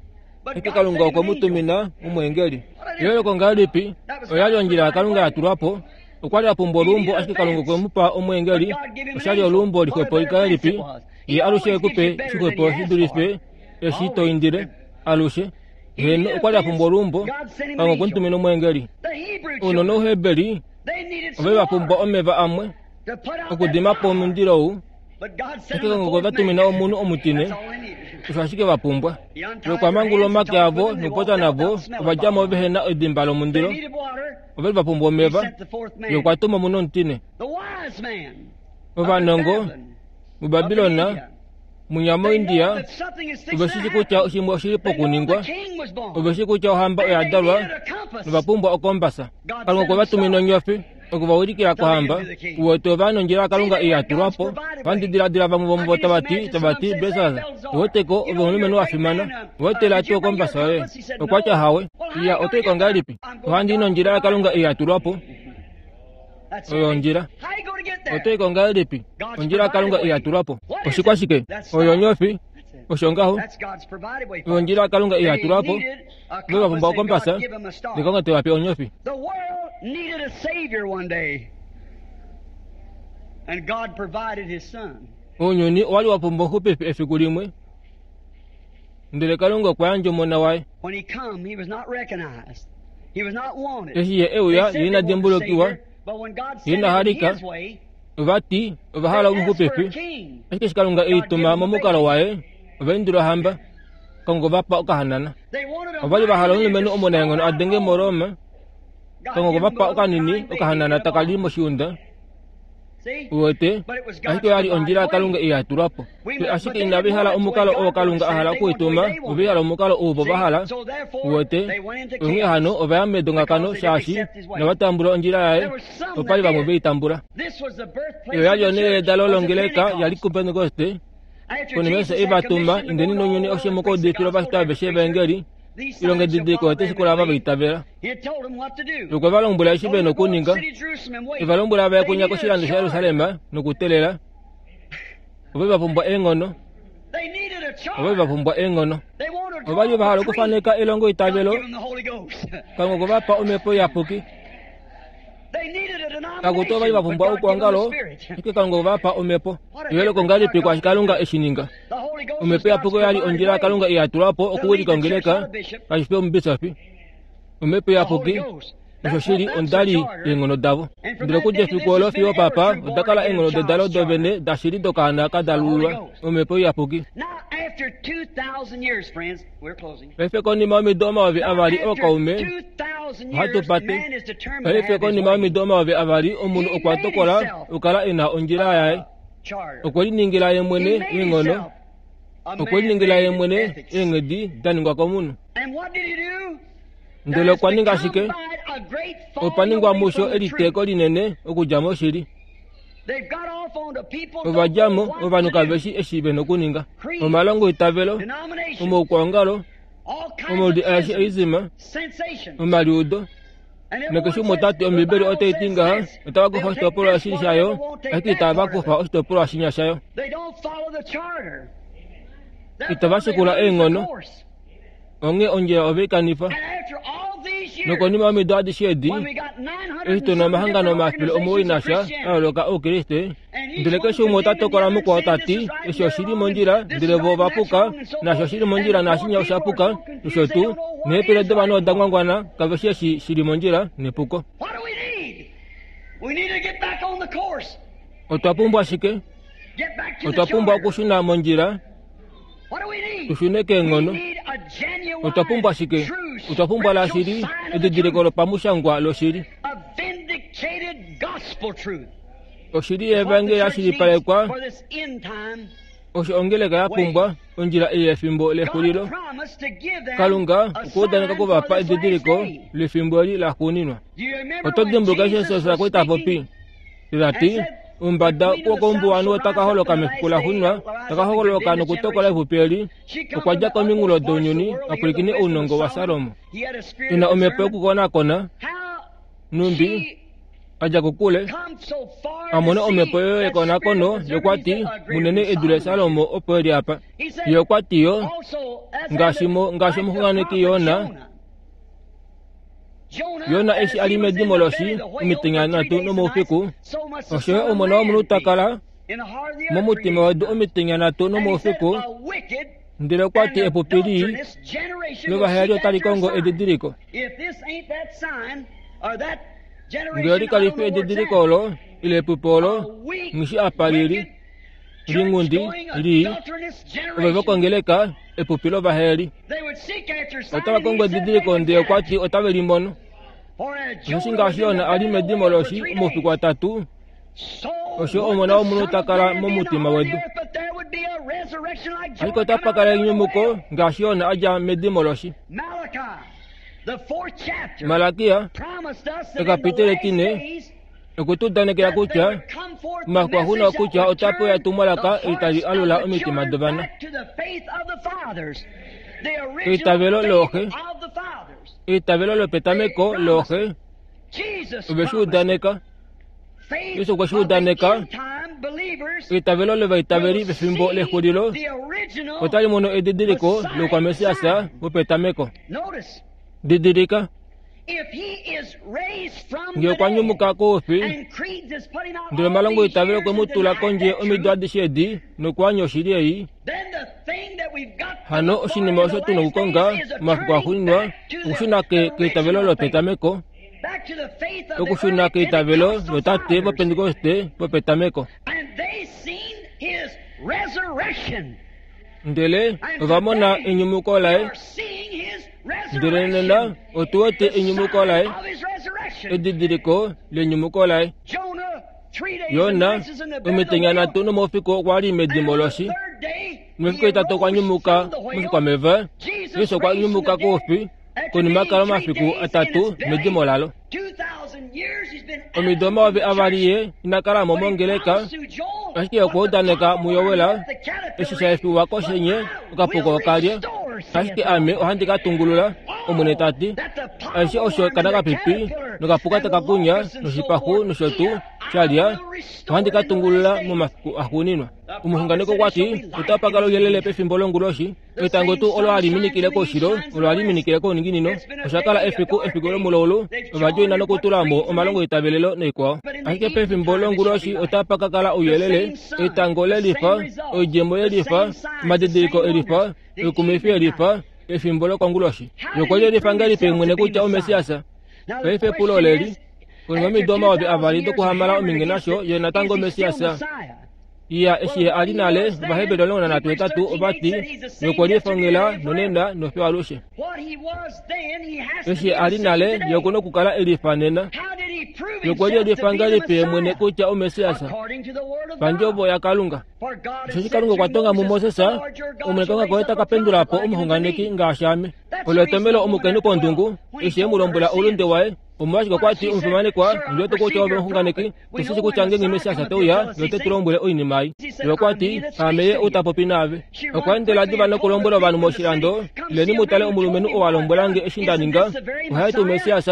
ashike Kalunga okwe mu tumina omweengeli. Eyooloko ngahelipi? Oya li ondjila yaKalunga ya tulwa po. Okwa li a pumbwa oluumbo, ashike Kalunga okwe mu pa omweengeli. Osha li oluumbo lixwepo ngahelipi? Ye alushe ekupe shixwepo shi dulife eshi to indile alushe. Heno, okwa li a pumbwa oluumbo, Kalunga okwe mu tumina omweengeli. Ounona Ouheberi ove va pumbwa omeva amwe okudima po omundilo ou, ashike Kalunga okwe va tumina omunhu omutine. Osho ashike va pumbwa. Okwa mangulula omake avo nokupopya navo, ova dja mo vehe na edimba lomundilo. Ova li va pumbwa omeva. Ye okwa tuma omunhu omutine. Ovanongo muBabilon, munya moIndia, ove shi kutya shimwe oshi li pokuningwa. Ove shi kutya ohamba oya dalwa nova pumbwa okombasa. Kalunga okwe va tumina onyofi oku va ulikila kohamba. Uwete ova nondjila yaKalunga ei ya tulwa po. Ohandi diladila vamwe vomuvo tava ti, tava ti, Besas, uweteko ove omulumenhu wa fimana, uwetela tuu okombasa yoye. Okwa tya hawe. Iya, oto i ko ngahelipi? Ohandi i nondjila yaKalunga ei ya tulwa po. Oyo ondjila. Oto i ko ngahelipi? Ondjila yaKalunga ei ya tulwa po. Oshikwashike? Oyo onyofi. Osho ngaho. Oyo ondjila yaKalunga ei ya tulwa po. Ove va pumbwa okombasa, ndele Kalunga te va pe onyofi. The world needed a savior one day, and God provided his son. Ounyuni owa li wa pumbwa omuxupifi efiku limwe, ndele Kalunga okwa yandja omona waye. When he come, he was not recognized. He was not wanted. Eshi ye e uya, They ye said ina they wanted a dimbulukiwa, savior, but when God ye sent ina him in halika, his way, ova ti ova hala they asked for a omuxupifi. king. Ashike eshi Kalunga e i God gave tuma them a momukalo baby. waye, ova indila ohamba, Kalunga ova pa okahanana. They wanted a Ova li va hala mighty leader omulumenhu to omunaenghono storm a out denge Rome. moRoma, God Kalunga gave okwe va them pa a little okanini crying baby okahanana in a taka li barn. moshiunda. See? Uwete, But it was ashike God's oya li provided ondjila way. yaKalunga ei ya tulwa po. We Fe must, but ashike they inava didn't hala want it the way omukalo oo God wanted Kalunga to a send hala it. They wanted the okuituma, way they ova wanted hala it. omukalo ou vo va See? hala. So therefore, Uwete, they went into onghee chaos hano ova ya medongakano because they didn't shaashi accept his way. inava tambula ondjila yaye, There were some opa li that vamwe did. ve i tambula. This was the Eyo birthplace ya of li the onhele church, yedalo was at longeleka yali Pentecost. kuPentekoste, After konima Jesus eshi e had va tuma, commissioned to go indeni into all nounyuni the world aushe and preach the mokuudifila gospel ovashitwa to every aveshe creature, evangeli, these signs ilonga shall edidiko follow ote them that shikula ava believe. vaitavela. He had told them what to do. Okwe va lombwela eshi Told ve them to go up to nokuninga, the city of Jerusalem and wait. eva lombwela va ye They kunya needed a koshilando charter. shaJerusalem nokutelela. Ove va pumbwa eenghono, They needed a ove va charter. pumbwa eenghono. They wanted to Ova li draw va up hala a creed. okufaneka elongo God itavelo, gave them the Holy Ghost. Kalunga okwe va pa omhepo iyapuki. They needed a Kakuti ova li denomination, va but pumbwa God gave them the oukwangalo, Spirit. ashike Kalunga okwe va pa omhepo. What a Eyooloko difference ngahelipi our kwaashi God Kalunga did. eshi ninga. The Holy Ghost was Omhepo God's iyapuki oya li provided ondjila way yaKalunga ei ya tulwa po to lead okuwilika the church, ongeleka, not a bishop. kashi fi omubisofi. Omhepo The Holy iyapuki Ghost. osho That's what shili that's the ondali charter. eenghono davo. And from Ndele that okudja day to efiku this olo has been fiyo ever papa true oda born kala again eenghono dedalo child's charter. dovene dashili dokaana ka The Holy dalululwa Ghost. omhepo iyapuki. Now, after two thousand years, friends, we're closing. Paife konima yomido omayovi Now, avali after ookaume, two thousand ohatu years, pate. man is determined to Paife have his konima way. yomido omayovi avali omunhu He okwa made tokola himself okukala e na ondjila yaye. a charter. Okwe liningila ye He mwene made eenghono, himself a okwe liningila ye man-made mwene ethics. eenghedi da ningwa komunhu. And what did he do? Ndele There has okwa ninga become shike? by it a great Opa falling ningwa away musho from the truth. eliteeko linene okudja moshili. They've got off onto people Ova don't dja know mo what ovanhu to kave do. shi eshi ve nokuninga. Creed, Omalongo itavelo, denomination, omaukwangalo, Omaudi aeshe oizima, omaliudo, nakeshe umwe ota ti Ombibeli otai ti ngaha, otava kufa oshitopolwa eshi shayo, ashike itava kufa oshitopolwa shinya shayo. Itava shikula eenghono, onghee ondjila ove i kanifa. Nokonima yomido adishe edi, eshi tu na omahangano omafele omuwoi nasha a yooloka Oukriste, ndele keshe umwe ota tokola mukwao ta ti eshi oshili mondjila, ndele vo ova puka, naasho oshili mondjila naashinya osha puka, nosho tuu, neepele dovanhu oda ngwangwana, kave shii eshi shili mondjila nepuko. Otwa pumbwa shike? Otwa pumbwa okushuna mondjila, tushune keenghono. Otwa pumbwa shike? Otwa pumbwa lashili edidiliko lopamushangwa loshili. Oshili yevangeli ya shilipalekwa, osho ongeleka ya pumbwa ondjila ei yefimbo lexulilo. Kalunga okwa udaneka okuvapa edidiliko lefimbo eli laxuuninwa. Oto dimbuluka eshi Jesus a li ta popi? Ta ti, omumbada wokoumbuwanhu ota ka holoka mefiku laxuuninwa, ta ka holoka nokutokola epupi eli. Okwa dja kominghulo dounyuni a pwilikine ounongo waSalomo. E na omhepo yokukonakona, numbi a dja kokule, a mona omhepo oyo yekonakono, ye okwa ti, munene e dule Salomo opo e li apa. Ye okwa ti yo, ngaashi omuxunganeki Jona, Jona eshi a li medimo loshi omitenya nhatu nomoufiku, osho yo Omona wOmunhu ta kala momutima wedu omitenya nhatu nomoufiku. Ndele okwa ti epupi lii lovaheyali otali kongo edidiliko. Ngele kali fi edidiliko olo, ile epupi olo, ngishi apa lili, lingundi, lii, ove vokongeleka epupi lovaheyali. Otava kongo edidiliko, ndele okwa ti otave li mono. Osheshi ngaashi Jona a li medimo loshi omaufiku atatu, osho Omona wOmunhu ta kala momutima wedu. Ashike otapa kala enyumuko ngaashi Jona a dja medimo loshi. Malakia, ekapiteli etine, okwe tu udanekela kutya omafiku axuuninwa kutya otape uya etumwalaka eli tali alula omitima dovana. Eitavelo looxe, eitavelo lopetameko looxe, ove shi udaneka. Jesus okwe shi udaneka. Eitavelo lovaitaveli pefimbo lexulilo otali mono edidiliko loukwaMessias wopetameko. Didilika, ngee okwa nyumuka koufi, ndele omalongo eitavelo okwe mu tula kondje omido adishe edi nokwaanya oshili ei, hano oshinima osho tu na okukonga momafiku axuuninwa okushuna keitavelo lopetameko, okushuna keitavelo lotate vopentekoste vopetameko. Ndele ova mona enyumuko laye. Ndele nena otu wete enyumuko laye, edidiliko lenyumuko laye. Jona omitenya nhatu nomoufiku okwa li medimo loshi, nomefiku etatu okwa nyumuka moshikwameva. Jesus okwa nyumuka koufi konima kala omafiku atatu medimo lalo. Omido omayovi avali ye ina kala mo mongeleka, ashike okwa udaneka muYowela eshi sha efiwa koshenye okapuka okalya, ashike ame ohandi ka tungulula, Omwene ta ti. Aishe osho kana kapipi nokapuka taka kunya noshipaxu nosho tuu shalya, ohandi ka tungulula momafiku axuuninwa. Omuxunganeko okwa ti otapa kala ouyelele pefimbo longuloshi. Etango tuu olo hali minikile koushilo, olo hali minikile kouninginino. Osha kala efiku efiku lomulaulu, ova djoina nokutula mo omalongo eitavelelo noikwao. Ashike pefimbo longuloshi otapa ka kala ouyelele, etango lelifa, oidjemo yelifa, omadidiliko elifa, oikumwifi yelifa, efimbo lokonguloshi. Ye okwa li elifa ngahelipi mwene kutya oMessias? Paife epulo oleli, konima yomido omayovi avali dokuhamala ominge nasho, ye natango Messias? Iya, eshi ye a li nale, Ovaheberi omulongo nanhatu hetatu ova ti, ye okwe lifongela nonena nofiyo alushe. Eshi ye a li nale, ye oku na okukala e lifa nena. Ye okwe li elifa ngahelipi ye mwene kutya oMessias? Pandjovo yaKalunga. Osheshi Kalunga okwa tonga muMoses, Omwene Kalunga koye ta ka pendula po omuxunganeki ngaashi ame. Olo etomhelo omukainhu kondungu eshi e mu lombwela oulunde waye, omolwashike okwa ti omufimanekwa, ndi wete kutya ove omuxunganeki, osheshi kutya ngeenge Messias te uya, ye ote tu lombwele oinima ei. Ye okwa ti, aame ye ou ta popi naave. Okwa endela diva nokulombwela ovanhu moshilando, ileni mu tale omulumenhu oo a lombwela nge eshi nda ninga, ohaye tuu Messias.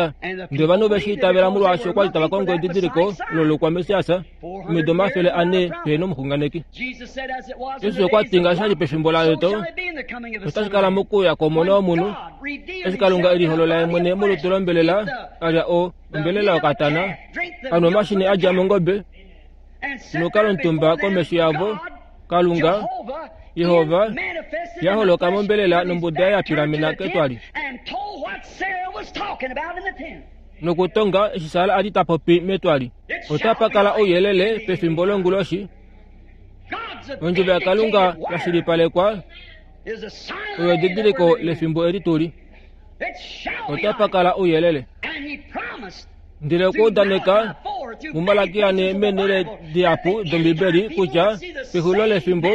Ndele ovanhu ove shi itavela molwaashi okwa li tava kongo edidiliko olo lokwa-Messias, omido omafele ane pehena omuxunganeki. Jesus okwa ti ngaashi sha li pefimbo laLot, otashi kala mokuuya kwOmona wOmunhu, eshi Kalunga e liholola ye mwene molutu lombelela, a lya o ombelela yokatana, a nwa omashini a dja mongobe, nokukala omutumba komesho yavo, Kalunga, Jehova, ya holoka mombelela nombuda ya pilamena ketwali. Nokutonga eshi Sara a li ta popi metwali. Otapa kala ouyelele pefimbo longuloshi. Ondjovo yaKalunga ya shilipalekwa oyo edidiliko lefimbo eli tuli. Otapa kala ouyelele. Ndele okwa udaneka muMalakia ane meenhele dihapu dOmbibeli kutya pexulilo lefimbo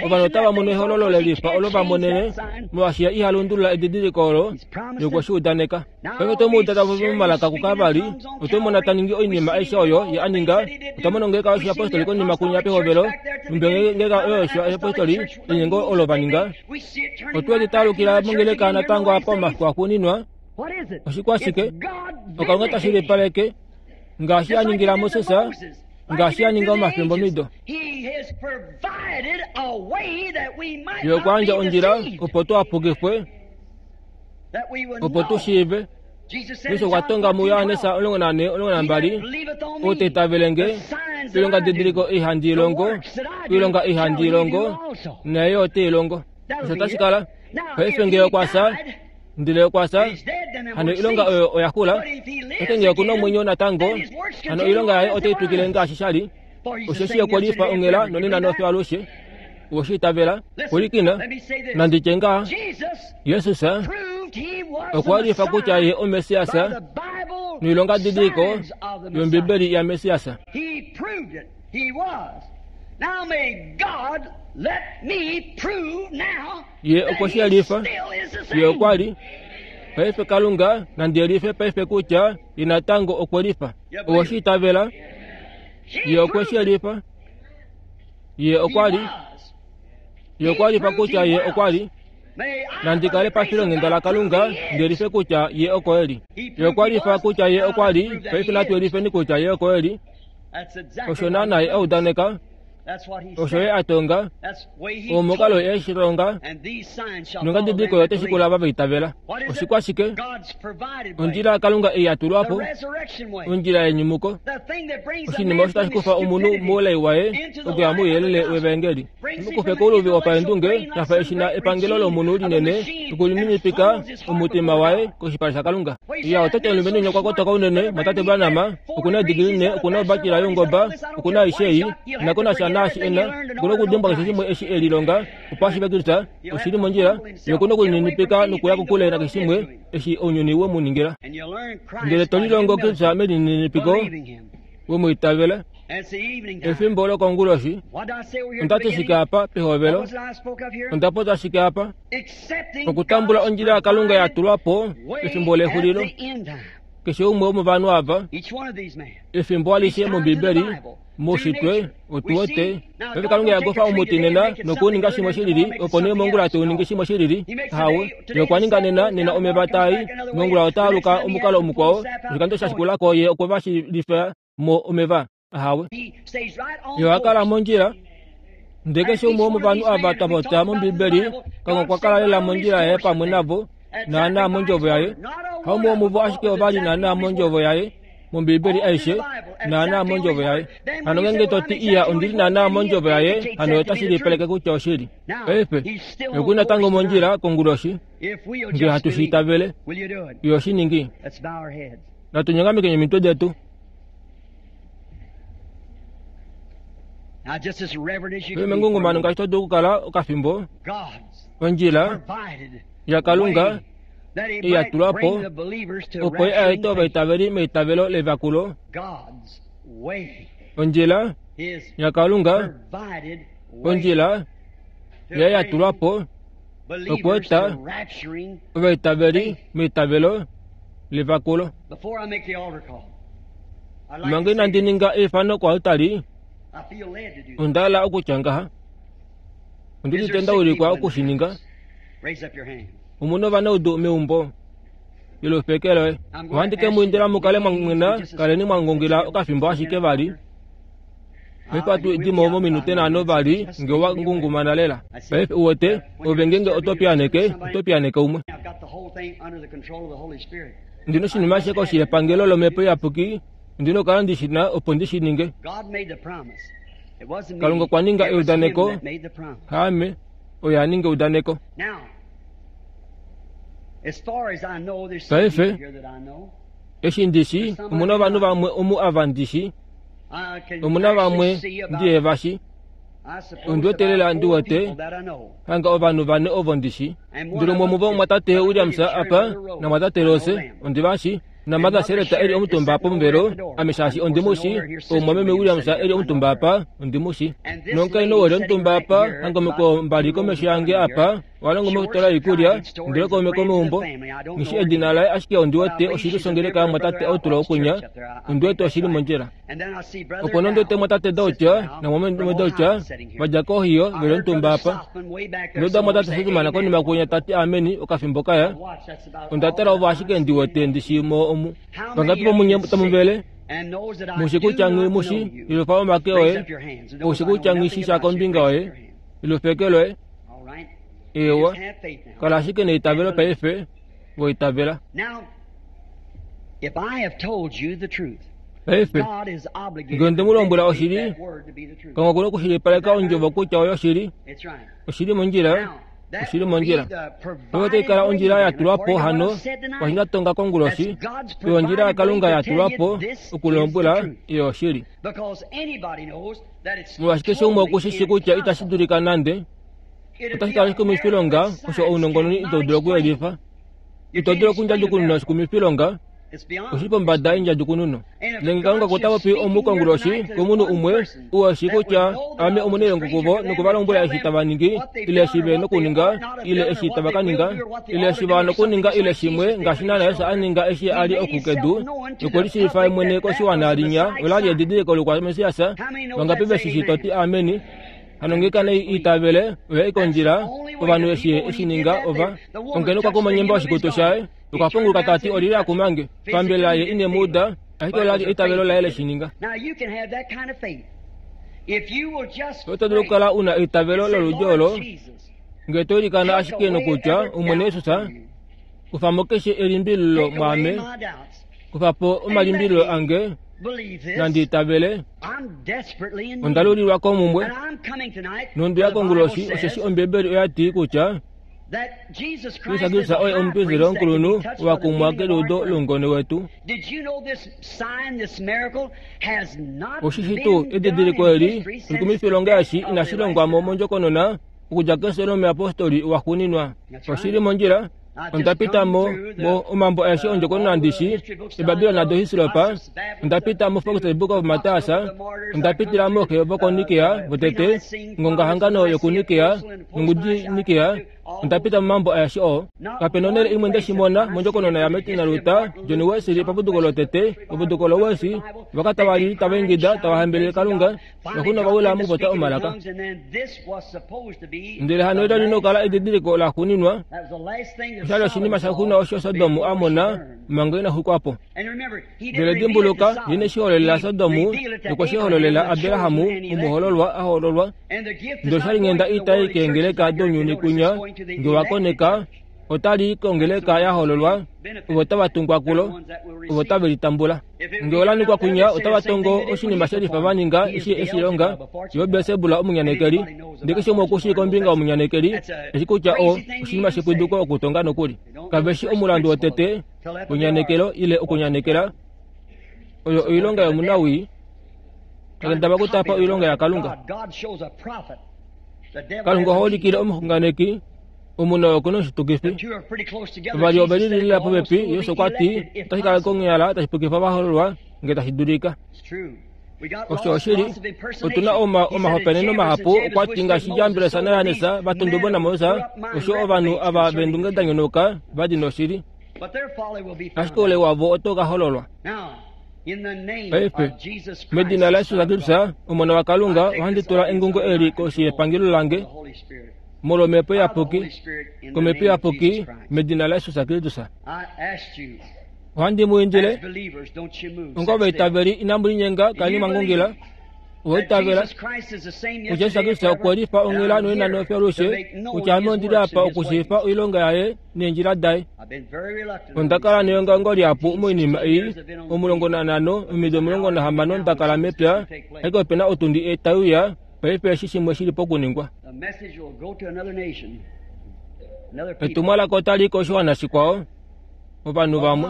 ovanhu otava mono ehololo lelifa olo va monene, molwaashi ye iha lundulula edidiliko olo ye okwe shi udaneka. Paife oto mu uda ta popi momalaka kukavali, oto mona ta ningi oinima aishe oyo ye a ninga, otwa mona ongeleka yoshiyapostoli konima kunya pehovelo, numbe ongeleka oyo yoshiyapostoli linyengo olo va ninga. Otwe litaalukila mongeleka natango apa omafiku axuuninwa. Oshikwashike? Okalunga ta shilipaleke ngaashi a ningila Moses, ngaashi a ninga omafimbo mido. Ye okwa yandja ondjila opo tu apukifwe, opo tu shiive. Jesus okwa tonga muJohannes omulongo nane omulongo nambali, ou ta itavele nge, oilonga didiliko ei handi i longo, oilonga ei handi i longo, naye yo ote i longo. Osho otashi kala. Paife ngee okwa fya, ndele okwa fya, hano oilonga oyo oya xula. Ashike ngee okuna omwenyo natango, hano oilonga yaye otai twikile ngaashi sha li. Osheshi okwe lifa onghela nonena nofiyo alushe. Owe shi itavela? Pwilikina, nandi tye ngaha, Jesus okwa lifa kutya ye oMessias noilonga didiliko yOmbibeli yaMessias. Ye okwe shi yelifa, ye okwa li. Paife Kalunga nandi yelife paife kutya ye natango okwe lifa. Owe shi itavela? Ye okwe shi yelifa. Ye okwa li. Ye okwa lifa kutya ye okwa li. Nandi kale pafilonghenda laKalunga ndi yelife kutya ye oko e li. Ye okwa lifa kutya ye okwa li. Paife natu yelifeni kutya ye oko e li. Osho naana ye a udaneka, osho ye a tonga, omukalo ye shi longa, nongadidiliko yo otashi kula ava va itavela. Oshikwashike? Ondjila yaKalunga ei ya tulwa po, ondjila yenyumuko, oshinima osho tashi kufa omunhu moulai waye okuya mouyelele wevaengeli. Mukufe kouluvi wopaendunge sha fa eshi na epangelo lomunhu linene okulininipika omutima waye koshipala shaKalunga. Iya, otati omulumenhu winya okwa kotoka unene, mwatate Branham, okuna edigili ne, okuna obakila youngoba, okuna aishe ei, nako nasha naashi ena, okuna okudimbwa keshe shimwe eshi e lilonga, opo a shiive Kristus, oshili mondjila, ye okuna okulininipika nokuya kokule nakeshe shimwe eshi ounyuni we mu ningila. Ndele to lilongo Kristus melininipiko, we mu itavela. Efimbo lokonguloshi, onda ti shike apa pehovelo? Onda popya shike apa? Okutambula ondjila yaKalunga ya tulwa po pefimbo lexulilo. Keshe umwe womovanhu ava, efimbo alishe mOmbibeli, moushitwe, otu wete paife Kalunga yakufa omuti nena nokuuninga shimwe shilili, opo nee mongula te uningi shimwe shilili. Hawe, ye okwa ninga nena, nena omeva taai, mongula otaa aluka omukalo omukwao, oshikando sha shikulako ye okwe va shilifa mo omeva. Ahawe, ye oha kala mondjila. Ndele keshe umwe womovanhu ava twa popya mOmbibeli, Kalunga okwa kala lela mondjila yaye pamwe navo, naanaa mondjovo yaye. Haumwe womuvo ashike ova li naanaa mondjovo yaye, mOmbibeli aishe, naanaa mondjovo yaye. Hano ngeenge to ti iya ondi li naanaa mondjovo yaye, hano otashi lipaleke kutya oshili. Paife, oku natango mondjila konguloshi, ngee hatu shi itavele, iyo shi ningi. Natu nyongamekeni omitwe detu. Mengungumano ngaashi to dulu okukala okafimbo, ondjila yaKalunga ei ya tulwa po opo ye a ete ovaitaveli meitavelo levakulo. Ondjila yaKalunga Ondjila ya yatulwapo okweeta ovaitaveli meitavelo levakulo. Manga inandi ninga eifano koaltari, onda hala okutya ngaha. Ondi udite nda ulikwa okushininga. Omuna ovanaudu meumbo ilufeke loye. Ohandi ke mu indila mu kale mwa mwena, kaleni mwa ngungila okafimbo ashike vali. Paife ohatu dimo mominute nhano vali nge wa ngungumana lela. Paife uwete ove ngenge oto piyaneke, oto piyaneke umwe. Ndina oshinima ashishe koshi yepangelo lomhepo iyapuki, ondina okukala ndi shi na opo ndi shi ninge. Kalunga okwa ninga eudaneko, haame oye a ninga eudaneko. Paife eshi ndi shi, omuna ovanhu vamwe omu ava ndi shi, omuna vamwe ndihe va shi. Ondi wete lela ndi wete hanga ovanhu vane ovo ndi shi. Ndili umwe womuvo mwatate Williams apa namwatate Rose, ondi va shi. Namartha Sereta eli omutumba pomuvelo, ame shaashi ondi mu shi. Omumwameme Williams eli omutumba apa, ondi mu shi. Nomukainhu ou eli omutumba apa, hanga omikweyo mbali komesho yange apa, oha longo mofitola yoikulya, ndele kaume komeumbo. Nghi edina laye ashike ondi wete oshili shongeleka yamwatate Outlaw okunya, ondi wete oshili mondjila. Opo nee ondi wete mwatate Dauch namwameme Dauch vadja koHohio veli omutumba apa. Onda uda mwatate Sothmann konima kwinya tati ameni okafimbo kaya. Onda tala ovo ashike ndi wete ndi shi mo omu. Vangapi vomunye tamu vele? Mushi kutya nghi mushi ilufa omake oye. Oushi kutya nghi shi sha kombinga oye ilufeke loye. Ewa, kala ashike neitavelo paife, voitavela. Paife, ngee onde mu lombwela oshili, Kalunga okuna okushilipaleka ondjovo kutya oyo oshili. Oshili mondjila, oshili mondjila. Oyo otai kala ondjila ya tulwa po hano kwashi nda tonga konguloshi, oyo ondjila yaKalunga ya tulwa po okulombwela oyo oshili. Molwaashi keshe umwe oku shi shii kutya itashi dulika nande, otashi kala oshikumwifilonga osho ounongononi itau dulu okuyelifa. Ito dulu okundjadjukununa oshikumwifilonga, oshili pombada yendjadjukununo. Ndele ngee Kalunga ota popi omu konguloshi komunhu umwe oo e shii kutya ame omunailongo kuvo nokuvalombwela eshi tava ningi, ile eshi ve nokuninga, ile eshi tava ka ninga, ile eshi va nokuninga ile shimwe ngaashi naana Jesus a ninga eshi a li oku kedu, nokwe lishiivifa ye mwene koshiwana linya ola li edidiliko loukwa-Messias. Vangapi ve shi shii to ti ameni? Hano ngee kane itavele oya i kondjila, ovanhu eshi ye eshi ninga ova ongeno okwa kuma onyemba yoshikutu shaye, okwa punguluka tati olili akumange. Pambele ye ine mu uda, ashike ola li eitavelo laye leshi ninga. Oto dulu okukala una eitavelo loludi olo ngee to ilikana ashike nokutya Omwene Jesus, kufa mo keshe elimbililo mwaame, kufa po omalimbililo ange, nandi itavele. Onda lulilwa komumbwe nonduya konguloshi osheshi Ombibeli oya ti kutya Jesus Kristus oye omupristeli omukulunhu wa kumwa keludo loungone wetu. Oshishi tuu edidiliko eli olikumifilonga eshi inashi longwa mo mondjokonona okudja kefyo lomuyapostoli waxuuninwa. Oshili mondjila. Onda pita mo mo omambo aeshe ondjokonona ndi shi eBabilon nadoHislop, onda pita mo Fox's Book of Martyrs, onda pitila mooxe vokoNikea votete, ngongahangano yokuNikea nongudi Nikea, onda pita momambo aeshe oo. Kape nonhele imwe nde shi mona mondjokonona yaMartin Luther, John Wesley paputuko lotete, paputuko loWesley, voka tava li tava ingida tava hambelele Kalunga, noxu nova wila mokupopya omalaka. Ndele hano olo lina okukala edidiliko laxuuninwa, osha li oshinima shaxuuninwa osho Sodom a mona manga ina xwikwa po. Ndele dimbuluka, ye ine shi hololela Sodom, nokwe shi hololela Abraham, omuhoololwa a hoololwa. Ndele osha li nghenda itai keengeleka dounyuni kwinya, nge wa koneka, otali kongeleka ya hoololwa, ovo tava tungwa kulo, ovo tave litambula. Nge ola ningwa kwinya, otava tongo oshinima shelifa va ninga eshi eshi longa, yo Belsebul omunyanekeli. Ndele keshe umwe oku shii kombinga yomunyanekeli, eshi kutya o oshinima shepwiduko okutonga nokuli. Kave shi omulandu wotete wenyanekelo ile okunyanekela, oyo oilonga yomunawii, takendaba okutapa oilonga yaKalunga. Kalunga oha ulikile omuxunganeki omunhu oo okuna oshitukifi. Vavali ove lilila popepi, Jesus okwa ti otashi kala konyala tashi pukifa ovahoololwa ngee tashi dulika. Osho oshili otuna oma omahopeneno mahapu okwa ti ngaashi Jambres naJannes vatundubo naMoses osho ovanhu ava vendunge da nyonoka vadi noshili. Ashike oule wavo oto ka hololwa. Paife, medina laJesus Kristus, Omona waKalunga, ohandi tula engungo eli koshi yepangelo lange molwomhepo iyapuki, komhepo iyapuki, medina laJesus Kristus. Ohandi mu indile, onga ovaitaveli inamu linyenga kaleni mwa ngungila. Owaitavela kutya Jesus Kristus okwe lifa onghela nonena nofyalushe, kutya ame ondili apa okushiifa oilonga yaye neendjila daye. Onda kala neongaongo lihapu moinima ei omulongo nanhano omido omulongo nahamano nda kala mepya, ashike opena otundi tai uya paife eshi shimwe shili pokuningwa. Etumwalaka otali i koshiwana shikwao, ovanhu vamwe.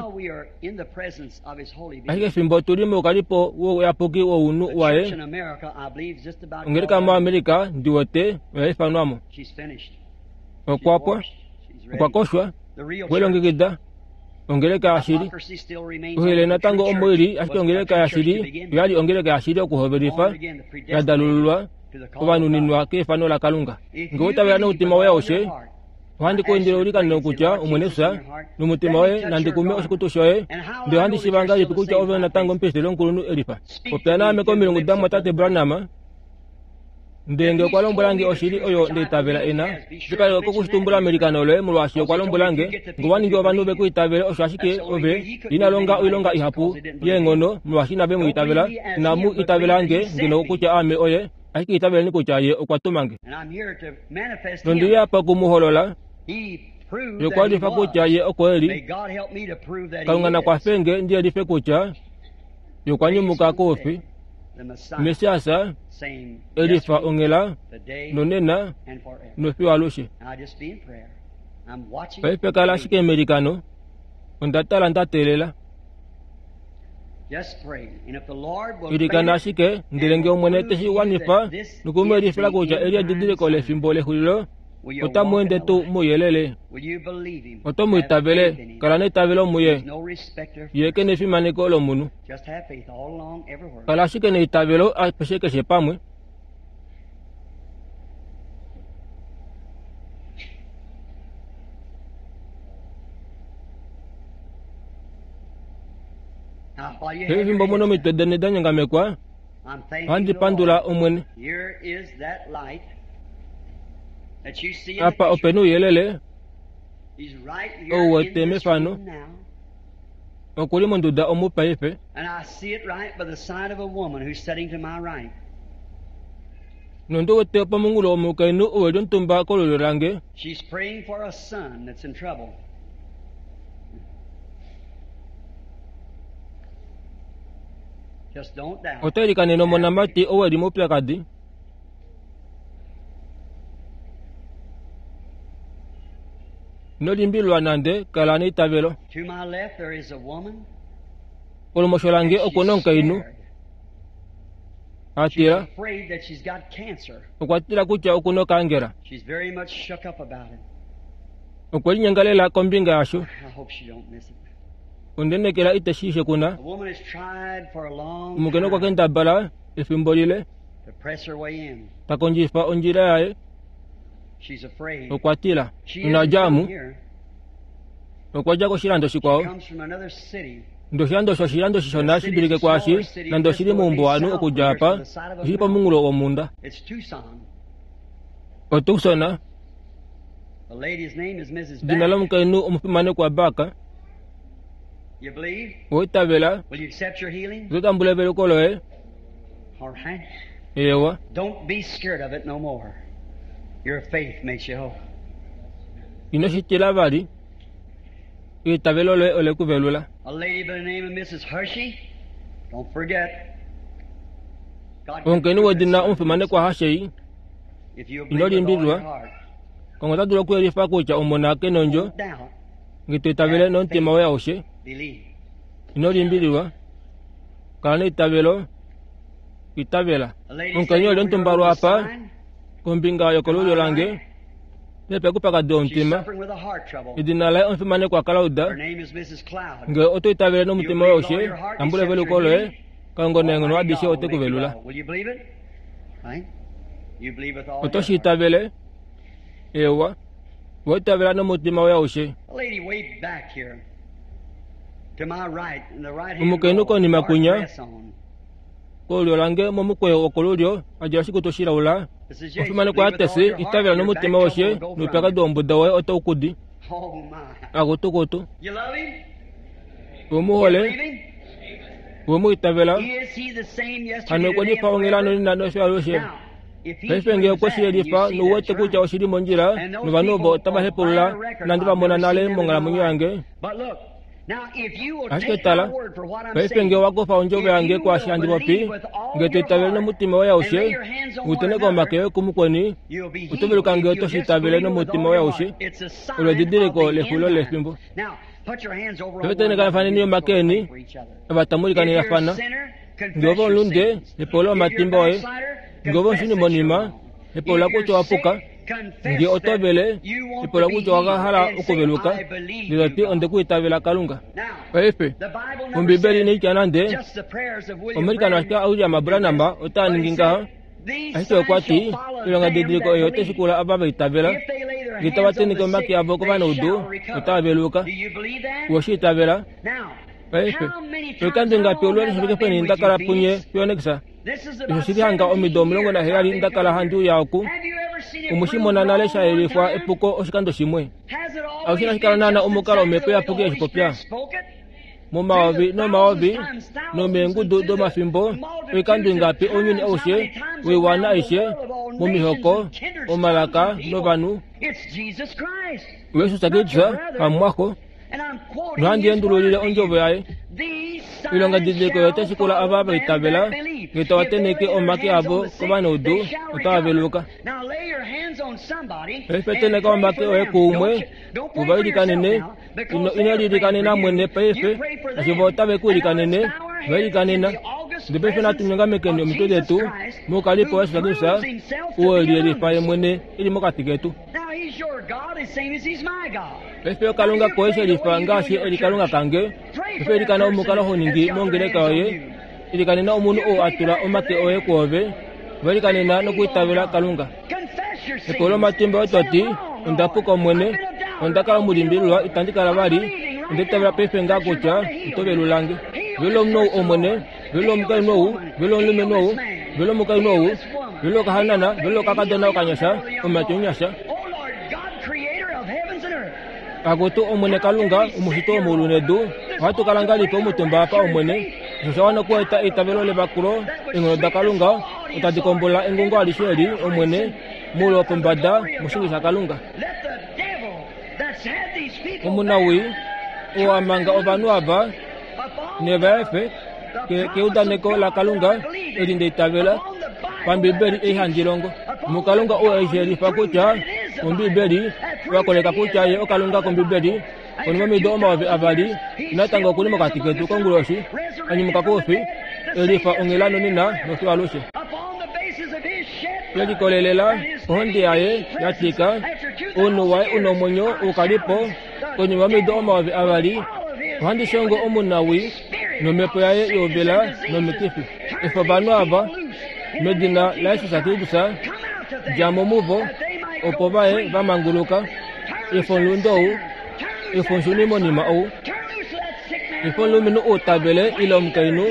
Ashike fimbo tuli moukalipo wouyapuki wounhu waye, ongeleka moAmerica ndi wete oya ifanwamo. Okwa pwa, okwa koshwa, okwe lilongekida ongeleka yashili. Ohele natango omo ili, ashike ongeleka yashili oyali ongeleka yashili okuhovelifa, ya dalululwa, ovanuninwa keifano laKalunga. Ngee oitavela nomutima woye aushe, ohandi ku indile ulikanene kutya Omwene Jesus nomutima woye nandi kume oshikutu shoye, ndele ohandi shiiva ngahelipi kutya ove natango omupristeli omukulunhu elifa. Popya naame komilungu damumwatate Branham, ndele ngee okwa lombwelange oshili oyo ndaitavela ena, shikaleka kokushitumbula melikano loye molwaashi okwa lombwelange ngee owa ningi ovanhu ve ku itavele osho ashike ove ina longa oilonga ihapu yeenghono molwaashi inave mu itavela. Inamu itavelange ngeno kutya aame oye, ashike itaveleni kutya ye okwa tuma nge. Nondili apa oku mu holola. Ye okwa lifa kutya ye oko eli. Kalunga nakwafe nge ndi yelife kutya ye okwa nyumuka koufi. Messias elifa onghela nonena nofiyo alushe. Paife kala ashike melikano, onda tala nda teelela. Ilikana ashike ndele ngee Omwene te shi wanifa noku mu yelifila kutya eli edidiliko lefimbo lexulilo, otamu ende tuu mouyelele. Oto mu itavele, kala neitavelo muye. Ye ke nefimaneko lomunhu. Kala ashike neitavelo apeshe keshe pamwe. Pefimbo muno omitwe deni da nyongamekwa, ohandi pandula Omwene. Apa opena ouyelele ou wete mefano, okuli monduda omu paife. Nondi wete pomunghulo womukainhu ou eli omutumba kolulyo lange. Ota ilikanene omonamati ou eli moupyakadi. Ino limbililwa nande, kala neitavelo. Kolumosho lange oku na omukainhu a tila. Okwa tila kutya oku na okaangela. Okwe linyenga lela kombinga yasho. Ondenekela ite shi shekuna. Omukainhu okwa kendabala efimbo lile ta kondjifa ondjila yaye. Okwa tila. Ina dja mu. Okwa dja koshilando shikwao. Ndele oshilando osho oshilando shishona shi dulike kwaashi, nande oshili moumbuwanhu okudja apa, oshili pomunghulo womhunda. OTucson. Edina lomukainhu omufimanekwa Barker. Owaitavela, oto tambula eveluko loye. Eewa. Ino shi tila vali, eitavelo loye ole ku velula. Omukainhu wedina omufimanekwa Hashei, ino limbililwa, Kalunga ota dulu okuyelifa kutya omona ke nondjo, ngee to itavele nomutima woye aushe. Ino limbililwa, kala neitavelo, itavela. Omukainhu eli omutumba lwaapa kombinga yokolulyo lange, nepekupakadi womutima. Edina laye omufimanekwa Cloud. Ngee oto itavele nomutima woye aushe, tambula eveluko loye. Kalunga neenghono adishe ote ku velula. Oto shi itavele? Ewa, wa itavela nomutima woye aushe. Omukainhu konima kunya kolulyo lange momukweyo wokolulyo a djala oshikutu shilaula. Omufimanekwa yatesi, itavela nomutima woshe noupyakadi wombuda woye otau kudi. Akutukutu. We mu hole, we mu itavela, hano okwe lifa onghela nonena nosho alushe. Paife ngee okwe shi yelifa nouwete kutya oshili mondjila, novanhu ovo otava hepulula nande va mona nale monghalamwenyo yange. Ashike tala, paife ngee owa kufa ondjovo yange kwaashi handi popi, ngee to itavele nomutima woye aushe, uteneka omake oye kumukweni, oto veluka ngee oto shi itavele nomutima woye aushe. Olo edidiliko lexulilo lefimbo. Paife tenekanafaneni omake eni, ava tamu likanenafana. Ngee ove omulunde, hepulula omatimba oye. Ngee ove omushuni monima, hepulula kutya owa puka. Ngee oto vele, hepulula kutya owa hala okuveluka, ndele to ti onde ku itavela Kalunga. Paife, Ombibeli inai tya nande omailikano ashike aWilliam Branham otaa ningi ngaha, ashike okwa ti oilongadidiliko ei otai shikula ava va itavela. Ngee tava tenheke omake avo kovanaudu, otava veluka. Owe shi itavela? Paife, oikando ingapi olule lishifike peni nda kala punye Phoenix? Osho shili hanga omido omulongo naheyali nda kala handi uya oku. Omwe shi mona nale sha yelifwa epuko oshikando shimwe. Aushe inashi kala naana omukalo omhepo iyapuki eshi popya. Momayovi nomayovi nomeengudu domafimbo, oikando ingapi ounyuni aushe, woiwana aishe, momihoko, omalaka novanhu. Jesus Kristus hamwaxo, nohandi endululile ondjovo yaye. Oilongadidiliko oyo otai shikula ava va itavela, ngee tava tenheke omake avo kovanaudu, otava veluka. Paife tenheka omake oye kuumwe, uva ilikanene. Ino ino lilikanena mwene paife, ashike vo otave ku ilikanene, va ilikanena. Ndele paife natu nyongamekeni omitwe detu moukalipo waJesus Kristus, oo e liyelifa ye mwene e li mokati ketu. Paife okalunga koye shelifa ngaashi e li Kalunga kange. Paife ilikana omukalo ho ningi mongeleka yoye. Ilikanena omunhu oo a tula omake oye kwoove. Va ilikanena nokwiitavela Kalunga. Hepulula omatimba oye to ti, onda puka Omwene, onda kala omulimbililwa, itandi kala vali, onda itavela paife ngaa kutya oto velulange. Velula omunhu ou Omwene, velula omukainhu ou, velula omulumenhu ou, velula omukainhu ou, velula okahanana, velula okakadona okanyasha, omumati omunyasha. Akutu Omwene Kalunga, omushiti womeulu nedu, ohatu kala ngahelipi omutumba apa Omwene? Osho osha wana okueta eitavelo levakulo, eenghono daKalunga otadi kombola engungo alishe eli, Omwene, moule wopombada, moshinge shaKalunga. Omunawii, oo a manga ovanhu ava neva efe keudaneko laKalunga eli nda itavela pambibeli ei handi longo. MuKalunga oo e shi yelifa kutya Ombibeli oya koleka kutya ye oKalunga kOmbibeli, konima yomido omayovi avali, natango okuli mokati ketu konguloshi, a nyumuka koufi, e lifa onghela nonena nofiyo alushe. Ye likolelela kohonde yaye ya tika, ounhu waye u nomwenyo ukalipo konima yomido omayovi avali, ohandi shongo omunawii nomhepo yaye youvela nomikifi. Efa ovanhu ava, medina laJesus Kristus, dja mo muvo, opo vaye va manguluka. Efa omulunde ou, efa omushuni monima ou, efa omulumenhu ou ta vele ile omukainhu,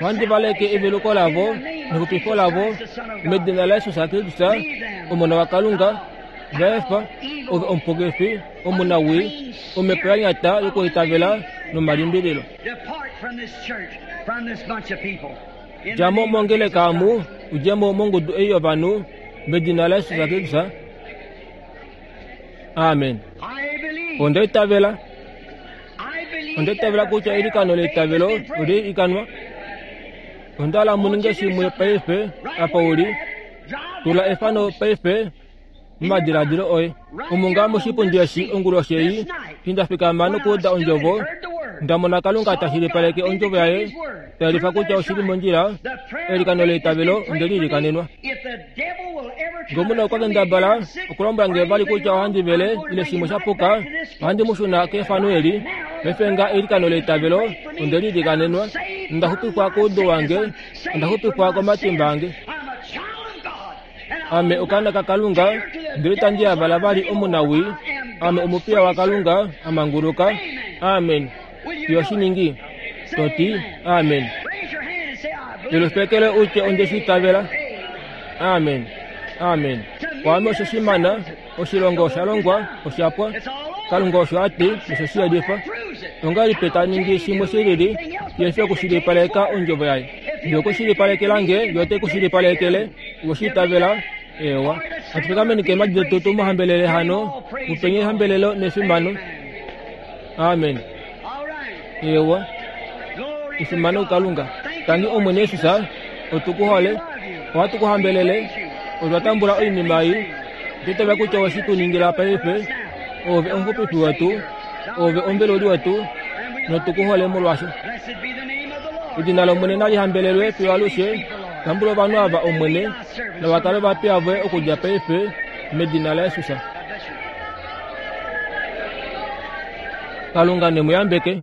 ohandi valeke eveluko lavo nexupifo lavo medina laJesus Kristus, Omona waKalunga. Va efa, ove omupukifi, omunawii, omhepo ya nyata yokuitavela nomalimbililo. Dja mo mongeleka omu, u dje mo mongudu ei yovanhu, medina laJesus Kristus. Amen. Onda itavela. Onda itavela kutya eilikano leitavelo oli ilikanwa. Onda hala mu ninge shimwe paife apa uli. Tula efano paife momadiladilo oye. Omu ngaa moshipundi eshi onguloshi ei, eshi nda fikama nokuuda ondjovo, Ndamona Kalunga ta shilipaleke ondjovo yaye tayelifa kutya oshili mondjila. Eilikano leitavelo onde li ilikanenwa. Ngee okwa kendabala okulombwela nge vali kutya ohandi vele ile shimwe sha puka, ohandi mu shuna kefano eli. Paife nga eilikano leitavelo onde li ilikanenwa, nonda xupifwa koudu wange, onda xupifwa komatimba ange. Ame okaana kaKalunga, ndele itandi yavala vali omunawii. Ame omupiya waKalunga a manguluka. Amen. Fiyo shiningi. Toti amen. Lelufekele utye onde shi itavela. Amen. Amen. Kwaame osho shimana, oshilonga osha longwa, osha pwa. Kalunga osho a ti, nosho shi yelifa. Ongahelipi ta ningi shimwe shilili, shihe fi okushilipaleka ondjovo yaye? Ngee okwe shilipalekela nge, ye ote ku shilipalekele. Owe shi itavela? Eewa. Natu fikameni keemhadi detu tu mu hambelele hano, mu peni ehambelelo nefimano. Amen. Eewa. Efimano kuKalunga. Tangi Omwene Jesus, otu ku hole, ohatu ku hambelele, otwa tambula oinima ei. Otwa itavela kutya owe shi tu ningila paife. Oove omuxupifi wetu, oove omuveluli wetu, notu ku hole molwasho. Edina lOmwene nali hambelelwe fiyo alushe. Tambula ovanhu ava Omwene, nava kale ovapiya voye okudja paife, medina laJesus. Kalunga ne mu yambeke.